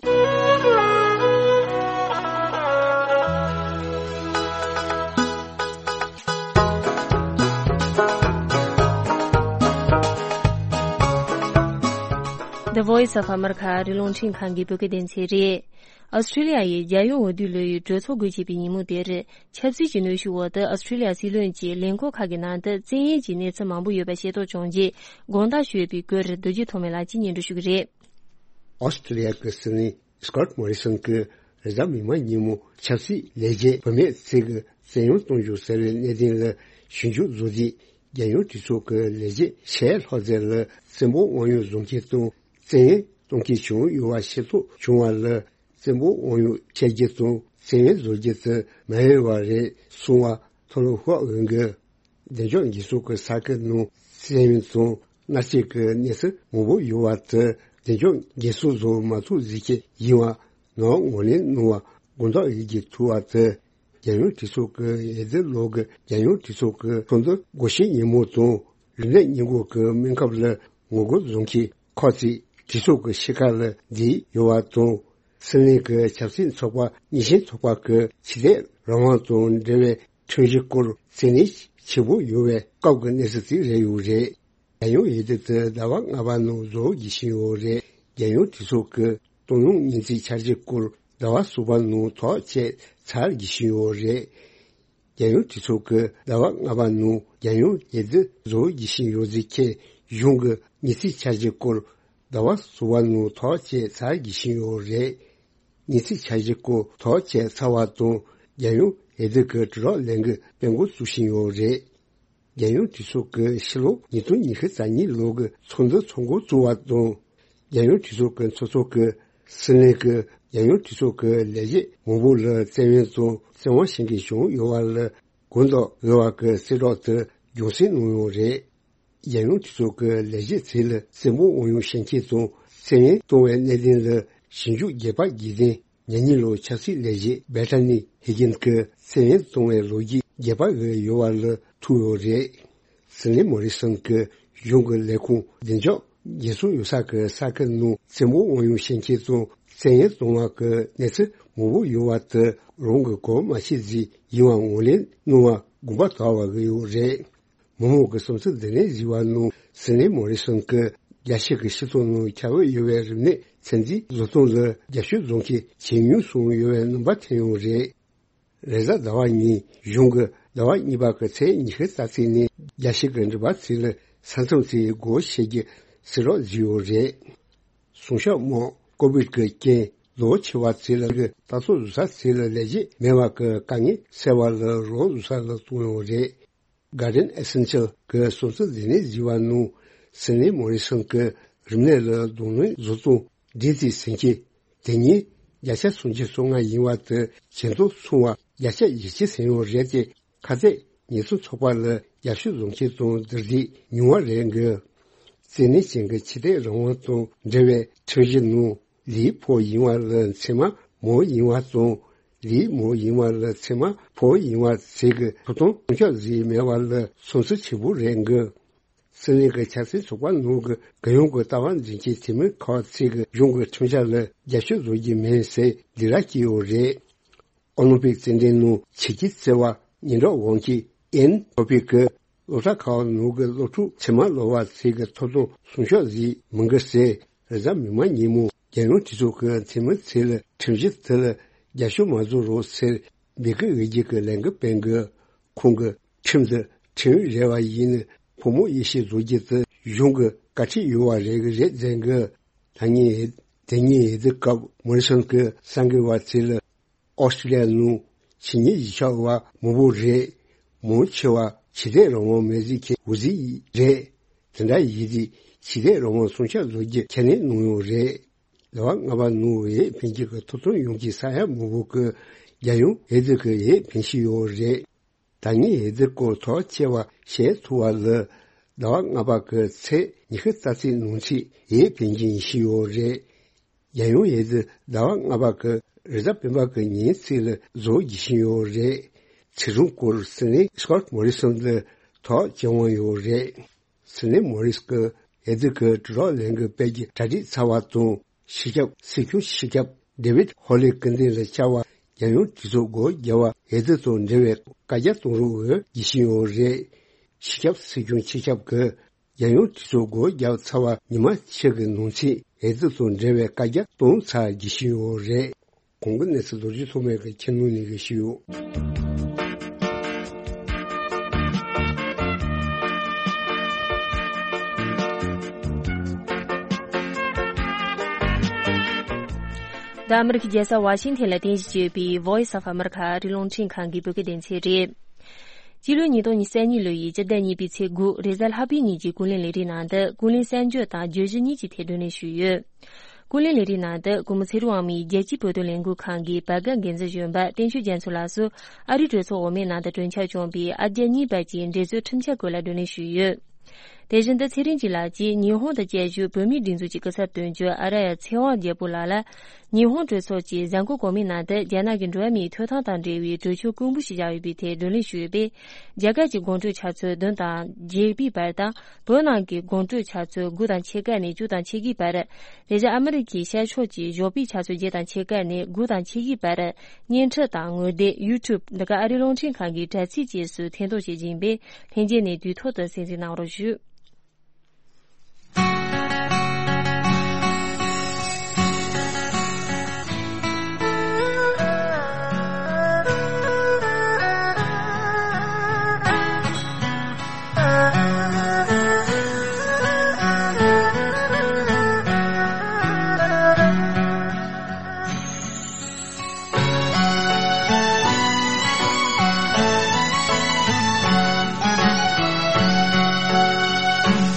The Voice of America རི་ཀླུང་ཁྲིན་ཁང་གི་བོད་སྐད་སྡེ་ཚན་རེད། ཨོ་སི་ཀྲི་ལི་ཡ་ཡི་རྒྱལ་ཡོངས་འོས་བསྡུ་ལོ་ཡི་གྲོས་ཚོགས་འགོ་བྱེད་པའི་ཉིན་མོ་དེར། ཆབ་སྲིད་ཀྱི་གནོན་ཤུགས་འོག་ཏུ་ཨོ་སི་ཀྲི་ལི་ཡ་སྲིད་བློན་གྱིས་ལས་འཁོར་ཁག་གི་ནང་དུ་བཙན་གཡེམ་གྱི་གནས་ཚུལ་མང་པོ་ཡོད་པ་ཤེས་རྟོགས་བྱུང་རྗེས་དགོངས་དག་ཞུས་པའི་སྐོར་རྡོ་རྗེ་ཐོགས་མེད་ལགས་ཀྱིས་སྙན་སྒྲོན་ཞུ་གི་རེད། ཨོ་སི་ཀྲི་ལི་ཡ་གི་སྲིད་བློན་སི་ཀོཊ་མོ་རི་སོན་གྱིས་རེས་གཟའ་མིག་དམར་ཉིན་མོ་ཆབ་སྲིད་ལས་བྱེད་བུད་མེད་ཚོས་ཀྱི་བཙན་གཡེམ་གཏོང་རྒྱུ་ཟེར་བའི་གནད་དོན་ལ་ཞིབ་འཇུག་བཟོ་རྗེས། རྒྱལ་ཡོངས་གྲོས་ཚོགས་ཀྱི་ལས་བྱེད་ཆེས་ལྷག་རྩལ་ལ་བཙན་པོ་དབང་ཡོད་བཟོ་མཁན་དང་བཙན་གཡེམ་གཏོང་མཁན་བྱུང་ཡོད་པ་ཤེས་རྟོགས་བྱུང་བ་ལ། བཙན་པོ་དབང་ཡོད་བྱས་རྗེས་དང་བཙན་གཡེམ་བཟོ་རྒྱུ་དེ་མ་ཡོད་པ་རེད་གསུངས་པ། ཐོ་ལོ་ཧུའ་འོན་གྱི་བདེ་འཇགས་འགན་སྲུང་གི་ས་ཁུལ་ནང་བཙན་གཡེམ་དང་མནར་གཅོད་ཀྱི་གནས་ཚུལ་མང་པོ་ཡོད་པ་དེ་བདེ་འཇགས་འགན་སྲུང་བཟོ་མ་ཐུབ་ཟེར་མཁན་ཡིན་པ་ནང་ངོས་ལེན་གནང་བ་དགོངས་དག་ཡིད་ཀྱིས་ཐུག་པ་དེ། རྒྱལ་ཡོངས་གྲོས་ཚོགས་ཀྱི་འོས་བསྡུ་ལོ་གི་རྒྱལ་ཡོངས་གྲོས་ཚོགས་ཀྱི་ཚོགས་འདུ་འགོ་བཞེས་ཉིན་མོ་དང་རིམས་ནད་སྔོན་འགོག་གི་སྨན་ཁབ་ལ་ངོ་རྒོལ་བཟོ་མཁན་ཁག་ཅིག་གྲོས་ཚོགས་ཀྱི་ཕྱི་ཁ་ལ་བསྡད་ཡོད་པ་དང་། སྲིད་བློན་གྱི་ཆབ་སྲིད་ཚོགས་པ་གཉིས་ཆེན་ཚོགས་པ་གི་ཕྱི་སྡོད་རང་དབང་དང་འབྲེལ་བའི་ཁྲིམས་གཞི་སྐོར་བཙན་གནོན་ཆེན་པོ་ཡོང་བའི་སྐབས་ཀྱི་གནས་ཚུལ་ཅིག་རེད་ཡོད་རེད། རྒྱལ་ཡོངས་འོས་བསྡུ་དེ་ཟླ་བ་ལྔ་པ་ནང་བཟོ་རྒྱུ་བཞིན་ཡོད་རེད། རྒྱལ་ཡོངས་གྲོས་ཚོགས་ཀྱི་གཏོང་ཡོང་ཉིན་བརྩིས་འཆར་གཞི་སྐོར་ཟླ་བ་གསུམ་པ་ནང་ཐག་བཅད་ཚར་རྒྱུ་བཞིན་ཡོད་རེད། རྒྱལ་ཡོངས་གྲོས་ཚོགས་ཀྱི་ཟླ་བ་ལྔ་པ་ནང་རྒྱལ་ཡོངས་འོས་བསྡུ་བཟོ་རྒྱུ་བཞིན་ཡོད་ཚུལ་མཁན་གཞུང་གི་ཉིན་བརྩིས་འཆར་གཞི་སྐོར་ཟླ་བ་གསུམ་པ་ནང་ཐག་བཅད་ཚར་རྒྱུ་བཞིན་ཡོད་རེད། ཉིན་བརྩིས་འཆར་གཞི་སྐོར་ཐག་བཅད་ཚར་བ་དང་རྒྱལ་ཡོངས་འོས་བསྡུ་གི་དྲིལ་བསྒྲགས་ལས་འགུལ་སྤེལ་འགོ་བཙུགས་བཞིན་ཡོད་རེད། རྒྱལ་ཡོངས་གྲོས་ཚོགས་ཀྱི་ཕྱི་ལོ་ཉིས་སྟོང་ཉི་ཤུ་རྩ་གཉིས་ལོ་གི་ཚོགས་འདུ་ཚོགས་འགོ་བཙུགས་པ་དང་། རྒྱལ་ཡོངས་གྲོས་ཚོགས་ཀྱི་ཚོགས་གཙོ་གིས་སྲིད་བློན་གྱིས་རྒྱལ་ཡོངས་གྲོས་ཚོགས་ཀྱི་ལས་བྱེད་མང་པོ་ལ་བཙན་གཡེམ་དང་བཙན་དབང་བྱེད་མཁན་བྱུང་ཡོད་པ་ལ་དགོངས་དག་དགོས་པ་གི་གསལ་བསྒྲགས་དེ་རྒྱུན་སྲིང་གནང་ཡོད་རེད། རྒྱལ་ཡོངས་གྲོས་ཚོགས་ཀྱི་ལས་བྱེད་ཚོ་ལ་བཙན་པོ་དབང་ཡོད་བྱེད་མཁན་དང་བཙན་གཡེམ་གཏོང་བའི་གནད་དོན་ལ་ཞིབ་འཇུག་རྒྱས་པ་བགྱིས་ཏེ། ཉེ་གཉིས་ལོ་ཆབ་སྲིད་ལས་བྱེད་བྷེ་ཊ་ནི་ཧེ་གིན་གྱི་བཙན་གཡེམ་གཏོང་བའི་ལོ་རྒྱུས་རྒྱས་པ་བཟོས་ཡོད་པ་ལ་ཐུག་ཡོད་རེད། སྲིད་བློན་མོ་རི་སོན་གྱི་གཞུང་གི་ལས་ཁུངས་བདེ་འཇགས་རྒྱལ་སྲུང་ཡོད་ས་གི་ས་ཁུལ་ནང་བཙན་པོ་དབང་ཡོད་བྱེད་མཁན་དང་བཙན་གཡེམ་གཏོང་བ་གི་གནས་ཚུལ་མང་པོ་ཡོད་པ་དེ་རང་གིས་གོ་མ་ཆོད་ཟིག་ཡིན་པ་ངོས་ལེན་གནང་བ་དགོངས་པ་དག་པ་བཟོས་ཡོད་རེད། མི་མང་གི་བསམ་ཚུལ་འདི་ནས་གཟིགས་པ་ནང་སྲིད་བློན་མོ་རི་སོན་གྱིས་རྒྱལ་སྤྱི་གི་སྤྱི་ཚོགས་ནང་ཁྱབ་འོས་ཡོད་པའི་རིམས་ནད་ཚོད་འཛིན་བཟོ་སྟངས་ལ་རྒྱབ་སྐྱོར་བཟོ་མཁན་ཇེ་ཉུང་སོང་ཡོད་པའི་རྣམ་པ་ཐོན་ཡོད་རེད། རེས་གཟའ་ཟླ་བ་ཉིན་གཞུང་གི་ཟླ་བ་གཉིས་པ་གི་ཚེས་ཉི་ཤུ་རྩ་གཅིག་ནས་ རྒྱལ་སྤྱི་གི་འགྲུལ་པ་ཚོ་ལ་ས་མཚམས་ཚོའི་སྒོ་ཕྱེ་རྒྱུ་སེལ་རོགས་བཟོས་ཡོད་རེད། སྲུང་སྐྱོབ་དམག་ཀོ་བིད་ཀྱི་རྐྱེན་ལོ་ཆེ་བ་ཚོ་ལ་གི་ལྟ་རྟོག་བཟོ་ས་ཚོ་ལ་ལས་བྱེད་མེད་པ་གི་དཀའ་ངལ་སེལ་བ་ལ་རོགས་བཟོ་ས་ལ་གཏོང་ཡོད་རེད། Guardian Essential གི་སོ་སོ་ལས་གནས་བཟི་བ་ནང་སི་ནེ་མོ་རི་སོན་གྱི་རིམས་ནད་ལ་གདོང་ལེན་བཟོ་སྟངས་འདི་ཚོའི་ཟིན་སྐྱེ་དེ་ཉིད་བརྒྱ་ཆ་སུམ་ཅུ་སོ་ལྔ་ཡིན་བ་དེ་ཇེ་མཐོར་སོང་བ་བརྒྱ་ཆ་བཞི་བཅུ་ཟིན་ཡོད་རེད་དེ། ཁ་གཏད་ཉེས་སྲུང་ཚོགས་པ་ལ་རྒྱབ་སྐྱོར་བཟོ་མཁན་དང་འདུ་འཛི་ཉུང་བ་རེད་འགོད། བཙན་གནོན་ཅན་གྱི་ཆོས་དད་རང་དབང་དང་འབྲེལ་བའི་ཁྲིམས་གཞི་ནང་ལིའི་ཕོ་ཡིན་བ་ལ་མཚེ་མ་མོ་ཡིན་བ་དང་། ལིའི་མོ་ཡིན་བ་ལ་མཚེ་མ་ཕོ་ཡིན་བ་ཟེར་གི་ཐོབ་ཐང་སྲུང་སྐྱོབ་བཟོས་མེད་བ་ལ་སོམས་སུ་ཆེ་པོ་རེད་འགོད། སྲིད་གླེང་གི་ཆབ་སྲིད་ཚོགས་པ་ནང་གི་རྒྱལ་ཡོངས་ཀྱི་ལྟ་བ་འཛིན་གྱི་འཐུས་མི་ཁག་ཅིག་གིས་གཞུང་གི་ཁྲིམས་འཆར་ལ་རྒྱབ་སྐྱོར་བཟོ་རྒྱུ་མིན་ཟེར་སྡིགས་ར་བསྐྱལ་ཡོད་རེད། ཨོ་ལིམ་པིག་རྩེད་འགྲན་ནང་ཆིབས་ཀྱིས་བརྩི་བ་ཉེ་འགྲོགས་དབང་གིས་ཨེན་ཐོ་པིག་གིས་སློབ་གྲྭ་ཁག་ནང་གི་སློབ་ཕྲུག་ཚད་མ་ལོ་བ་ཚོའི་ཐོབ་ཐང་སྲུང་སྐྱོབ་བཟོས་མི་འགི་ཟེར། རེས་གཟའ་མིག་དམར་ཉིན་མོ་རྒྱལ་ཡོངས་གྲོས་ཚོགས་ཀྱི་འཐུས་མི་ཚོ་ལ་ཁྲིམས་གཞི་དེ་ལ་རྒྱབ་སྐྱོར་མ་བཟོ་རོགས་ཟེར་འབོད་སྐུལ་འོས་བསྡུ་གི་ལས་འགུལ་སྤེལ་འགི། ཁོང་གིས་ཁྲིམས་འདི་ཁྲིམས་ཡིག་རེ་བ་ཡིན་ནི་ཕོ་མོ་དབྱེ་ཞིབ་བཟོ་རྒྱུ་དེ་གཞུང་གི་བཀའ་ཁྲིད་ཡོད་བ་རེད་གི་རེད་ཟེར་གི། ད་ངས་དེ་ཉིན་འོས་བསྡུ་སྐབས་མོ་རི་སོན་གྱི་གསར་འགོད་པ་ཚོ་ལ་ཨོ་སི་ཀྲི་ལི་ཡ་ནང་ཆོས་ཉིད་གཞིས་ཆགས་པ་མང་པོ་རེད། མང་ཆེ་བ་ཆོས་དད་རང་དབང་མེད་ཟིག་གི་འོས་གཟིགས་རེད། དེ་འདྲ་ཡིན་དུས་ཆོས་དད་རང་དབང་སྲུང་སྐྱོབ་བཟོ་རྒྱུ་ཁས་ལེན་གནང་ཡོད་རེད། ཟླ་བ་ལྔ་པ་ནང་འོས་འཕེན་རྒྱུ་གི་ཐོབ་ཐང་ཡོང་གི་ས་ཡ་མང་པོ་གི་རྒྱལ་ཡོངས་འོས་བསྡུ་གི་འོས་འཕེན་བཞིན་ཡོད་རེད། ད་ངས་འོས་བསྡུ་སྐོར་ཐག་བཅད་པ་བཤད་ཐུབ་པ་ལ། ཟླ་བ་ལྔ་པ་གི་ཚེས་ཉི་ཤུ་རྩ་གཅིག་ནང་ཚུད་འོས་འཕེན་རྒྱུ་ཡིན་བཞིན་ཡོད་རེད། རྒྱལ་ཡོངས་འོས་བསྡུ་ཟླ་བ་ལྔ་པ་གི་རེས་གཟའ་སྤེན་པ་གི་ཉིན་ཚེས་ལ་བཟོ་རྒྱུ་བཞིན་ཡོད་རེད། ཚེས་གྲངས་སྐོར་སྲིད་བློན་སྐོཊ་མོ་རི་སོན་ལ་ཐག་བཅད་དབང་ཡོད་རེད། སྲིད་བློན་མོ་རིས་ཀྱིས་འོས་བསྡུ་གི་གྲོས་ཚོགས་ལས་འགུལ་སྤེལ་རྒྱུ་གྲ་སྒྲིག་ཚར་བ་དང་། སྤྱི་ཁྱབ་སྲིད་སྐྱོང་སྤྱི་ཁྱབ་ཌེ་ཝིད་ཧོ་ལི་སྐུ་མདུན་ལ་བཅར་བ་རྒྱལ་ཡོངས་གྲོས་ཚོགས་སྒོ་རྒྱག་པ་འོས་བསྡུ་དང་འབྲེལ་བའི་བཀའ་རྒྱ་གཏོང་རོགས་འོས་བསྡུ་བཞིན་ཡོད་རེད། སྤྱི་ཁྱབ་སྲིད་སྐྱོང་སྤྱི་ཁྱབ་ཀྱིས་རྒྱལ་ཡོངས་གྲོས་ཚོགས་སྒོ་རྒྱག་ཚར་བ་ཉི་མ་ཕྱེད་ཀྱི་ནང་ཚུད་འོས་བསྡུ་དང་འབྲེལ་བའི་བཀའ་རྒྱ་གཏོང་ཚར་རྒྱུ་ཞིག་ཡོད་རེད། གོང་གི་གནས་ཚུལ་རྡོ་རྗེ་ཐོགས་མེད་ཀྱིས་ཁྱེར་ནང་ནས་ཞུས་ཡོད། འདི་ཨ་མི་རི་ཀའི་རྒྱལ་ས་ཝ་ཤིང་ཐན་ལ་རྟེན་གཞི་བྱས་ཡོད་པའི་Voice of America ཨ་རིའི་རླུང་འཕྲིན་ཁང་གི་བོད་སྐད་སྡེ་ཚན་རེད། སྤྱི་ལོ་ཉིས་སྟོང་ཉི་ཤུ་རྩ་གཉིས་ལོ་ཡི་སྤྱི་ཟླ་གཉིས་པའི་ཚེས་དགུ་རེས་གཟའ་ལྷག་པའི་ཉིན་གྱི་ཀུན་གླེང་ལས་རིམ་ནང་དུ་ཀུན་གླེང་གསར་འགྱུར་དང་བརྗོད་གཞི་གཉིས་ཀྱི་ཐད་བགྲོ་གླེང་ཞུས་ཡོད། ཀུན་གླེང་ལས་རིམ་ནང་དུ་སྐུ་ངོ་ཚེ་རིང་དབང་མོས་རྒྱལ་སྤྱིའི་བོད་དོན་ལས་འགུལ་ཁང་གི་བར་བརྒལ་འགན་འཛིན་གཞོན་པ་བསྟན་ཆོས་རྒྱ་མཚོ་ལགས་སུ་ཨ་རིའི་གྲོས་ཚོགས་འོག་མའི་ནང་དུ་གྲོས་འཆར་བསྐྱངས་པའི་ཨ་རྒྱ་གཉིས་བར་གྱི་འགྲན་རྩོད་ཁྲིམས་འཆར་སྐོར་ལ་བགྲོ་གླེང་ཞུས་ཡོད། དེ་བཞིན་དུ་ཚེ་རིང་སྐྱིད་ལགས་ཀྱིས་ཉི་ཧོང་དང་བཅའ་བཞུགས་བོད་མིའི་སྒྲིག་འཛུགས་ཀྱི་སྐུ་ཚབ་དོན་གཅོད་ཨ་ར་ཡ་ཚེ་དབང་རྒྱལ་པོ་ལགས་ལ། ཉི་ཧོང་གྲོས་ཚོགས་ཀྱི་གཟའ་འཁོར་གོང་མའི་ནང་དུ་རྒྱ་ནག་གི་འགྲོ་བ་མིའི་ཐོབ་ཐང་དང་འབྲེལ་བའི་གྲོས་ཆོད་དཀོན་པོ་ཞིག་བཞག་ཡོད་པའི་ཐད་བགྲོ་གླེང་ཞུས་ཡོད་པས། རྒྱ་གར་གྱི་དགོང་དྲོའི་ཆུ་ཚོད་བདུན་དང་བརྒྱད་པའི་བར་དང་། བོད་ནང་གི་དགོང་དྲོའི་ཆུ་ཚོད་དགུ་དང་ཕྱེད་ཀ་ནས་བཅུ་དང་ཕྱེད་ཀའི་བར། དེ་བཞིན་ཨ་མི་རི་ཀའི་ཤར་ཕྱོགས་ཀྱི་ཞོགས་པའི་ཆུ་ཚོད་བརྒྱད་དང་ཕྱེད་ཀ་ནས་དགུ་དང་ཕྱེད་ཀའི་བར། བརྙན་འཕྲིན་དང་ངོ་དེབ་YouTube འདི་ག་ཨ་རིའི་རླུང་འཕྲིན་ཁང་གི་དྲ་ཚིགས་བཅས་སུ་ཐེར་འདོན་བྱེད་ཀྱི་ཡིན་པས། ལྷན་རྒྱས་ནས་དུས་ཐོག་ཏུ་གསན་གཟིགས་གནང་རོགས་ཞུ།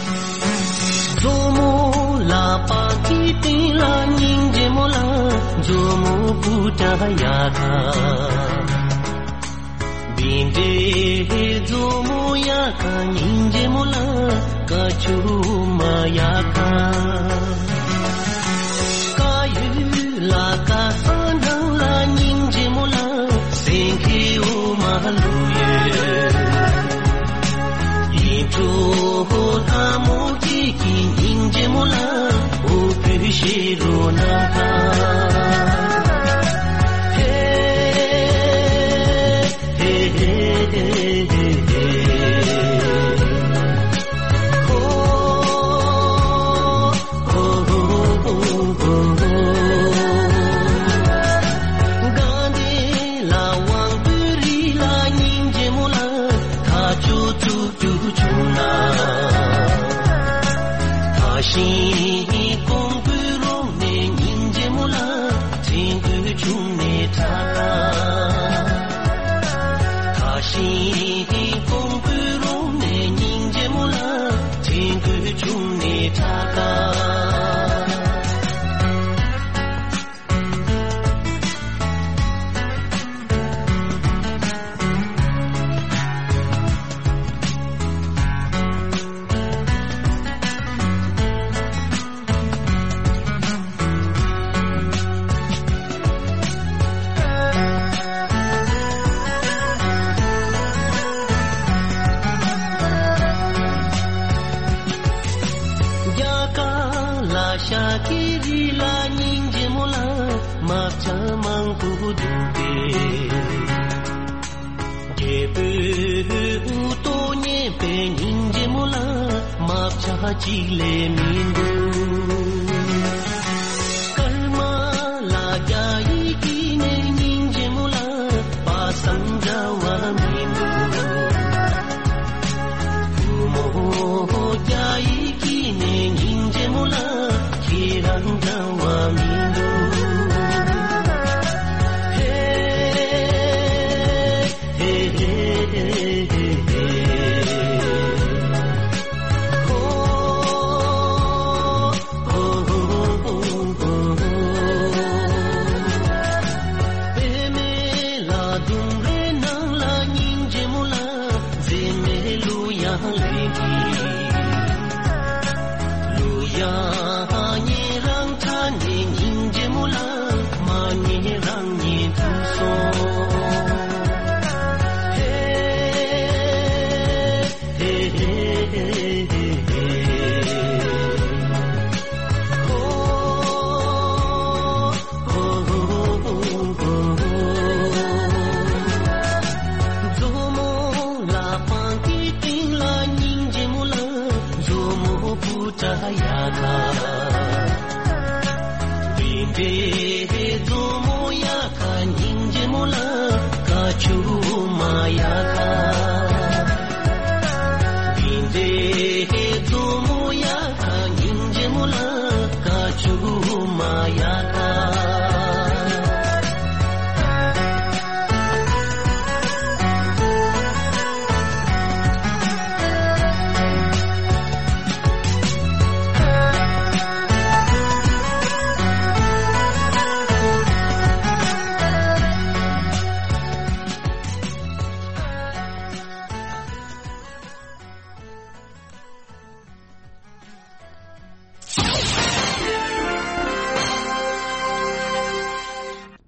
མཛོ་མོ་ལག་པ་གི་སྟེང་ལ་སྙིང་རྗེ་མོ་ལ། མཛོ་མོ་པུ་ཏྲ་ཡ་ཁ། བིན་ཏེ་མཛོ་མོ་ཡ་ཁ་སྙིང་རྗེ་མོ་ལ། ཀ་ཆུ་མ་ཡ་ཁ། ཀ་ཡུ་ལ་ཀ་ས་ནང་ལ་སྙིང་རྗེ་མོ་ལ། སེང་གེ་འོ་མ་ལུ་ཡོད། ཡིད་འཕྲོག་ལྷ་མོ་སྐྱེས་ཀྱི་སྙིང་རྗེ་མོ་ལ། འོ་བུ་ཤེ་རོ་ན་ཁ། ཧེ། ཐུག་རྒྱུ་བྱུང་ན། ད་ཤིང་ཀོང་པོའི་རོང་ནས་སྙིང་རྗེ་མོ་ལ་དྲན་དགོས་བྱུང་ནས་དྲག་ག། ད་ཤིང་ཀོང་པོའི་རོང་ནས་སྙིང་རྗེ་མོ་ལ་དྲན་དགོས་བྱུང་ནས་དྲག་ག། རྒྱ་གར་ལ་ཤ་ཁྱི་རི་ལ་སྙིང་རྗེ་མོ་ལ་མ་བྱ་མང་པོ་འདུག་པས། རྒྱལ་པོའི་དབུ་ཏོ་ཉན་པའི་སྙིང་རྗེ་མོ་ལ་མ་བྱ་གཅིག་ལས་མི་འདུག། སྐར་མ་ལ་རྒྱ་ཡིག་གི་ནས་སྙིང་རྗེ་མོ་ལ་པ་སངས་འདྲ་བ་མི་འདུག། བུ་མོ་རྒྱ་ཡིག་གི་ནས་སྙིང་རྗེ་མོ་ལ་ཁྱེད་རང་འདྲ་བ་མི་འདུག། ཧེ། ཧེ་ཧེ་ཧེ་ཧེ་ཧེ། ཧོ། ཧོ་ཧོ་ཧོ་ཧོ་ཧོ། པད་མའི་ལ་ལྡུམ་རའི་ནང་ལ་སྙིང་རྗེ་མོ་ལ་མཛེས་མའི་གླུ་དབྱངས་ལེན་གྱིས། གླུ་དབྱངས་ཉན་རང་ཁྲ་ནས་སྙིང་རྗེ་མོ་ལ་མ་ཉན་རང་ཉན་ཐུབ་སོང་། ཧེ། ཧེ་ཧེ་ཧེ་ཧེ་ཧེ། ཧོ། ཧོ་ཧོ་ཧོ་ཧོ་ཧོ། མཛོ་མོ་ལ་པང་གི་སྟེང་ལ་སྙིང་རྗེ་མོ་ལ་མཛོ་མོ་བུ་ཏྲ་ཡ་ཁ། འདི་འདྲའི་མཛོ་མོ་ཡ་ཁ་སྙིང་རྗེ་མོ་ལ་ཀ་ཆུ་མ་ཡ་ཁ། འདི་འདྲའི་མཛོ་མོ་ཡ་ཁ་སྙིང་རྗེ་མོ་ལ་ཀ་ཆུ་མ་ཡ་ཁ།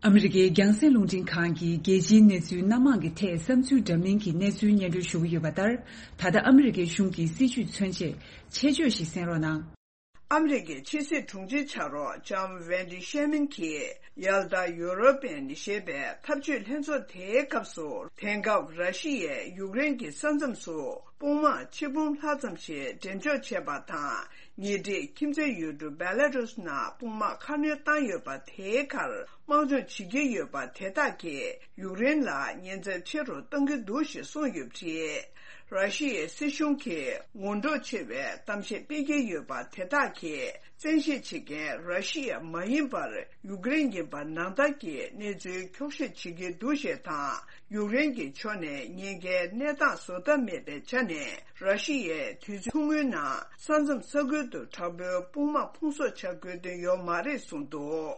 ཨ་མི་རི་ཀའི་རྒྱང་སྲིང་རླུང་འཕྲིན་ཁང་གིས་རྒྱལ་སྤྱིའི་གནས་ཚུལ་སྣ་མང་གི་ཐད་བསམ་ཚུལ་འདྲ་མིན་གྱི་གནས་ཚུལ་སྙན་སྒྲོན་ཞུ་གི་ཡོད་པ་ལྟར། ད་ལྟ་ཨ་མི་རི་ཀའི་གཞུང་གི་སྲིད་བྱུས་མཚོན་ཆེད་ཆེད་བརྗོད་ཞིག་གསན་རོགས་གནང་། ཨ་མི་རི་ཀའི་ཕྱི་སྲིད་དྲུང་ཆེ་ཕྱག་རོགས་ལྕམ་ཝེན་ཌི་ཤེ་མིན་གྱིས་ཡལ་ཏ་ཡུ་རོ་པན་ཞེས་པའི་འཐབ་ཇུས་ལྷན་ཚོགས་དེའི་སྐབས་སུ། དེང་སྐབས་ར་ཤི་ཡས་ཡུཀ་རེན་གྱི་ས་མཚམས་སུ་དཔུང་དམག་ཆིག་འབུམ་ལྷག་ཙམ་ཞིག་འགྲེམས་འཇོག་བྱས་པ་དང་། ཉེ་འཁྲིས་ཁྱིམ་མཚེས་ཡུལ་གྲུ་བེ་ལ་རུས་ནང་དཔུང་དམག་ཁ་སྣོན་བཏང་ཡོད་པ་དེའི་ཁར་དམག་སྦྱོང་བྱེད་ཀྱི་ཡོད་པ་དེ་དག་གིས་ཡུཀ་རེན་ལ་ཉེན་ཚབས་ཆེ་རུ་གཏོང་གི་འདུག་ཞེས་གསུངས་ཡོད་པ་རེད། ར་ཤི་ཡའི་སྲིད་གཞུང་གིས་ངན་འགྲོར་ཆེ་བའི་གཏམ་བཤད་སྤེལ་གྱི་ཡོད་པ་དེ་དག་གིས་བཙན་ཤེད་བྱེད་མཁན་ར་ཤི་ཡ་མ་ཡིན་པར་ཡུཀ་རེན་ཡིན་པ་ནང་ལྟར་གྱི་གནས་ཚུལ་འཁྱོག་བཤད་བྱེད་ཀྱི་འདུག་ཞེས་དང་། ཡུཀ་རེན་གྱི་ཕྱོགས་ནས་ཉེན་ཁའི་གནས་སྟངས་བཟོ་ཐབས་མེད་པའི་ཆ་ནས། ར་ཤི་ཡས་དུས་ཚོད་ཐུང་ངུའི་ནང་ས་མཚམས་ས་ཁུལ་དུ་དྲག་པོའི་དཔུང་དམག་ཕུང་གསོག་བྱ་དགོས་དོན་ཡོད་མ་རེད་གསུངས་འདུག།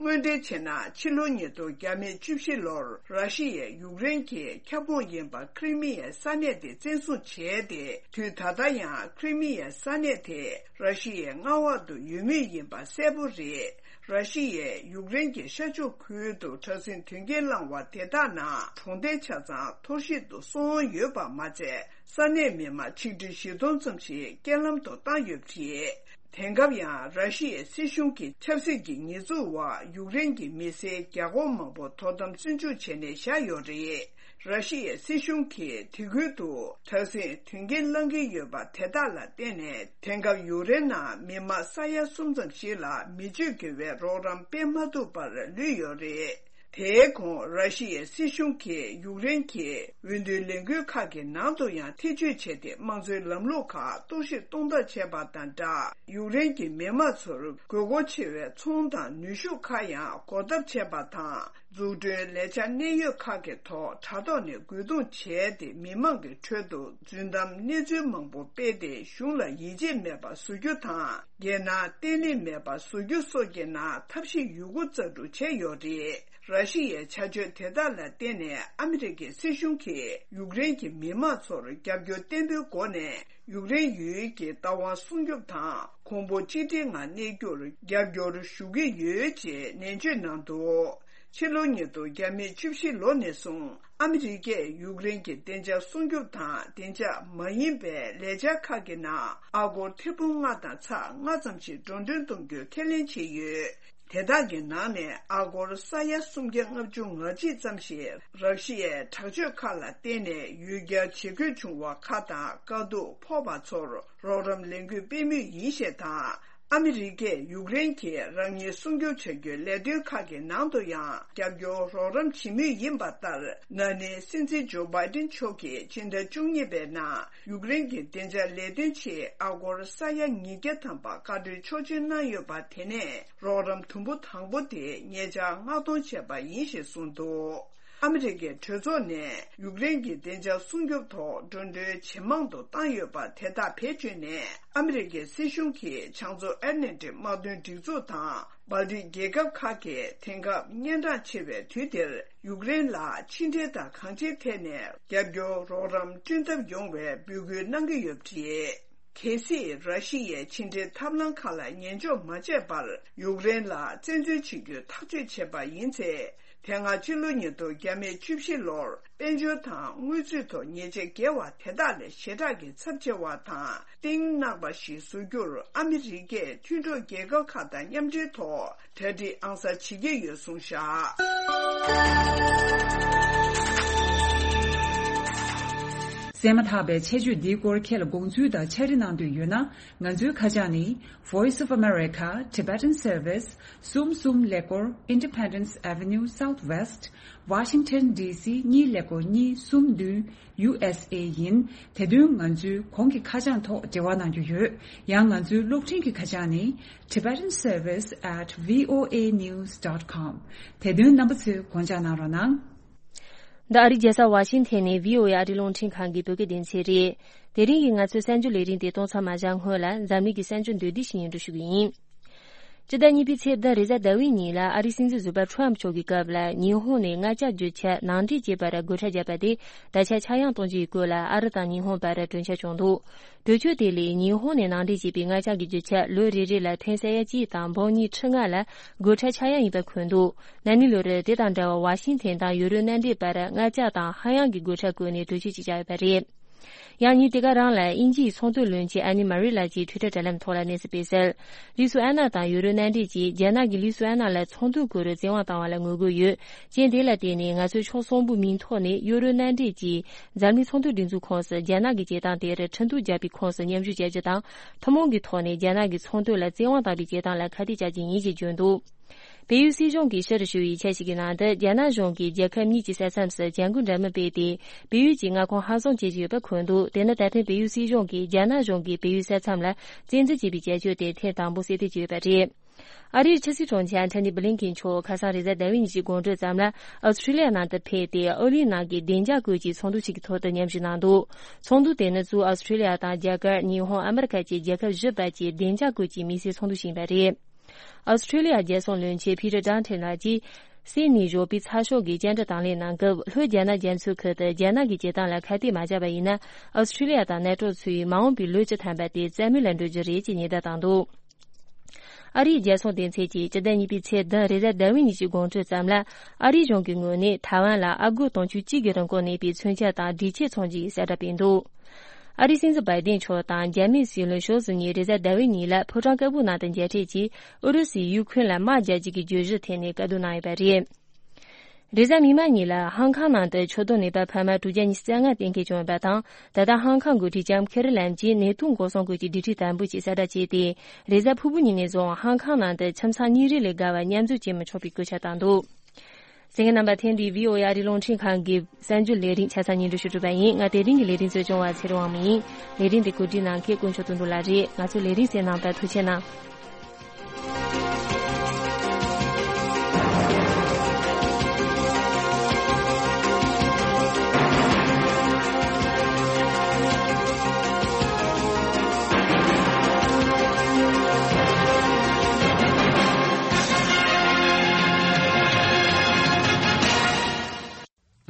དངོས་འབྲེལ་བྱས་ན། ཕྱི་ལོ་ཉིས་སྟོང་བཅུ་བཞི་ལོར་ར་ཤི་ཡས་ཡུཀ་རེན་གྱི་ཁྱབ་ཁོངས་ཡིན་པ་ཁི་རི་མི་ཡའི་ས་གནས་དེ་བཙན་བཟུང་བྱས་ཏེ། དུས་ད་ལྟ་ཡང་ཁི་རི་མི་ཡའི་ས་གནས་དེ་ར་ཤི་ཡའི་མངའ་འོག་ཏུ་ཡོད་མུས་ཡིན་པ་གསལ་པོ་རེད། ར་ཤི་ཡས་ཡུཀ་རེན་གྱི་ཤར་ཕྱོགས་ཁུལ་དུ་དྲག་ཟིང་དོན་རྐྱེན་བསླངས་པ་དེ་དག་ནང་གྲོང་རྡལ་ཆ་ཚང་འཐོར་བཤིག་ཏུ་སོང་ཡོད་པ་མ་ཚད། ས་གནས་མི་མང་ཆིག་ཁྲི་བཞི་སྟོང་ཙམ་ཞིག་རྐྱེན་ལམ་དུ་བཏང་ཡོད་པ་རེད། དེང་སྐབས་ཡང་ར་ཤི་ཡའི་སྲིད་གཞུང་གི་ཆབ་སྲིད་ཀྱི་ཉེས་འཛུགས་འོག་ཡུཀ་རེན་གྱི་མི་སེར་བརྒྱ་སྐོར་མང་པོ་དོ་དམ་བཙོན་འཇུག་བྱས་ནས་བཞག་ཡོད་རེད། ར་ཤི་ཡའི་སྲིད་གཞུང་གིས་དེ་ཁུལ་དུ་དྲག་ཟིང་དོན་རྐྱེན་བསླང་གི་ཡོད་པ་དེ་དག་ལ་བརྟེན་ནས། དེང་སྐབས་ཡུཀ་རེན་ནང་མི་མང་ས་ཡ་གསུམ་ཙམ་ཞིག་ལ་མི་སྤྱོད་དགེ་བའི་རོགས་རམ་སྤེལ་མ་ཐུབ་པར་ལུས་ཡོད་རེད། དེའི་གོང་ར་ཤི་ཡའི་སྲིད་གཞུང་གིས་ཡུཀ་རེན་གྱི་འོས་བསྡུའི་ལས་འགུལ་ཁག་གི་ནང་དུ་ཡང་ཐེ་བྱུས་བྱས་ཏེ། དམངས་གཙོའི་ལམ་ལུགས་ཁག་གཏོར་བཤིག་གཏོང་ཐབས་བྱས་པ་དང་སྦྲགས། ཡུཀ་རེན་གྱི་མི་དམངས་ཚོར་དགོས་མཁོ་ཆེ་བའི་ཚོང་དང་ནུས་ཤུགས་ཁག་ཡང་བགོ་ཐབས་བྱས་པ་དང་། འཛུགས་སྐྲུན་ལས་འཆར་གནད་ཡོད་ཁག་གི་ཐོག་དྲ་ཐོག་ནས་རྒོལ་རྡུང་བྱས་ཏེ། མི་མང་གི་ཁྲོད་དུ་རྫུན་གཏམ་གནས་ཚུལ་མང་པོ་སྤེལ་ཏེ། གཞུང་ལ་ཡིད་ཆེས་མེད་པ་བཟོ་རྒྱུ་དང་། རྒྱལ་ནང་བརྟན་ལྷིང་མེད་པ་བཟོ་རྒྱུ་སོགས་ཀྱི་ནང་ཐབས་ཤེས་ཡོད་རྒུ་རྩལ་སྤྲུགས་བྱས་ཡོད་རེད། ར་ཤི་ཡའི་བྱ་སྤྱོད་དེ་དག་ལ་བརྟེན་ནས། ཨ་མི་རི་ཀའི་སྲིད་གཞུང་གིས་ཡུཀ་རེན་གྱི་མི་དམངས་ཚོར་རྒྱབ་སྐྱོར་བརྟན་པོའི་སྒོ་ནས་ཡུཀ་རེན་ཡུལ་གྱི་བདག་དབང་སྲུང་སྐྱོབ་དང་། གོང་བུ་གཅིག་སྒྲིལ་ངང་གནས་རྒྱུར་རྒྱབ་སྐྱོར་ཞུ་གི་ཡོད་ཅེས་ནན་བརྗོད་གནང་འདུག་ཕྱི་ལོ་ཉིས་སྟོང་བརྒྱ་མེད་བཅུ་བཞི་ལོ་ནས་བཟུང་ཨ་མི་རི་ཀས་ཡུཀ་རེན་གྱི་བདེ་འཇགས་སྲུང་སྐྱོབ་དང་བདེ་འཇགས་མ་ཡིན་པའི་ལས་འཆར་ཁག་གི་ནང་ཨ་སྒོར་ཐེར་འབུམ་ལྔ་དང་ཚེག་ལྔ་ཙམ་ཞིག་འགྲོ་གྲོན་གཏོང་རྒྱུའི་ཁས་ལེན་བྱས་ཡོད། དེ་དག་གི་ནང་ནས་ཨ་སྒོར་ས་ཡ་སུམ་བརྒྱ་ལྔ་བཅུ་ང་གཅིག་ཙམ་ཞིག་ར་ཤི་ཡའི་དྲག་སྤྱོད་ཁག་ལ་བརྟེན་ནས་ཡུལ་གྱར་བྱེད་དགོས་བྱུང་བ་ཁག་དང་། དཀའ་སྡུག་ཕོག་པ་ཚོར་རོགས་རམ་ལེན་དགོས་པའི་དམིགས་ཡུལ་ཞིག་དང་། ཨ་མི་རི་ཀས་ཡུཀ་རེན་གྱིས་རང་ཉིད་སྲུང་སྐྱོབ་བྱ་རྒྱུའི་ལས་དོན་ཁག་གི་ནང་དུ་ཡང་རྒྱབ་སྐྱོར་རོགས་རམ་བྱེད་མུས་ཡིན་པ་ལྟར། ན་ནིང་སྲིད་འཛིན་ཇོ་བྷའི་ཏིན་མཆོག་གིས་ཕྱི་ཟླ་བཅུ་གཉིས་པའི་ནང་ཡུཀ་རེན་གྱི་བདེ་འཇགས་ལས་དོན་ཆེད་ཨ་སྒོར་ས་ཡ་ཉིས་བརྒྱ་ཐམ་པ་བཀའ་འཁྲོལ་ཆོག་མཆན་གནང་ཡོད་པ། དེ་ནས་རོགས་རམ་དུམ་བུ་དང་པོ་དེ་ཉེ་ཆར་མངགས་གཏོང་བྱས་པ་ཡིན་ཞེས་གསུངས་འདུག་ཨ་མི་རི་ཀའི་གྲོས་ཚོགས་ནས་ཡུཀ་རེན་གྱི་བདེ་འཇགས་སྲུང་སྐྱོབ་ཐོག་འགྲོ་གྲོན་ཇེ་མང་དུ་བཏང་ཡོད་པ་དེ་དག་བེད་སྤྱོད་ནས། ཨ་མི་རི་ཀའི་སྲིད་གཞུང་གིས་བྱང་མཚོ་ཨེཊ་ལན་ཊིག་དམག་དོན་སྒྲིག་འཛུགས་དང་། སྦལ་ཏིག་རྒྱལ་ཁབ་ཁག་གིས་དེང་སྐབས་སྙན་གྲགས་ཆེ་བའི་དུས་འདིར་ཡུཀ་རེན་ལ་ཕྱི་འབྲེལ་དང་གང་ཅིའི་ཐད་ནས་རྒྱབ་སྐྱོར་རོགས་རམ་བསྐྲུན་ཐབས་ཡོང་བའི་འབོད་སྐུལ་གནང་གི་ཡོད་པ་རེད། གལ་སྲིད་ར་ཤི་ཡའི་ཕྱི་འབྲེལ་ཐབས་ལམ་ཁག་ལ་ཉན་འཇོག་མ་བྱས་པར་ཡུཀ་རེན་ལ་བཙན་འཛུལ་བྱེད་རྒྱུའི་ཐག་གཅོད་བྱས་པ་ཡིན་ཚེ། དེ་སྔ་ཕྱི་ལོ་ཉིས་སྟོང་བརྒྱ་མེད་བཅུ་བཞི་ལོར་དཔལ་འབྱོར་དང་དངུལ་རྩིས་ཐོག་ཉེས་ཆད་བཀལ་བ་དེ་དག་ལས་ཞེ་དྲག་གི་ཚབས་ཆེ་བ་དང་གཏིང་ནག་པ་ཞིག་བཟོ་རྒྱུར་ཨ་མི་རི་ཀས་མཐུན་གྲོགས་རྒྱལ་ཁབ་ཁག་དང་མཉམ་འབྲེལ་ཐོག་གྲ་སྒྲིག་ཨང་གསར་བྱེད་ཀྱི་ཡོད་གསུངས་བཞག་གསན་མ་ཐག་པའི་ཆེད་བརྗོད་འདིའི་སྐོར་ཁྱེད་ལ་དགོངས་ཚུལ་དང་ཕྱག་བྲིས་གནང་འདོད་ཡོད་ན། ང་ཚོའི་ཁ་བྱང་ནི། Voice of America, Tibetan Service, གསུམ་གསུམ་ཀླད་ཀོར། Independence Avenue Southwest, Washington D C གཉིས་ཀླད་ཀོར་གཉིས་གསུམ་བདུན། U S A ཡིན། དེ་དོན་ང་ཚོའི་གོང་གི་ཁ་བྱང་ཐོག་འབྲེལ་བ་གནང་རྒྱུ་ཡོད། ཡང་ང་ཚོའི་གློག་འཕྲིན་གྱི་ཁ་བྱང་ནི། Tibetan Service at V O A news dot com། དེ་དོན་རྣམ་པ་ཚོས་དགོངས་འཇགས་གནང་རོགས་གནང་། འདི་ཨ་རིའི་རྒྱལ་ས་ཝ་ཤིང་ཐན་ནས་V O A ཨ་རིའི་རླུང་འཕྲིན་ཁང་གི་བོད་སྐད་སྡེ་ཚན་རེད། དེ་རིང་གི་ང་ཚོའི་གསར་འགྱུར་ལས་རིམ་དེ་གཏོང་མཚམས་མ་བཞག་སྔོན་ལ། འཛམ་གླིང་གི་གསར་འགྱུར་མདོར་བསྡུས་ཤིག་སྙན་སྒྲོན་ཞུ་གི་ཡིན། སྤྱི་ཟླ་གཉིས་པའི་ཚེས་བདུན་རེས་གཟའ་ཟླ་བའི་ཉིན་ལ། ཨ་རིའི་སྲིད་འཛིན་ཟུར་པ་ཁྲོམ་མཆོག་གི་སྐབས་ལ། ཉི་ཧོང་ནས་མངར་ཆ་རྒྱུ་ཆ་ནང་འདྲེན་བྱེད་པར་སྒོ་ཁྲལ་བརྒྱབ་པ་དེ་ད་ཆ་ཆག་ཡང་གཏོང་རྒྱུ་ཡི་སྐོར་ལ། ཨ་རི་དང་ཉི་ཧོང་བར་གྲོས་འཆར་བྱུང་འདུག་གྲོས་ཆོད་དེ་ལས། ཉི་ཧོང་ནས་ནང་འདྲེན་བྱས་པའི་མངར་ཆ་གི་རྒྱུ་ཆ་ལོ་རེ་རེ་ལ་ཐོན་ས་ཡ་གཅིག་དང་འབུམ་གཉིས་ཁྲི་ལྔ་ལ་སྒོ་ཁྲལ་ཆག་ཡང་ཡིན་པ་འཁོད་འདུག་ན་ནིང་ལོར་དེ་དང་འདྲ་བར་ཝ་ཤིང་ཐན་དང་ཡུ་རོབ་མནའ་འབྲེལ་བར་མངར་ཆ་དང་ཧ་ཡང་གི་སྒོ་ཁྲལ་བཀོད་ནས་གྲོས་ཆོད་ཅིག་བཞག་ཡོད་པ་རེད། ཡང་ཉིན་དེ་ག་རང་ལ་དབྱིན་ཇིའི་ཚོང་དོན་བློན་ཆེན་ཨན་ནི་མ་རི་ལགས་ཀྱིས་ཊུའི་ཊར་དྲ་ལམ་ཐོག་ལ་གནས་ཚུལ་སྤེལ་གསལ། ལི་སུ་ཨན་ན་དང་ཡུ་རོབ་མནའ་འབྲེལ་གྱིས་རྒྱ་ནག་གིས་ལི་སུ་ཨན་ན་ལ་ཚོང་དོན་སྐོར་བཙན་དབང་བཏང་བ་ལ་ངོ་རྒོལ་ཡོད། རྐྱེན་དེ་ལ་བརྟེན་ནས་ང་ཚོས་ཕྱོགས་གསུམ་པོའི་མིང་ཐོག་ནས་ཡུ་རོབ་མནའ་འབྲེལ་གྱིས་འཛམ་གླིང་ཚོང་དོན་སྒྲིག་འཛུགས་ཁོངས་སུ་རྒྱ་ནག་གི་བྱེད་སྟངས་དེར་ཁྲིམས་གཏུག་བརྒྱབ་པའི་ཁོངས་སུ་མཉམ་ཞུགས་བྱ་རྒྱུ་དང་། ཐུན་མོང་གི་ཐོག་ནས་རྒྱ་ནག་གི་ཚོང་དོན་ལ་བཙན་དབང་བཏང་བའི་བྱེད་སྟངས་ལ་ཁ་གཏད་བཅག་རྒྱུ་ཡིན་ཞེས་བརྗོད་འདུག་བལ་ཡུལ་སྲིད་གཞུང་གིས་ཕྱིར་ཞུ་བའི་འཆར་ཞིག་གི་ནང་དུ། རྒྱ་ནག་གཞུང་གིས་རྒྱལ་ཁབ་གཉིས་ཀྱི་ས་མཚམས་སུ་བྱ་འགུལ་འདྲ་མིན་སྤེལ་ཏེ། བལ་ཡུལ་གྱི་མངའ་ཁོངས་ཧ་བཟུང་བྱེད་བཞིན་ཡོད་པ་འཁོད་འདུག་དེ་ནི་ད་ཐེངས་བལ་ཡུལ་སྲིད་གཞུང་གིས་རྒྱ་ནག་གཞུང་གིས་བལ་ཡུལ་ས་མཚམས་ལ་བཙན་འཛུལ་བྱས་པའི་བྱ་སྤྱོད་དེ་ཐེངས་དང་པོ་གསལ་སྟོན་བྱས་ཡོད་པ་རེད། ཨ་རིའི་ཕྱི་སྲིད་དྲུང་ཆེ་ཨན་ཐོ་ནི་བྷི་ལིན་ཀེན་མཆོག་ཁ་སང་རེས་གཟའ་ཟླ་བའི་ཉིན་གྱི་དགོང་དྲོ་ཙམ་ལ་ཨོ་སི་ཁྲུ་ལི་ཡ་ནང་དུ་ཕེབས་ཏེ། ཨོ་གླིང་ནང་གི་བདེ་འཇགས་སྐོར་གྱི་ཚོགས་འདུ་ཞིག་གི་ཐོག་ཏུ་མཉམ་ཞུགས་གནང་འདུག་ཚོགས་འདུ་དེ་ནི་གཙོ་བོ་ཨོ་སི་ཁྲུ་ལི་ཡ་དང་རྒྱ་གར། ཉི་ཧོང་། ཨ་མི་རི་ཀ་བཅས་རྒྱལ་ཁབ་བཞི་པ་བཅས་བདེ་འཇགས་སྐོར་གྱི་དམིགས་བསལ་ཚོགས་འདུ་ཞིག་ཡིན་པ་རེད། ཨོ་སི་ཁྲུ་ལི་ཡ་རྒྱལ་སྲུང་བློན་ཆེན་ཕི་ཊར་ཌང་ཊོན་ལགས་ཀྱིས། སིད་ནི་བཞུགས་པའི་ཚགས་ཤོག་གི་བཅར་འདྲི་དང་ལེན་གནང་སྐབས། ལྷོ་རྒྱ་ནག་རྒྱ་མཚོའི་ཁུལ་དུ་རྒྱ་ནག་གི་བྱེད་སྟངས་ལ་ཁ་གཏད་མ་བཅག་པ་ཡིན་ན། ཨོ་སི་ཁྲུ་ལི་ཡ་དང་ནེ་ཊོ་ཚོས་མ་འོངས་པའི་ལོ་བཅུ་ཐམ་པ་དེ་རྩ་མེད་ལ་འགྲོ་རྒྱུ་རེད་ཅེས་ཉེན་བརྡ་བཏང་འདུག་ཨ་རིའི་རྒྱལ་སྲུང་སྡེ་ཚན་གྱིས་སྤྱི་ཟླ་གཉིས་པའི་ཚེས་བདུན་རེས་གཟའ་ཟླ་བའི་ཉིན་གྱི་དགོང་དྲོ་ཙམ་ལ། ཨ་རིའི་གཞུང་གི་ངོས་ནས་ཐའེ་ཝན་ལ་ཨ་སྒོར་དུང་ཕྱུར་གཅིག་གི་རིན་གོང་གནས་པའི་མཚོན་ཆ་དང་སྒྲིག་ཆས་འཚོང་རྒྱུ་ཡི་གསལ་བསྒྲགས་སྤེལ་འདུག་ཨ་རིའི་སྲིད་འཛིན་བྷའི་ཏིན་མཆོག་དང་རྒྱ་མིའི་སྲིད་བློན་ཞའོ་སི་གཉིས་རེས་གཟའ་ཟླ་བའི་ཉིན་ལ་ཕོ་བྲང་དཀར་པོའི་ནང་དུ་མཇལ་འཕྲད་ཀྱིས། ཨུ་རུ་སུས་ཡུ་ཁུ་རེན་ལ་དམག་རྒྱག་རྒྱུ་གི་བརྗོད་གཞི་ཐད་ནས་བཀའ་བསྡུར་གནང་ཡོད་པ་རེད། རེས་གཟའ་མིག་དམར་ཉིན་ལ་ཧང་ཁང་ནང་དུ་ཆུ་དོང་ནད་པ་འཕར་མ་དྲུག་བརྒྱ་ཉི་ཤུ་རྩ་ལྔ་གཏན་འཁེལ་བྱུང་ཡོད་པ་དང་། ད་ལྟ་ཧང་ཁང་འགོ་ཁྲིད་ལྕམ་ཁེ་རི་ལམ་གྱིས་ནད་དུག་འགོག་སྲུང་སྐོར་གྱི་སྒྲིག་ཁྲིམས་དམ་པོ་ཞིག་གསལ་བསྒྲགས་བྱས་ཏེ། རེས་གཟའ་ཕུར་བུ་ཉིན་ནས་བཟུང་ཧང་ཁང་ནང་དུ་ཁྱིམ་ཚང་གཉིས་རེ་ལས་བརྒལ་བ་མཉམ་འཛོམས་བྱེད་མི་ཆོག་པའི་བཀོད་ཁྱབ་བཏང་འདུག་གསན་མཁན་རྣམ་པ། ཐེངས་འདིའི་བྷི་ཨོ་ཨེ་ཨ་རིའི་རླུང་འཕྲིན་ཁང་གི་གསར་འགྱུར་ལས་རིམ་ཆ་ཚང་སྙན་སྒྲོན་ཞུ་གྲུབ་པ་ཡིན། ང་དེ་རིང་གི་ལས་རིམ་གཙོ་སྐྱོང་བ་ཚེ་རིང་དབང་མོ་ཡིན། ལས་རིམ་འདི་གོ་སྒྲིག་གནང་མཁན་དཀོན་མཆོག་དོན་གྲུབ་ལགས་རེད། ང་ཚོའི་ལས་རིམ་གསན་གནང་དང་ཐུགས་རྗེ་གནང་།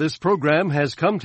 This program has come to